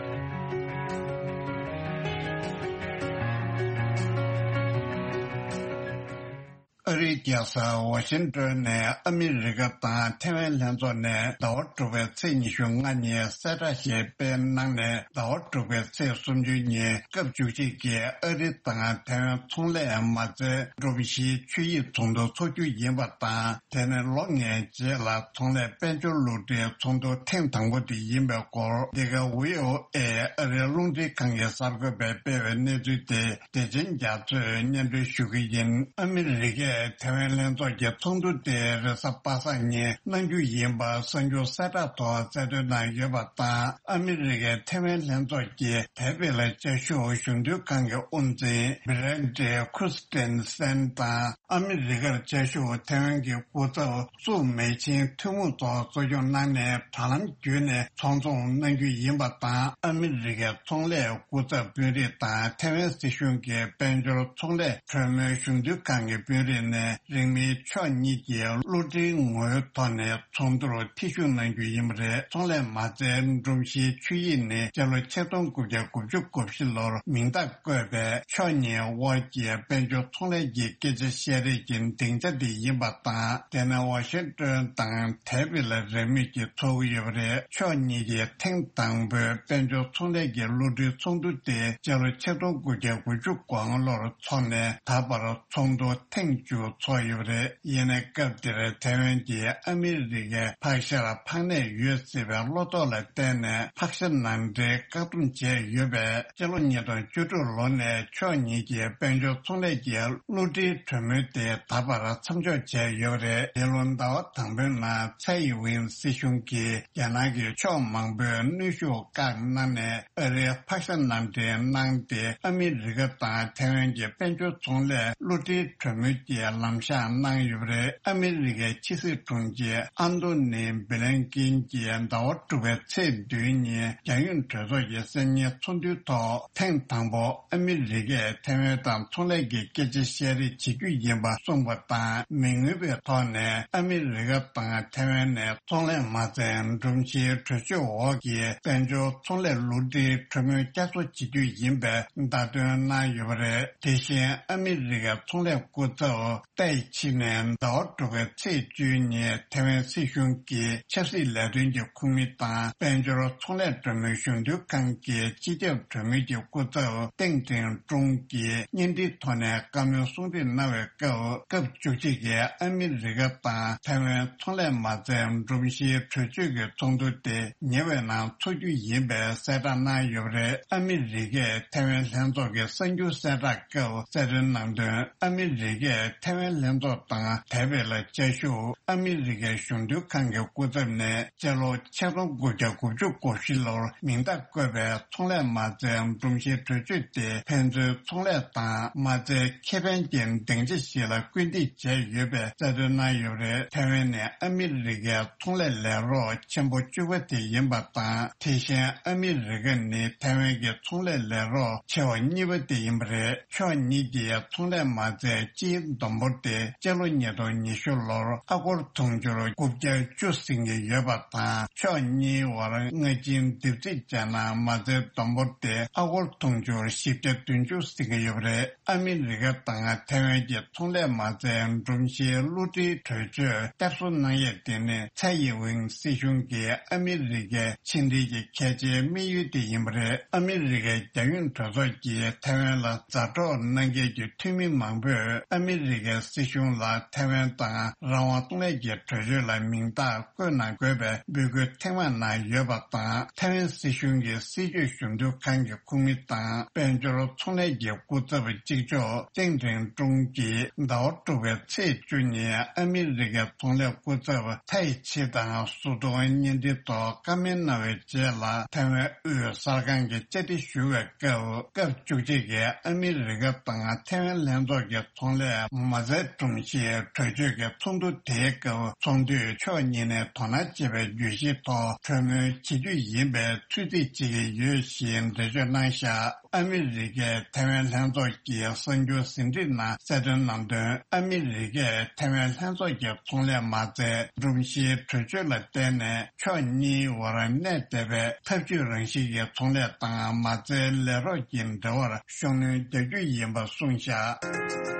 ཨ་རིའི་རྒྱལ་ས་ཝ་ཤིང་ཏོན་ནས་ཨ་མི་རི་ཀ་དང་ཐེ་ཝན་ལྷན་ཚོགས་ནས་ཟླ་བ་དྲུག་པའི་ཚེས་ཉི་ཤུ་ལྔ་ཉིན་གསལ་བསྒྲགས་ཤིག་སྤེལ་གནང་ནས། ཟླ་བ་དྲུག་པའི་ཚེས་སུམ་ཅུ་ཉིན་སྐབས་བཅུ་གཅིག་གི་ཨ་རི་དང་ཐེ་ཝན་ཚོང་ལས་མ་རྩའི་སྒྲོམ་གཞིའི་ཆོད་ཡིག་ཚོགས་འདུ་འཚོགས་རྒྱུ་ཡིན་པ་དང་། དེ་ནི་ལོ་ལྔའི་རྗེས་ལ་ཚོང་ལས་དཔལ་འབྱོར་བསླུ་བྲིད་ཚོགས་འདུ་ཐེངས་དང་པོ་དེ་ཡིན་པའི་སྐོར། འདི་ག་ཝི་ཨོ་ཨེ་ཨ་རིའི་རླུང་འཕྲིན་ཁང་གི་གསར་འགོད་པས་སྤེལ་བའི་གནས་ཚུལ་དེ་བདེ་ཆེན་རྒྱ་མཚོས་སྙན་སྒྲོན་ཞུ་གི་ཡིན། ཨ་མི་རི་ཀས་ཐེ་ཝན་ལྷན་ཚོགས་ཀྱི་ཚོགས་འདུ་དེ་རེས་གཟའ་པ་སངས་ཉིན་གནང་རྒྱུ་ཡིན་པ་གསར་འགྱུར་གསལ་བསྒྲགས་ཐོག་གསལ་སྟོན་གནང་ཡོད་པ་དང་། ཨ་མི་རི་ཀས་ཐེ་ཝན་ལྷན་ཚོགས་ཀྱི་དེ་བས་ལ་བཅའ་བཞུགས་གཞོན་དུས་ཁང་གི་དབུ་འཛིན་བྷི་རེན་ཏི་ཁུ་སི་ཏན་སན་དང་། ཨ་མི་རི་ཀར་བཅའ་བཞུགས་ཐེ་ཝན་གྱི་སྐུ་ཚབ་སུ་མེ་ཆིང་ཐུན་མོང་ཐོག་གཙོ་སྐྱོང་གནང་ནས་དྲ་ལམ་བརྒྱུད་ནས་ཚོང་ཚོང་གནང་རྒྱུ་ཡིན་པ་དང་། ཨ་མི་རི་ཀའི་ཚོང་ལས་སྐུ་ཚབ་དཔོན་རིགས་དང་ཐེ་ཝན་སྲིད་གཞུང་གི་དཔལ་འབྱོར་ཚོང་ལས་གྲོས་མོལ་གཞུང་དོན་ཁང་གི་དཔོན་རིགས་ནས་རིང་མིན་ཕྱོགས་གཉིས་ཀྱིས་བསླུ་བྲིད་ངོ་བོའི་ཐོག་ནས་ཚོགས་འདུར་ཐེ་ཞུགས་གནང་རྒྱུ་ཡིན་པ་རེད། ཚོང་ལས་མ་རྩའི་སྒྲོམ་གཞིའི་ཆོད་ཡིག་ནི་སྤྱི་ལོ་ཆིག་སྟོང་དགུ་བརྒྱ་དགུ་བཅུ་གོ་བཞི་ལོར་མིང་རྟགས་བཀོད་པའི་ཕྱོགས་གཉིས་དབར་གྱི་དཔལ་འབྱོར་ཚོང་ལས་ཀྱི་སྐད་ཆ་བཤད་རེས་ཀྱི་སྡིངས་ཆ་དེ་ཡིན་པ་དང་། དེ་ནི་ཝ་ཤིང་ཏོན་དང་དེ་བི་ལ་རེས་མོས་ཀྱིས་ཚོགས་ཀྱི་ཡོད་པ་རེད། ཕྱོགས་གཉིས་ཀྱིས་ཐེངས་དང་པོའི་དཔལ་འབྱོར་ཚོང་ལས་ཀྱི་བསླུ་བྲིད་ཚོགས་འདུ་དེ་སྤྱི་ལོ་ཆིག་སྟོང་དགུ་བརྒྱ་དགུ་བཅུ་གོ་ལྔ་ལོར་འཚོགས་ནས། ད་བར་ཚོགས་འདུ་ཐེངས་བཅུ་འཚོགས་ཡོད་པ་རེད། ཡིན་ནའི་སྐབས་དེར་ཐེ་ཝན་གྱིས་ཨ་མི་རི་ཀའི་ཕག་ཤར་ཕངས་ནས་ཡོད་སྲིད་པའི་བློ་དོགས་ལ་བརྟེན་ནས་ཕག་ཤ་ནང་འདྲེན་བཀག་སྡོམ་བྱས་ཡོད་པས། སྤྱི་ལོ་ཉིས་སྟོང་བཅུ་དྲུག་ལོ་ནས་ཕྱོགས་གཉིས་ཀྱི་དཔལ་འབྱོར་ཚོང་ལས་ཀྱི་བསླུ་བྲིད་གྲོས་མོལ་དེ་ད་བར་མཚམས་འཇོག་བྱས་ཡོད་པ་རེད། འདི་ལོ་ཟླ་བ་དང་པོའི་ནང་ཚའེ་ཝེན་སྲིད་གཞུང་གིས་རྒྱ་ནག་གི་ཕྱོགས་མང་པོས་གནོན་ཤུགས་བཀག་གནང་ནས། ཨ་རིའི་ཕག་ཤ་ནང་འདྲེན་གནང་སྟེ། ཨ་མི་རི་ཀ་དང་ཐེ་ཝན་གྱི་དཔལ་འབྱོར་ཚོང་ལས་བསླུ་བྲིད་གྲོས་མོལ་གྱི་ ལམ་བཞག་གནང་ཡོད་པ་རེད། ཨ་མི་རི་ཀའི་ཕྱི་སྲིད་དྲུང་ཆེ་ཨན་ཐོ་ནི་བྷི་ལན་ཀིན་གྱིས་ཟླ་བ་དྲུག་པའི་ཚེས་བདུན་ཉིན་རྒྱལ་ཡོངས་གྲོས་ཚོགས་ཀྱི་སང་ཉིན་ཚོགས་འདུའི་ཐོག་ཐེངས་དང་པོ་ཨ་མི་རི་ཀས་ཐའེ་ཝན་དང་ཚོང་ལས་ཀྱི་སྐད་ཆ་བཤད་རེས་བྱེད་རྒྱུ་ཡིན་པ་གསུངས་པ་དང་། མི་མངོན་པའི་ཐོག་ནས་ཨ་མི་རི་ཀ་དང་ཐའེ་ཝན་ནས་ཚོང་ལས་མ་རྩའི་སྒྲོམ་གཞིའི་གྲོས་ཆོད་འོག་གི་དཔལ་འབྱོར་ཚོང་ལས་བསླུ་བྲིད་གྲོས་མོལ་བསྐྱར་གསོ་བྱེད་རྒྱུ་ཡིན་པའི་བརྡ་སྟོན་གནང་ཡོད་པ་རེད། དེ་བཞིན་ཨ་མི་རི་ཀའི་ཚོང་ལས་སྐུ་ཚབ་ཏའི་ཆི་ནས་ཟླ་བ་དྲུག་པའི་ཚེས་བཅུ་ཉིན་ཐའེ་ཝན་སྲིད་གཞུང་གི་ཆབ་སྲིད་ལས་དོན་གྱི་ཁོངས་མི་དང་། དཔལ་འབྱོར་ཚོང་ལས་གྲོས་མོལ་གཞུང་དོན་ཁང་གི་སྤྱི་ཁྱབ་གྲོས་མོལ་གྱི་སྐུ་ཚབ་ཏེང་ཀྲིན་ཀྲུང་གིས་བརྙན་འཕྲིན་ཐོག་ནས་བཀའ་མོལ་གསུང་འཕྲིན་གནང་བའི་སྐབས། སྐབས་བཅུ་གཅིག་གི་ཨ་མི་རི་ཀ་དང་ཐའེ་ཝན་ཚོང་ལས་མ་རྩའི་སྒྲོམ་གཞིའི་གྲོས་ཆོད་ཀྱི་ཚོགས་འདུ་དེ་ཉེ་བའི་ནང་འཚོགས་རྒྱུ་ཡིན་པའི་གསལ་བསྒྲགས་གནང་ཡོད་པ་རེད། ཨ་མི་རི་ཀས་ཐའེ་ཝན་ལྷན་ཚོགས་ཀྱི་གསར་འགྱུར་གསལ་བསྒྲགས་སྐབས་གསལ་སྟོན་གནང་དོན། ཨ་མི་རི་ཀས་ཐའེ་ཝན་ལྷན་ཚོགས་དང་དེ་བས་ལ་བཅའ་བཞུགས་ཨ་མི་རི་ཀའི་གཞུང་དོན་ཁང་གི་སྐུ་ཚབ་ནས་སྤྱི་ལོ་ཆིག་སྟོང་དགུ་བརྒྱ་དགུ་བཅུ་གོ་བཞི་ལོར་མིང་རྟགས་བཀོད་པའི་ཚོང་ལས་མ་རྩའི་སྒྲོམ་གཞིའི་གྲོས་ཆོད་དེ་ཕན་ཚུན་ཚོང་ལས་དང་མ་རྩའི་ཁེ་ཕན་གྱི་སྡིངས་ཆ་ཞིག་ལ་སྐུལ་འདེད་བྱས་ཡོད་པའི་གསལ་སྟོན་གནང་ཡོད་པ་རེད། ཐའེ་ཝན་ནི་ཨ་མི་རི་ཀའི་ཚོང་ལས་ལས་རོགས་ཆེན་པོ་བཅུ་པ་དེ་ཡིན་པ་དང་། དེ་བཞིན་ཨ་མི་རི་ཀ་ནི་ཐའེ་ཝན་གྱི་ཚོང་ལས་ལས་རོགས་ཆེ་བ་གཉིས་པ་དེ་ཡིན་པ་རེད། ཕྱོགས་གཉིས་ཀྱི་ཚོང་ལས་མ་རྩའི་སྤྱིའི་བསྡོམས་འབོར་དེ་སྤྱི་ལོ་ཉིས་སྟོང་ཉི་ཤུ་ལོར་ཨ་སྒོར་དུང་ཕྱུར་དགུ་བརྒྱ་བཅུ་ཟིན་གྱི་ཡོད་པ་དང་། ཕྱོགས་གཉིས་བར་སྔ་ཕྱིའི་སྡེབ་རྩིས་བྱས་ན་མ་རྩའི་བསྡོམས་འབོར་དེ་ཨ་སྒོར་དུང་ཕྱུར་བཞི་བརྒྱ་བདུན་ཅུ་ཟིན་གྱི་ཡོད་པ་རེད། ཨ་མི་རི་ཀ་དང་ཐའེ་ཝན་གྱི་ཚོང་ལས་མ་རྩའི་སྒྲོམ་གཞིའི་བསླུ་བྲིད་གྲོས་ཆོད་བསྐྱར་གསོ་གནང་ཡས་དེ་ནི་ཚའེ་ཡིན་ཝིན་སྲིད་གཞུང་གིས་ཨ་མི་རི་ཀའི་ཕྱི་འབྲེལ་གྱི་གལ་ཆེའི་དམིགས་ཡུལ་དེ་ཡིན་པ་རེད། ཨ་མི་རི་ཀའི་རྒྱལ་ཡོངས་གྲོས་ཚོགས་ཀྱིས་ཐའེ་ཝན་ལ་མཛའ་གྲོགས་གནང་མཁན་གྱི་འཐུས་མི་མང་པོས་ཨ་མི་རི་ཀའི་སྲིད་གཞུང་ལ་ཐའེ་ཝན་དང་རང་དབང་ཚོང་ལས་ཀྱི་གྲོས་ཆོད་ལ་མིང་རྟགས་བཀོད་གནང་དགོས་པའི་འབོད་སྐུལ་ཐེངས་མང་གནང་ཡོད་པ་དང་། ཐའེ་ཝན་སྲིད་གཞུང་གི་སྲིད་བྱུས་གཞུང་དོན་ཁང་གི་ཁོངས་མི་དང་དཔལ་འབྱོར་ཚོང་ལས་ཀྱི་སྐུ་ཚབ་གཅིག་ལྕོགས་ཏེང་ཀྲིན་ཀྲུང་གིས་ཟླ་བ་དྲུག་པའི་ཚེས་བཅུ་ཉིན་ཨ་མི་རི་ཀའི་ཚོང་ལས་སྐུ་ཚབ་ཐའི་ཆི་དང་སོ་ཐོག་བརྙན་འཕྲིན་ཐོག་བཀའ་མོལ་གནང་བའི་རྗེས་ལ། ཐའེ་ཝན་དབུས་གསར་ཁང་གིས་བཅར་འདྲི་ཞུ་བའི་སྐབས། སྐབས་བཅུ་གཅིག་གི་ཨ་མི་རི་ཀ་དང་ཐའེ་ཝན་ལྷན་ཚོགས་ཀྱི་ཚོང་ལས་མ་རྩའི་སྒྲོམ་གཞིའི་གྲོས་ཆོད་ཀྱི་ཚོགས་འདུ་དེའི་སྐབས། ཚོགས་འདུས་ཕྱོགས་གཉིས་ནས་དོ་སྣང་བྱེད་པའི་བརྗོད་གཞིའི་ཐོག་གྲོས་མོལ་བྱེད་རྒྱུ་ཡིན་པའི་ཚོད་རྩིས་བྱེད་ཀྱི་ཡོད་ཞེས་འགྲེལ་བརྗོད་གནང་བཞག་ཨ་མི་རི་ཀས་ཐའེ་ཝན་ལྷན་ཚོགས་ཀྱི་གསར་འགྱུར་ཟིན་བྲིས་ནང་གསལ་སྟོན་གནང་དོན། ཨ་མི་རི་ཀས་ཐའེ་ཝན་ལྷན་ཚོགས་ཀྱི་ཚོང་ལས་མ་རྩའི་སྒྲོམ་གཞིའི་གྲོས་ཆོད་ལ་བརྟེན་ནས་ཕྱོགས་གཉིས་བར་གནས་བསྡད་པའི་འཐབ་ཇུས་རང་བཞིན་གྱི་ཚོང་ལས་དང་མ་རྩའི་ལས་རོགས་ཀྱི་འབྲེལ་བར་ཤུགས་སྣོན་རྒྱག་རྒྱུ་ཡིན་པ་གསུངས་བཞག་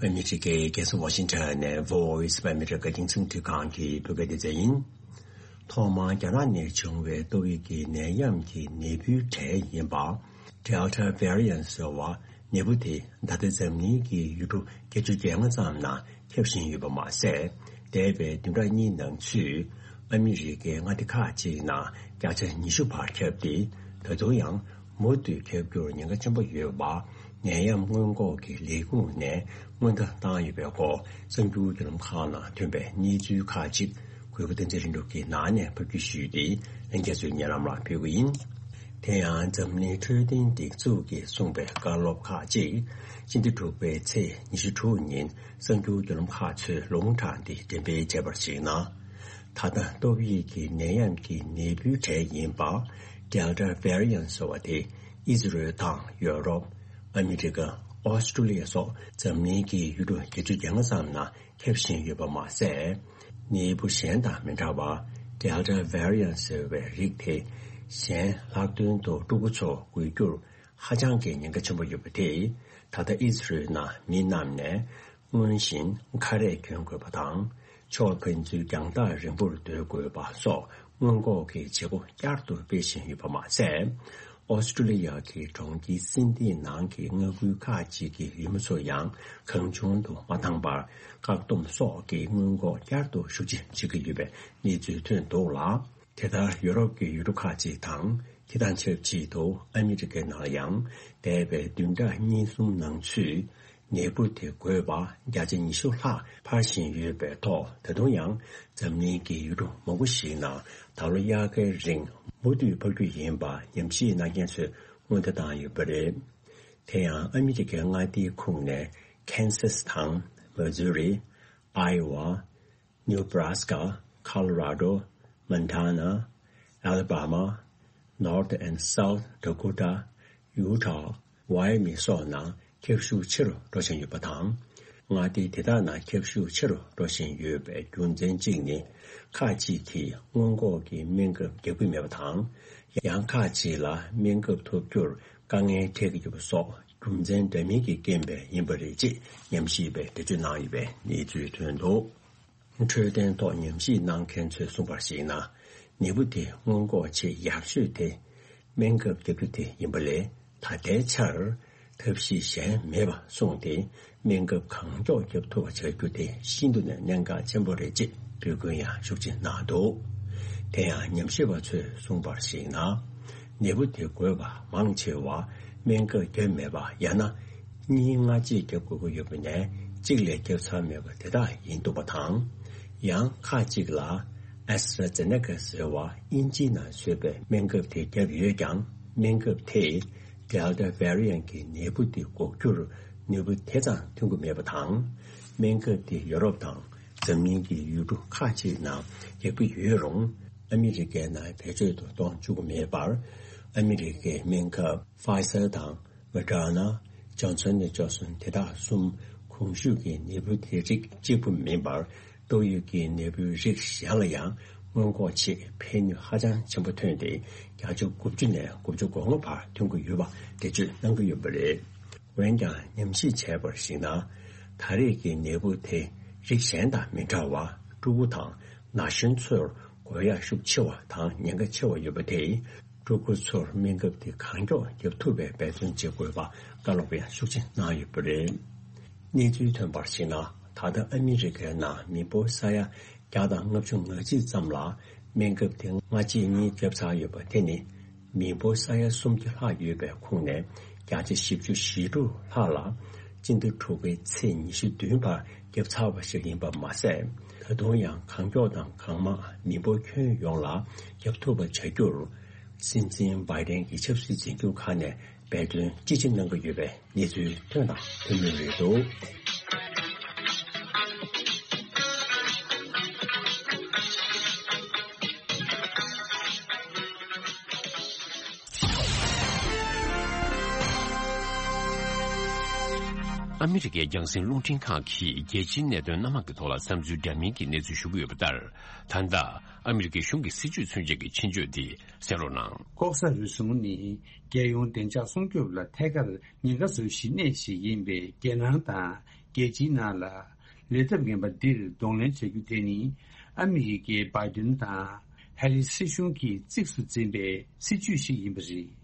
ཨ་མི་རི་ཀའི་རྒྱལ་ས་ཝ་ཤིང་ཊོན་ནས་Voice of America འདིང་ཚིག་འབྲི་ཁང་གི་བོད་སྐད་སྡེ་ཚན་ཡིན། ཐོག་མར་རྒྱ་ནག་ནས་བྱུང་བའི་ཏོག་དབྱིབས་ཀྱི་ནད་ཡམས་ཀྱི་ནད་འབུའི་གྲས་ཡིན་པ། Delta variant ཟེར་བ་ནད་འབུ་དེ་ད་ལྟ་འཛམ་གླིང་གི་ཡུལ་གྲུ་བརྒྱད་ཅུ་གྱ་ལྔ་ཙམ་ནང་ཁྱབ་བཞིན་ཡོད་པ་མ་ཟད། འདས་པའི་བདུན་ཕྲག་གཉིས་ནང་ཚུད་ཨ་མི་རི་ཀའི་མངའ་སྡེ་ཁག་ཅིག་ནང་བརྒྱ་ཆ་ཉི་ཤུ་བར་ཁྱབ་སྟེ། ད་དུང་ཡང་མུ་མཐུད་ཁྱབ་རྒྱུར་ཉེན་ཁ་ཆེན་པོ་ཡོད་པ། ནད་ཡམས་སྔོན་འགོག་གི་ལས་ཁུངས་ནས་སྔོན་བརྡ་བཏང་ཡོད་པའི་སྐོར་གསར་འགྱུར་བརྒྱུད་ལམ་ཁག་ནང་ཐོན་པའི་གནས་ཚུལ་ཁག་ཅིག་གུས་པ་བསྟན་འཛིན་ལྷུན་གྲུབ་ཀྱིས་ནང་ནས་ཕབ་སྒྱུར་ཞུས་ཏེ། ལྷན་རྒྱས་ཚོའི་སྙན་ལམ་ལ་ཕུལ་གྱི་ཡིན། དེ་ཡང་འཛམ་གླིང་འཕྲོད་བསྟེན་སྒྲིག་འཛུགས་ཀྱིས་གསུངས་པའི་བཀའ་སློབ་ཁག་ཅིག་སྤྱི་ཟླ་དྲུག་པའི་ཚེས་ཉི་ཤུ་དྲུག་ཉིན་གསར་འགྱུར་བརྒྱུད་ལམ་ཁག་ཚོས་ལུང་དྲངས་ཏེ་འགྲེམས་སྤེལ་བྱས་པར་གཞིགས་ན། ད་ལྟ་ཏོག་དབྱིབས་ཀྱི་ནད་ཡམས་ཀྱི་ནད་འབུའི་གྲས་ཡིན་པ། Delta variant ཟེར་བ་དེ་ཨི་ཟི་རེལ་དང་ཡོ་རོབ། ཨ་མི་རི་ཀ། ཨོ་སི་ཀྲུ་ལི་ཡ་སོགས་འཛམ་གླིང་གི་ཡུལ་གྲུ་བརྒྱད་ཅུ་གྱ་ལྔ་ཙམ་ནང་ཁྱབ་བཞིན་ཡོད་པ་མ་ཟད། ནད་འབུ་གཞན་དང་མི་འདྲ་བར། Delta variant ཟེར་བའི་རིགས་དེ་གཞན་ལྷག་དོན་དུ་ཕྲུ་གུ་ཚོར་འགོས་རྒྱུར་ཧ་ཅང་གི་ཉེན་ཁ་ཆེན་པོ་ཡོད་པ་དེས། ད་ལྟ་ཨི་ཟི་རེལ་ནང་མི་རྣམས་ནས་སྔོན་བཞིན་ཁ་རས་གྱོན་དགོས་པ་དང་། ཕྱོགས་ཕན་ཚུན་རྒྱང་ཐག་རིང་པོར་སྡོད་དགོས་པ་སོགས་སྔོན་འགོག་གི་བྱེད་སྒོ་བསྐྱར་དུ་སྤེལ་བཞིན་ཡོད་པ་མ་ཟད། ཨོ་སི་ཀྲུ་ལི་ཡ་གི་གྲོང་ཁྱེར་སིན་ཏི་ནང་གི་མངའ་ཁུལ་ཁག་ཅིག་གི་ཡུལ་མི་ཚོ་ཡང་གང་བྱུང་དུ་མ་འདང་བར་བཀག་སྡོམ་སོགས་ཀྱི་སྔོན་འགོག་བསྐྱར་དུ་ཤུགས་ཆེ་བྱེད་ཀྱི་ཡོད་པའི་གནས་ཚུལ་ཐོན་འདུག་ལ། དེ་ལྟར་ཡོ་རོབ་ཀྱི་ཡུལ་གྲུ་ཁག་ཅིག་དང་། དེ་དང་ཆབས་ཅིག་ཏུ་ཨ་མི་རི་ཀའི་ནང་ལ་ཡང་འདས་པའི་བདུན་ཕྲག་གཉིས་གསུམ་ནང་ཚུད་ ནད་འབུ་དེ་འགོས་པ་བརྒྱ་ཆ་ཉི་ཤུ་ལྷག་འཕར་བཞིན་ཡོད་པའི་ཐོག་ད་དུང་ཡང་འཛམ་གླིང་གི་ཡུལ་གྲུ་མང་པོ་ཞིག་ནང་ད་ལོ་དབྱར་ཁའི་རིང་མུ་མཐུད་འཕར་རྒྱུ་ཡིན་པ་ཉམས་ཞིབ་གནང་མཁན་ཚོས་སྔོན་བརྡ་བཏང་ཡོད་པ་རེད། དེ་ཡང་ཨ་མི་རི་ཀའི་མངའ་སྡེའི་ཁོངས་ནས་ཁེན་སཱ་སི་དང་མི་ཛུ་རི། ཨའེ་ཝ། ནིའུ་བྷ་ར་སི་ཀ། ཁོ་ལོ་ར་ཌོ། མོན་ཊ་ན། ཨ་ལ་བྷ་མ། North and South Dakota། ཡུ་ཊ། ཝའེ་མི་སོགས་ནང་ཁྱབ་ཤུགས་ཆེ་རུ་འགྲོ་བཞིན་ཡོད་པ་དང་། མངའ་སྡེ་དེ་དག་ནང་ཁྱབ་ཤུགས་ཆེ་རུ་འགྲོ་བཞིན་ཡོད་པའི་རྒྱུ་མཚན་གཅིག་ནི། ཁག་ཅིག་གིས་སྔོན་འགོག་གི་སྨན་ཁབ་རྒྱག་གི་མེད་པ་དང་། ཡང་ཁག་ཅིག་ལ་སྨན་ཁབ་ཐོབ་རྒྱུར་དཀའ་ངལ་འཕྲད་ཀྱི་ཡོད་པ་སོགས་རྒྱུ་མཚན་འདྲ་མིན་གྱི་རྐྱེན་པས་ཡིན་པ་རེད་ཅེས་ཉམས་ཞིབ་པས་འགྲེལ་བརྗོད་གནང་ཡོད་པའི་གནས་ཚུལ་ཐོན་འདུག་འཕྲོད་བསྟེན་ཐོག་ཉམས་ཞིབ་གནང་མཁན་ཚོས་གསུངས་པར་གཞིགས་ན། ནད་འབུ་དེ་སྔོན་འགོག་ཆེས་ཡག་ཤོས་དེ་སྨན་ཁབ་བརྒྱབ་རྒྱུ་དེ་ཡིན་པ་ལས། ད་ལྟའི་ཆར་ཐབས་ཤེས་གཞན་མེད་པ་སོང་སྟེ། སྨན་ཁབ་གང་མགྱོགས་བརྒྱབ་ཐུབ་པ་བྱ་རྒྱུ་དེ་ཤིན་ཏུ་ནས་གནད་འགག་ཆེན་པོ་རེད་ཅེས་འབོད་སྐུལ་ཡང་ཤུགས་ཆེ་གནང་འདུག་དེ་ཡང་ཉམས་ཞིབ་པ་ཚོས་གསུངས་པར་གཞིགས་ན། ནད་འབུ་དེ་འགོས་པ་མང་ཆེ་བ་སྨན་ཁབ་བརྒྱབ་མེད་པ་ཡང་ན། གཉིས་སྔ་རྗེས་བརྒྱབ་དགོས་ཀྱི་ཡོད་པ་ནས་གཅིག་ལས་བརྒྱབ་ཚར་མེད་པ་དེ་དག་ཡིན་འདུག་པ་དང་། ཡང་ཁག་ཅིག་ལ་ཨེ་སི་ཊ་ར་ཛེ་ནེ་ཀ་ཟེར་བ་དབྱིན་ཇིའི་ནང་བཟོས་པའི་སྨན་ཁབ་དེ་བརྒྱབ་ཡོད་ཀྱང་། སྨན་ཁབ་དེས་Delta variant་གྱི་ནད་འབུ་དེ་འགོག་རྒྱུར་ནུས་པ་དེ་ཙམ་ཐོན་གྱི་མེད་པ་དང་། སྨན་ཁབ་དེ་ཡོ་རོབ་དང་འཛམ་གླིང་གི་ཡུལ་གྲུ་ཁག་ཅིག་ནང་རྒྱག་གི་ཡོད་རུང་། ཨ་མི་རི་ཀའི་ནང་བེད་སྤྱོད་དུ་གཏོང་བཅུག་གི་མེད་པར། ཨ་མི་རི་ཀའི་སྨན་ཁབ་Pfizer་དང་། Moderna། Johnson and Johnson་དེ་དག་གསུམ་གོང་ཞུས་ཀྱི་ནད་འབུ་དེ་རིགས་གཅིག་པུ་མིན་པར། ཏོག་དབྱིབས་ཀྱི་ནད་འབུའི་རིགས་གཞན་ལ་ཡང་སྔོན་འགོག་ཆེད་ཕན་ནུས་ཧ་ཅང་ཆེན་པོ་ཐོན་ཏེ། བརྒྱ་ཆ་དགུ་བཅུ་ནས་དགུ་བཅུ་གོ་ལྔ་བར་ཐོན་གྱི་ཡོད་པ་འགྲེལ་བརྗོད་གནང་གི་ཡོད་པ་རེད། འོན་ཀྱང་ཉམས་ཞིབ་བྱས་པར་གཞིགས་ན། ད་རེས་ཀྱི་ནད་འབུ་དེ་རིགས་གཞན་དང་མི་འདྲ་བར་ཕྲུ་གུ་དང་ན་གཞོན་ཚོར་འགོས་ཡག་ཤུགས་ཆེ་བ་དང་ཉེན་ཁ་ཆེ་བ་ཡོད་པ་དེས། ཕྲུ་གུ་ཚོར་སྨན་ཁབ་དེ་གང་མགྱོགས་བརྒྱབ་ཐུབ་པའི་འབད་བརྩོན་བྱེད་དགོས་པ་བཀའ་སློབ་ཡང་ཤུགས་ཆེ་གནང་ཡོད་པ་རེད། གནས་ཚུལ་ཐོན་པར་གཞིགས་ན། ད་ལྟ་ཨ་མི་རི་ཀའི་ནང་མི་འབོར་ས་ཡ་བརྒྱ་དང་ལྔ་བཅུ་ང་གཅིག་ཙམ་ལ་སྨན་ཁབ་དེ་སྔ་རྗེས་གཉིས་བརྒྱབ་ཚར་ཡོད་པ་དེ་ནི། མི་འབོར་ས་ཡ་སུམ་བརྒྱ་ལྷག་ཡོད་པའི་ཁོངས་ནས་བརྒྱ་ཆ་བཞི་བཅུ་ཞེ་དྲུག་ལྷག་ལ་སྤྱི་ཟླ་དྲུག་པའི་ཚེས་ཉི་ཤུ་བདུན་བར་བརྒྱབ་ཚར་བ་ཞིག་ཡིན་པ་མ་ཟད། ད་དུང་ཡང་གང་མགྱོགས་དང་གང་མང་མི་འབོར་ཁྱོན་ཡོངས་ལ་བརྒྱབ་ཐུབ་པ་བྱ་རྒྱུར། སྲིད་འཛིན་བྷའི་ཌེན་གྱི་ཆབ་སྲིད་འཛིན་སྐྱོང་ཁག་ནས་འབད་བརྩོན་ཅི་ཆེ་གནང་གི་ཡོད་པའི་གནས་ཚུལ་ཐོན་དང་ཐོན་མུས་རེད་འདུག་ཨ་མི་རི་ཀའི་རྒྱང་སྲིང་རླུང་འཕྲིན་ཁང་གིས་རྒྱལ་སྤྱིའི་གནད་དོན་སྣ་མང་གི་ཐོག་ལ་བསམ་ཚུལ་འདྲ་མིན་གྱི་གནས་ཚུལ་ཞུ་གི་ཡོད་པ་ལྟར། ད་ལྟ་ཨ་མི་རི་ཀའི་གཞུང་གི་སྲིད་བྱུས་མཚོན་བྱེད་ཀྱི་ཆེད་བརྗོད་འདི་གསན་རོགས་གནང་། ལྐོག་ཟ་རུལ་སུངས་ནི་རྒྱལ་ཡོངས་བདེ་འཇགས་སྲུང་སྐྱོབ་ལ་ཐད་ཀར་ཉེན་ཁ་བཟོ་གཞི་གནད་ཞིག་ཡིན་པས། རྒྱལ་ནང་དང་རྒྱལ་སྤྱིའི་ནང་ལ་ལས་ཐབས་ངན་པ་འདིར་གདོང་ལེན་བྱ་རྒྱུ་དེ་ནི་ཨ་མི་རི་ཀའི་བྷའི་ཌེན་དང་ཧེ་རི་སི་སྲིད་གཞུང་གིས་གཙིགས་སུ་འཛིན་པའི་སྲིད་བྱུས་ཤིག་ཡིན་པ་རེད།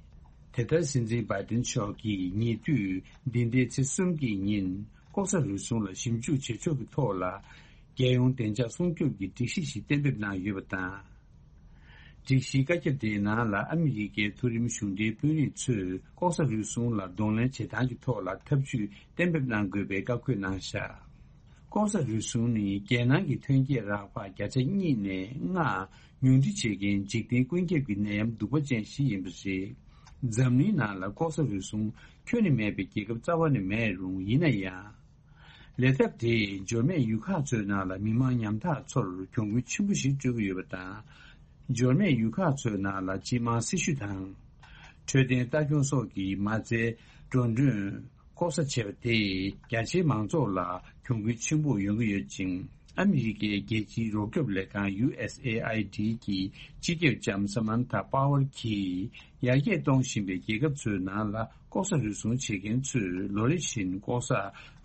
དེ་ལྟར་སྲིད་འཛིན་བྷའི་ཌེན་མཆོག་གིས་ཉེ་དུས་འདི་ཟླའི་ཚེས་གསུམ་གྱི་ཉིན་ལྐོག་ཟ་རུལ་སུངས་ལ་ཞིབ་འཇུག་བྱེད་ཕྱོགས་ཀྱི་ཐོག་ལ། རྒྱལ་ཡོངས་བདེ་འཇགས་སྲུང་སྐྱོབ་ཀྱི་སྒྲིག་གཞི་ཞིག་གཏན་འབེབས་གནང་ཡོད་པ་དང་། སྒྲིག་གཞིའི་བཀའ་ཁྱབ་དེའི་ནང་ལ་ཨ་མི་རི་ཀའི་མཐོ་རིམ་གཞུང་འབྲེལ་དཔོན་རིགས་ཚོས་ལྐོག་ཟ་རུལ་སུངས་ལ་གདོང་ལེན་བྱེད་སྟངས་ཀྱི་ཐོག་ལ་ཐབས་ཇུས་གཏན་འབེབས་གནང་དགོས་པའི་བཀའ་འཁོད་གནང་བཞག་ལྐོག་ཟ་རུལ་སུངས་ནི་རྒྱལ་ནང་གི་ཐོན་སྐྱེད་རག་པ་བརྒྱ་ཆ་གཉིས་ནས་ལྔ་ཉུང་འཕྲི་བྱེད་མཁན་འཇིག་རྟེན་ཀུན་ཁྱབ་ཀྱི་ནད་ཡམས་གདུག་པ་ཅན་ཞིག་ཡིན་པ་རེད། འཛམ་གླིང་ནང་ལ་ལྐོག་ཟ་རུལ་སུངས་ཁྱོན་ནས་མེད་པའི་རྒྱལ་ཁབ་རྩ་བ་ནས་མེད་རུང་། ཡིན་ན་ཡང་། ལས་ཐབས་དེས་འབྱོར་མེད་ཡུལ་ཁག་ཚོའི་ནང་ལ་མི་མང་ཉམ་ཐག་ཚོར་གྱོང་གུན་ཆེན་པོ་ཞིག་སྤྲོད་ཀྱི་ཡོད་པ་དང་། འབྱོར་མེད་ཡུལ་ཁག་ཚོའི་ནང་ལ་སྤྱི་དམངས་སྲི་ཞུ་དང་། འཕྲོད་བསྟེན་ལྟ་སྐྱོང་སོགས་ཀྱི་མ་རྩའི་འགྲོ་གྲོན་ལྐོག་ཟ་བྱས་པ་དེས་རྒྱ་ཆེའི་མང་ཚོགས་ལ་གྱོང་གུན་ཆེན་པོ་ཡོང་གི་ཡོད་ཅིང་། ཨ་མི་རི་ཀའི་རྒྱལ་སྤྱིའི་རོགས་སྐྱོབ་ལས་ཁང་ཡུ་ཨེས་ཨེ་ཨའི་ཌི་གི་སྤྱི་ཁྱབ་ལྕམ་Samantha Power་གྱིས། ཡར་རྒྱས་གཏོང་བཞིན་པའི་རྒྱལ་ཁབ་ཚོའི་ནང་ལ་ལྐོག་ཟ་རུལ་སུངས་བྱེད་མཁན་ཚོས་ལོ་རེ་བཞིན་ལྐོག་ཟ་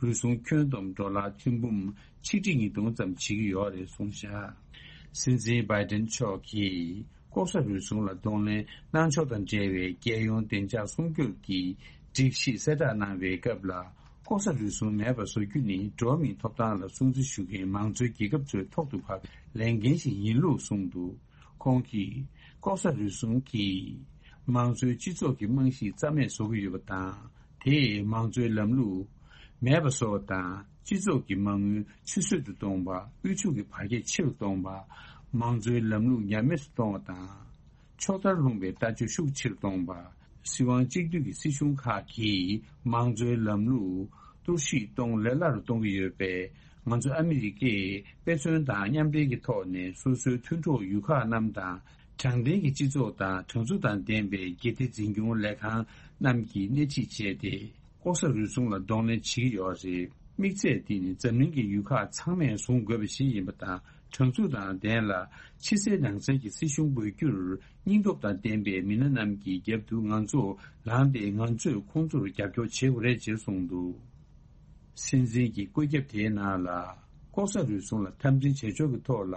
རུལ་སུངས་ཁྱོན་བསྡོམས་ཌོ་ལར་ཐེར་འབུམ་ཆིག་ཁྲི་ཉིས་སྟོང་ཙམ་བྱེད་ཀྱི་ཡོད་རེད་གསུངས་བཞག་སྲིད་འཛིན་བྷའི་ཌེན་མཆོག་གིས་ལྐོག་ཟ་རུལ་སུངས་ལ་གདོང་ལེན་གནང་ཕྱོགས་དང་འབྲེལ་བའི་རྒྱལ་ཡོངས་བདེ་འཇགས་སྲུང་སྐྱོབ་ཀྱི་སྒྲིག་གཞི་གསལ་བསྒྲགས་གནང་བའི་སྐབས་ལ། ལྐོག་ཟ་རུལ་སུངས་མེད་པར་བཟོ་རྒྱུ་ནི་འགྲོ་བ་མིའི་ཐོབ་ཐང་ལ་སྲུང་བརྩི་ཞུ་མཁན་མང་གཙོའི་རྒྱལ་ཁབ་ཚོའི་ཐོག་ཏུ་ཕབ་པའི་ལས་འགན་ཞིག་ཡིན་ལུགས་གསུངས་འདུག་ཁོང་གིས་ལྐོག་ཟ་རུལ་སུངས་ཀྱིས་མང་གཙོའི་སྤྱི་ཚོགས་ཀྱི་རྨང་གཞི་རྩ་མེད་བཟོ་གི་ཡོད་པ་དང་། དེས་མང་གཙོའི་ལམ་ལུགས་ མེད་པ་བཟོ་བ་དང་། སྤྱི་ཚོགས་ཀྱི་མ་དངུལ་ཆུད་ཟོས་སུ་གཏོང་བ། དབུལ་ཕྱུག་གི་བར་ཁྱད་ཆེ་རུ་གཏོང་བ། མང་གཙོའི་ལམ་ལུགས་ཉམས་དམས་སུ་གཏོང་བ་དང་། ཕྱོགས་མཐར་ལྷུང་བའི་ལྟ་སྤྱོད་ཤུགས་ཆེ་རུ་གཏོང་བ། སྲིད་དབང་གཅིག་སྡུད་ཀྱི་སྲིད་གཞུང་ཁག་གིས་མང་གཙོའི་ལམ་ལུགས་གཏོར་བཤིག་གཏོང་ལས་སླ་རུ་གཏོང་གི་ཡོད་པས། ང་ཚོ་ཨ་མི་རི་ཀས་དཔེ་མཚོན་དང་མཉམ་འབྲེལ་གྱི་ཐོག་ནས་སོ་སོའི་མཐུན་གྲོགས་ཡུལ་ཁག་རྣམས་དང་། དྲང་བདེན་གྱི་སྤྱི་ཚོགས་དང་དྲང་ཚུགས་དང་ལྡན་པའི་སྒེར་སྡེ་འཛིན་སྐྱོང་ལས་ཁང་རྣམས་ཀྱིས་སྣེ་ཁྲིད་བྱས་ཏེ། ལྐོག་ཟ་རུལ་སུངས་ལ་གདོང་ལེན་བྱེད་ཀྱི་ཡོད་རེད། དམིགས་ཚད་འདི་ནི་འཛམ་གླིང་གི་ཡུལ་ཁག་ཚང་མས་བཟུང་དགོས་པ་ཞིག་ཡིན་པ་དང་། དྲང་ཚུགས་དང་ལྡན་ལ་ཕྱི་གསལ་ནང་གསལ་གྱི་སྲིད་གཞུང་དགོས་རྒྱུར་སྙིང་སྟོབས་དང་ལྡན་པའི་མི་སྣ་རྣམས་ཀྱི་རྒྱབ་ཏུ་ང་ཚོ་ལངས་ཏེ། ང་ཚོས་ཁོང་ཚོར་རྒྱབ་སྐྱོར་བྱེད་དགོས་རེད་ཅེས་གསུངས་འདུག། སྲིད་འཛིན་གྱི་བཀོད་ཁྱབ་དེའི་ནང་ལ། ལྐོག་ཟ་རུལ་སུངས་ལ་འཐབ་འཛིང་བྱེད་ཕྱོགས་ཀྱི་ཐོག་ལ།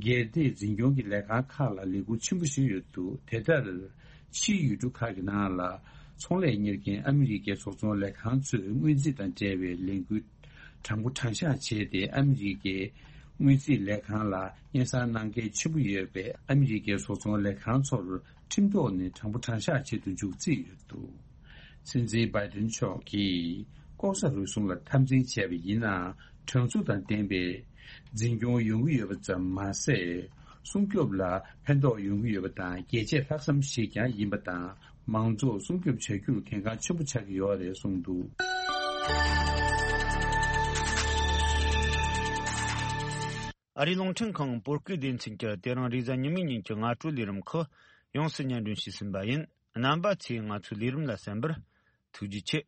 སྒེར་སྡེ་འཛིན་སྐྱོང་གི་ལས་ཁང་ཁག་ལ་ལས་འགུལ་ཆེན་པོ་ཞིག་ཡོད་འདུག། དེ་ལྟར། ཕྱིའི་ཡུལ་གྲུ་ཁག་གི་ནང་ལ། ཚོང་ལས་གཉེར་མཁན་ཨ་མི་རི་ཀའི་བཟོ་ཚོང་ལས་ཁང་ཚོས་སྔོན་རྩིས་དང་འབྲེལ་བའི་ལས་འགུལ་དྲང་པོ་དྲང་གཞག་བྱས་ཏེ། ཨ་མི་རི་ཀའི་སྔོན་རྩིས་ལས་ཁང་ལ་སྙན་སེང་གནང་མཁན་ཆེན་པོ་ཡོད་པས། ཨ་མི་རི་ཀའི་བཟོ་ཚོང་ལས་ཁང་ཚོར་ཁྲིམས་ཐོག་ནས་དྲང་པོ་དྲང་གཞག་བྱེད་དུ་འཇུག་རྩིས་ཡོད་འདུག། སྲིད་འཛིན་བྷའི་ཏིན་མཆོག་གིས་ལྐོག་ཟ་རུལ་སུངས་ལ་འཐབ་འཛིང་བྱས་པ་ཡིན་ན། དྲང་ཚུགས་དང་ལྡན་པའི་འཛིན་སྐྱོང་ཡོང་གི་ཡོད་པ་ཙམ་མ་ཟད། སྲུང་སྐྱོབ་ལ་ཕན་ཐོགས་ཡོང་གི་ཡོད་པ་དང་། རྒྱལ་གཅེས་ལྷག་བསམ་ཞིག་ཀྱང་ཡིན་པ་དང་། མང་ཚོགས་སྲུང་སྐྱོབ་བྱ་རྒྱུར་གལ་འགངས་ཆེན་པོ་ཆགས་ཀྱི་ཡོད་རེད་གསུངས་འདུག། ཨ་རིའི་རླུང་འཕྲིན་ཁང་བོད་སྐད་སྡེ་ཚན་གྱིས་དེ་རིང་རེས་གཟའ་ཉི་མའི་ཉིན་གྱི་སྔ་དྲོའི་ལས་རིམ་ཁག་ཡོངས་སུ་སྙན་སྒྲོན་ཞུས་ཟིན་པ་ཡིན། རྣམ་པ་ཚོས་ང་ཚོའི་ལས་རིམ་ལ་གསན་པར་ཐུགས་རྗེ་ཆེ།